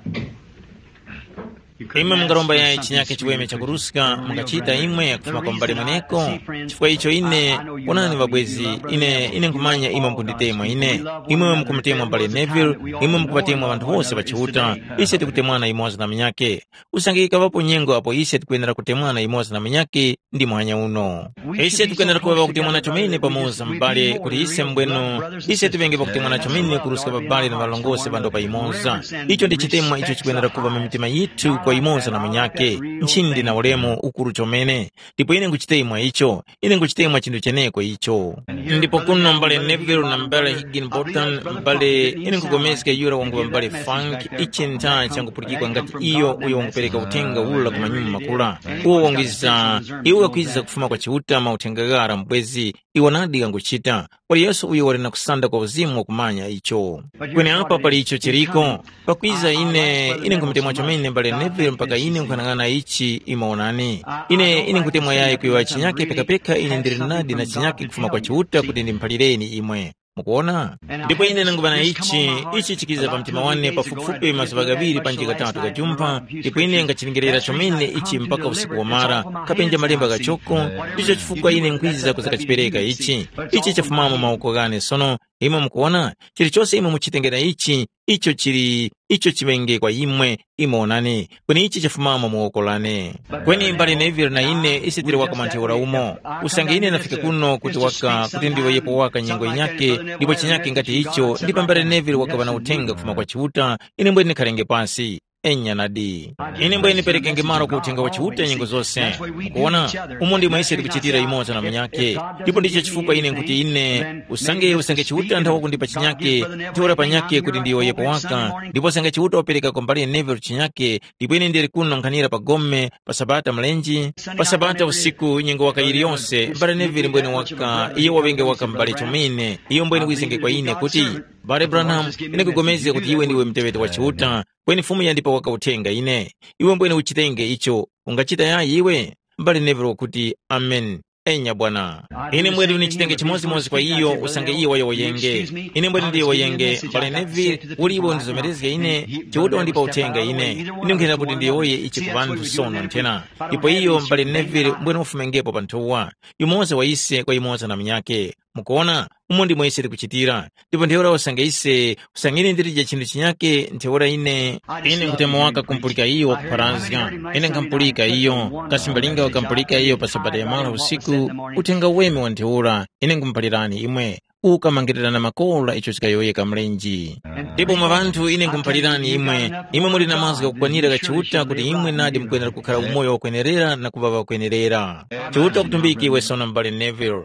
Imwe mungaromba yayi chinyake chiweme chakuruska mungachita imwe kufuma kwa mbale mweneko? Chifukwa icho ine, wonani ŵabwezi, ine ine nkhumanya imwe mukunditemwa ine. Imwe mukumutemwa mbale Neville, imwe mukuŵatemwa ŵanthu wose ŵa Chiuta. Ise tikutemwana yumoza na munyakhe. Usange yikaŵapo nyengo apo ise tikwenera kutemwana yumoza na munyakhe, ndi muhanya uno. Ise tikwenera kuŵa ŵakutemwana chomene pamoza m'bale kuti ise mbwenu, ise tiŵenge ŵakutemwana chomene kuruska ŵabale na ŵarongose ŵando pa yumoza. Icho ndi chitemwa icho chikwenera kuŵa mu mitima yithu kwa yumoza na munyakhe. Nchindi na ulemu ukuru chomene. Ndipo ine nkuchitemwa icho. Ine nkuchitemwa chinthu cheneko icho. Ndipo kuno mbale Neville na mbale Higginbotham, mbale, ine nkupulikana yura wanguŵa mbale Funk, ichi ntha changupulikikwa ngati iyo uyo wangupereka uthenga ula ku manyuma makula. Uwo wangwiza, iwo wakwiza kufuma kwa Chiuta mauthenga ghara mbwezi, iwo nadi ghanguchita. Wali Yesu uyo wali na kusanda kwa uzimu wakumanya icho. Kweni apa pali icho chiriko. Pakwiza ine, ine nkumutemwa chomene mbale Neville mpaka ine nkhanang'ana ichi imo onani. Ine, ine nkutemwa yayi kuyowa chinyake pekapeka ine ndili nadi na chinyake kufuma kwa Chiuta kuti ndimuphalireni imwe. Mukuona? Ndipo ine nanguŵa na ichi, ichi chikiza pa mtima wane pafupifupi mazuŵa ghaŵiri panji ghatatu ghajumpha, ndipo ine ngachilingerera chomene ichi mpaka usiku wamara, kapenja malemba ghachoko, ndicho chifukwa ine nkwiza kuzakachipereka ichi. Ichi chafumamo mawoko ghane sono, imwe mukuwona, chilichose imwe muchitengera ichi, icho chili, icho chiŵenge kwa imwe, imwe wonani, kweni ichi chafumamo mu woko lane. Kweni mbale Neville na ine ise tili waka mwa ntheura umo. Usange ine nafika kuno kuti waka, kuti ndiwe yepo waka nyengo yinyake, ndipo chinyake ngati icho, ndipo mbale Neville wakaŵa na uthenga kufuma kwa Chiuta, ine mbwene ndikhalenge pasi. Enya nadi. Ine mbwene ndiperekenge malo ku uthenga wa Chiuta nyengo zose. Mukuwona, umo ndimo ise tikuchitira yumoza na munyakhe. Ndipo ndicho chifukwa ine nkuti ine, usange usange Chiuta nthawa kundipa chinyakhe, ntheura panyakhe kuti ndiyowoyepo waka, ndipo usange Chiuta wapereka kwa mbale Neville chinyakhe, ndipo ine ndili kuno nkhanira pa gome, pa Sabata mlenje, pa Sabata usiku nyengo waka yiliyonse, mbale Neville mbwene waka, iyo waŵenge waka mbale chomene, iyo mbwene wizenge kwa ine kuti, Mbale Branham, ine nkupulikana kuti iwe ndiwe muteŵeti wa Chiuta, kweni Fumu yandipa waka uthenga ine. Iwe mbwene uchitenge icho, ungachita yayi iwe? Mbale Neville wakuti, Amen. Enya bwana. Ine mbwene ndichitenge chimodzimodzi kwa iyo usange iye wayowoyenge. Ine mbwene ndiyowoyenge, mbale Neville, uli iwe undizomerezge ine, Chiuta wandipa uthenga ine. Ine nkhuyenda kuti ndiyowoye ichi ku ŵanthu sono nthena. Ndipo iyo mbale Neville mbwene wafumengepo pa nthowa. Yumoza wa ise kwa yumoza na munyakhe. Mukuona, umo ndimo ise tikuchitira. Ndipo ntheura usange ise, usange ine ndilije chinthu chinyake, ntheura ine, ine nkutemwa waka kumpulika iyo wakupharazga. Ine nkhampulika iyo, kasi mbalinga wakampulika iyo pa sabata yamara usiku. Uthenga weme wa ntheura, ine nkhumuphalirani imwe, ukamangirira na makora icho chikayowoyeka mlenje. Ndipo mwa ŵanthu ine nkhumuphalirani imwe, imwe muli na mazgu ghakukwanira gha Chiuta kuti imwe nadi mukwenera kukhala umoyo wakwenerera na kuŵa ŵakwenerera. Chiuta wakutumbike iwe sono m'bale Neville.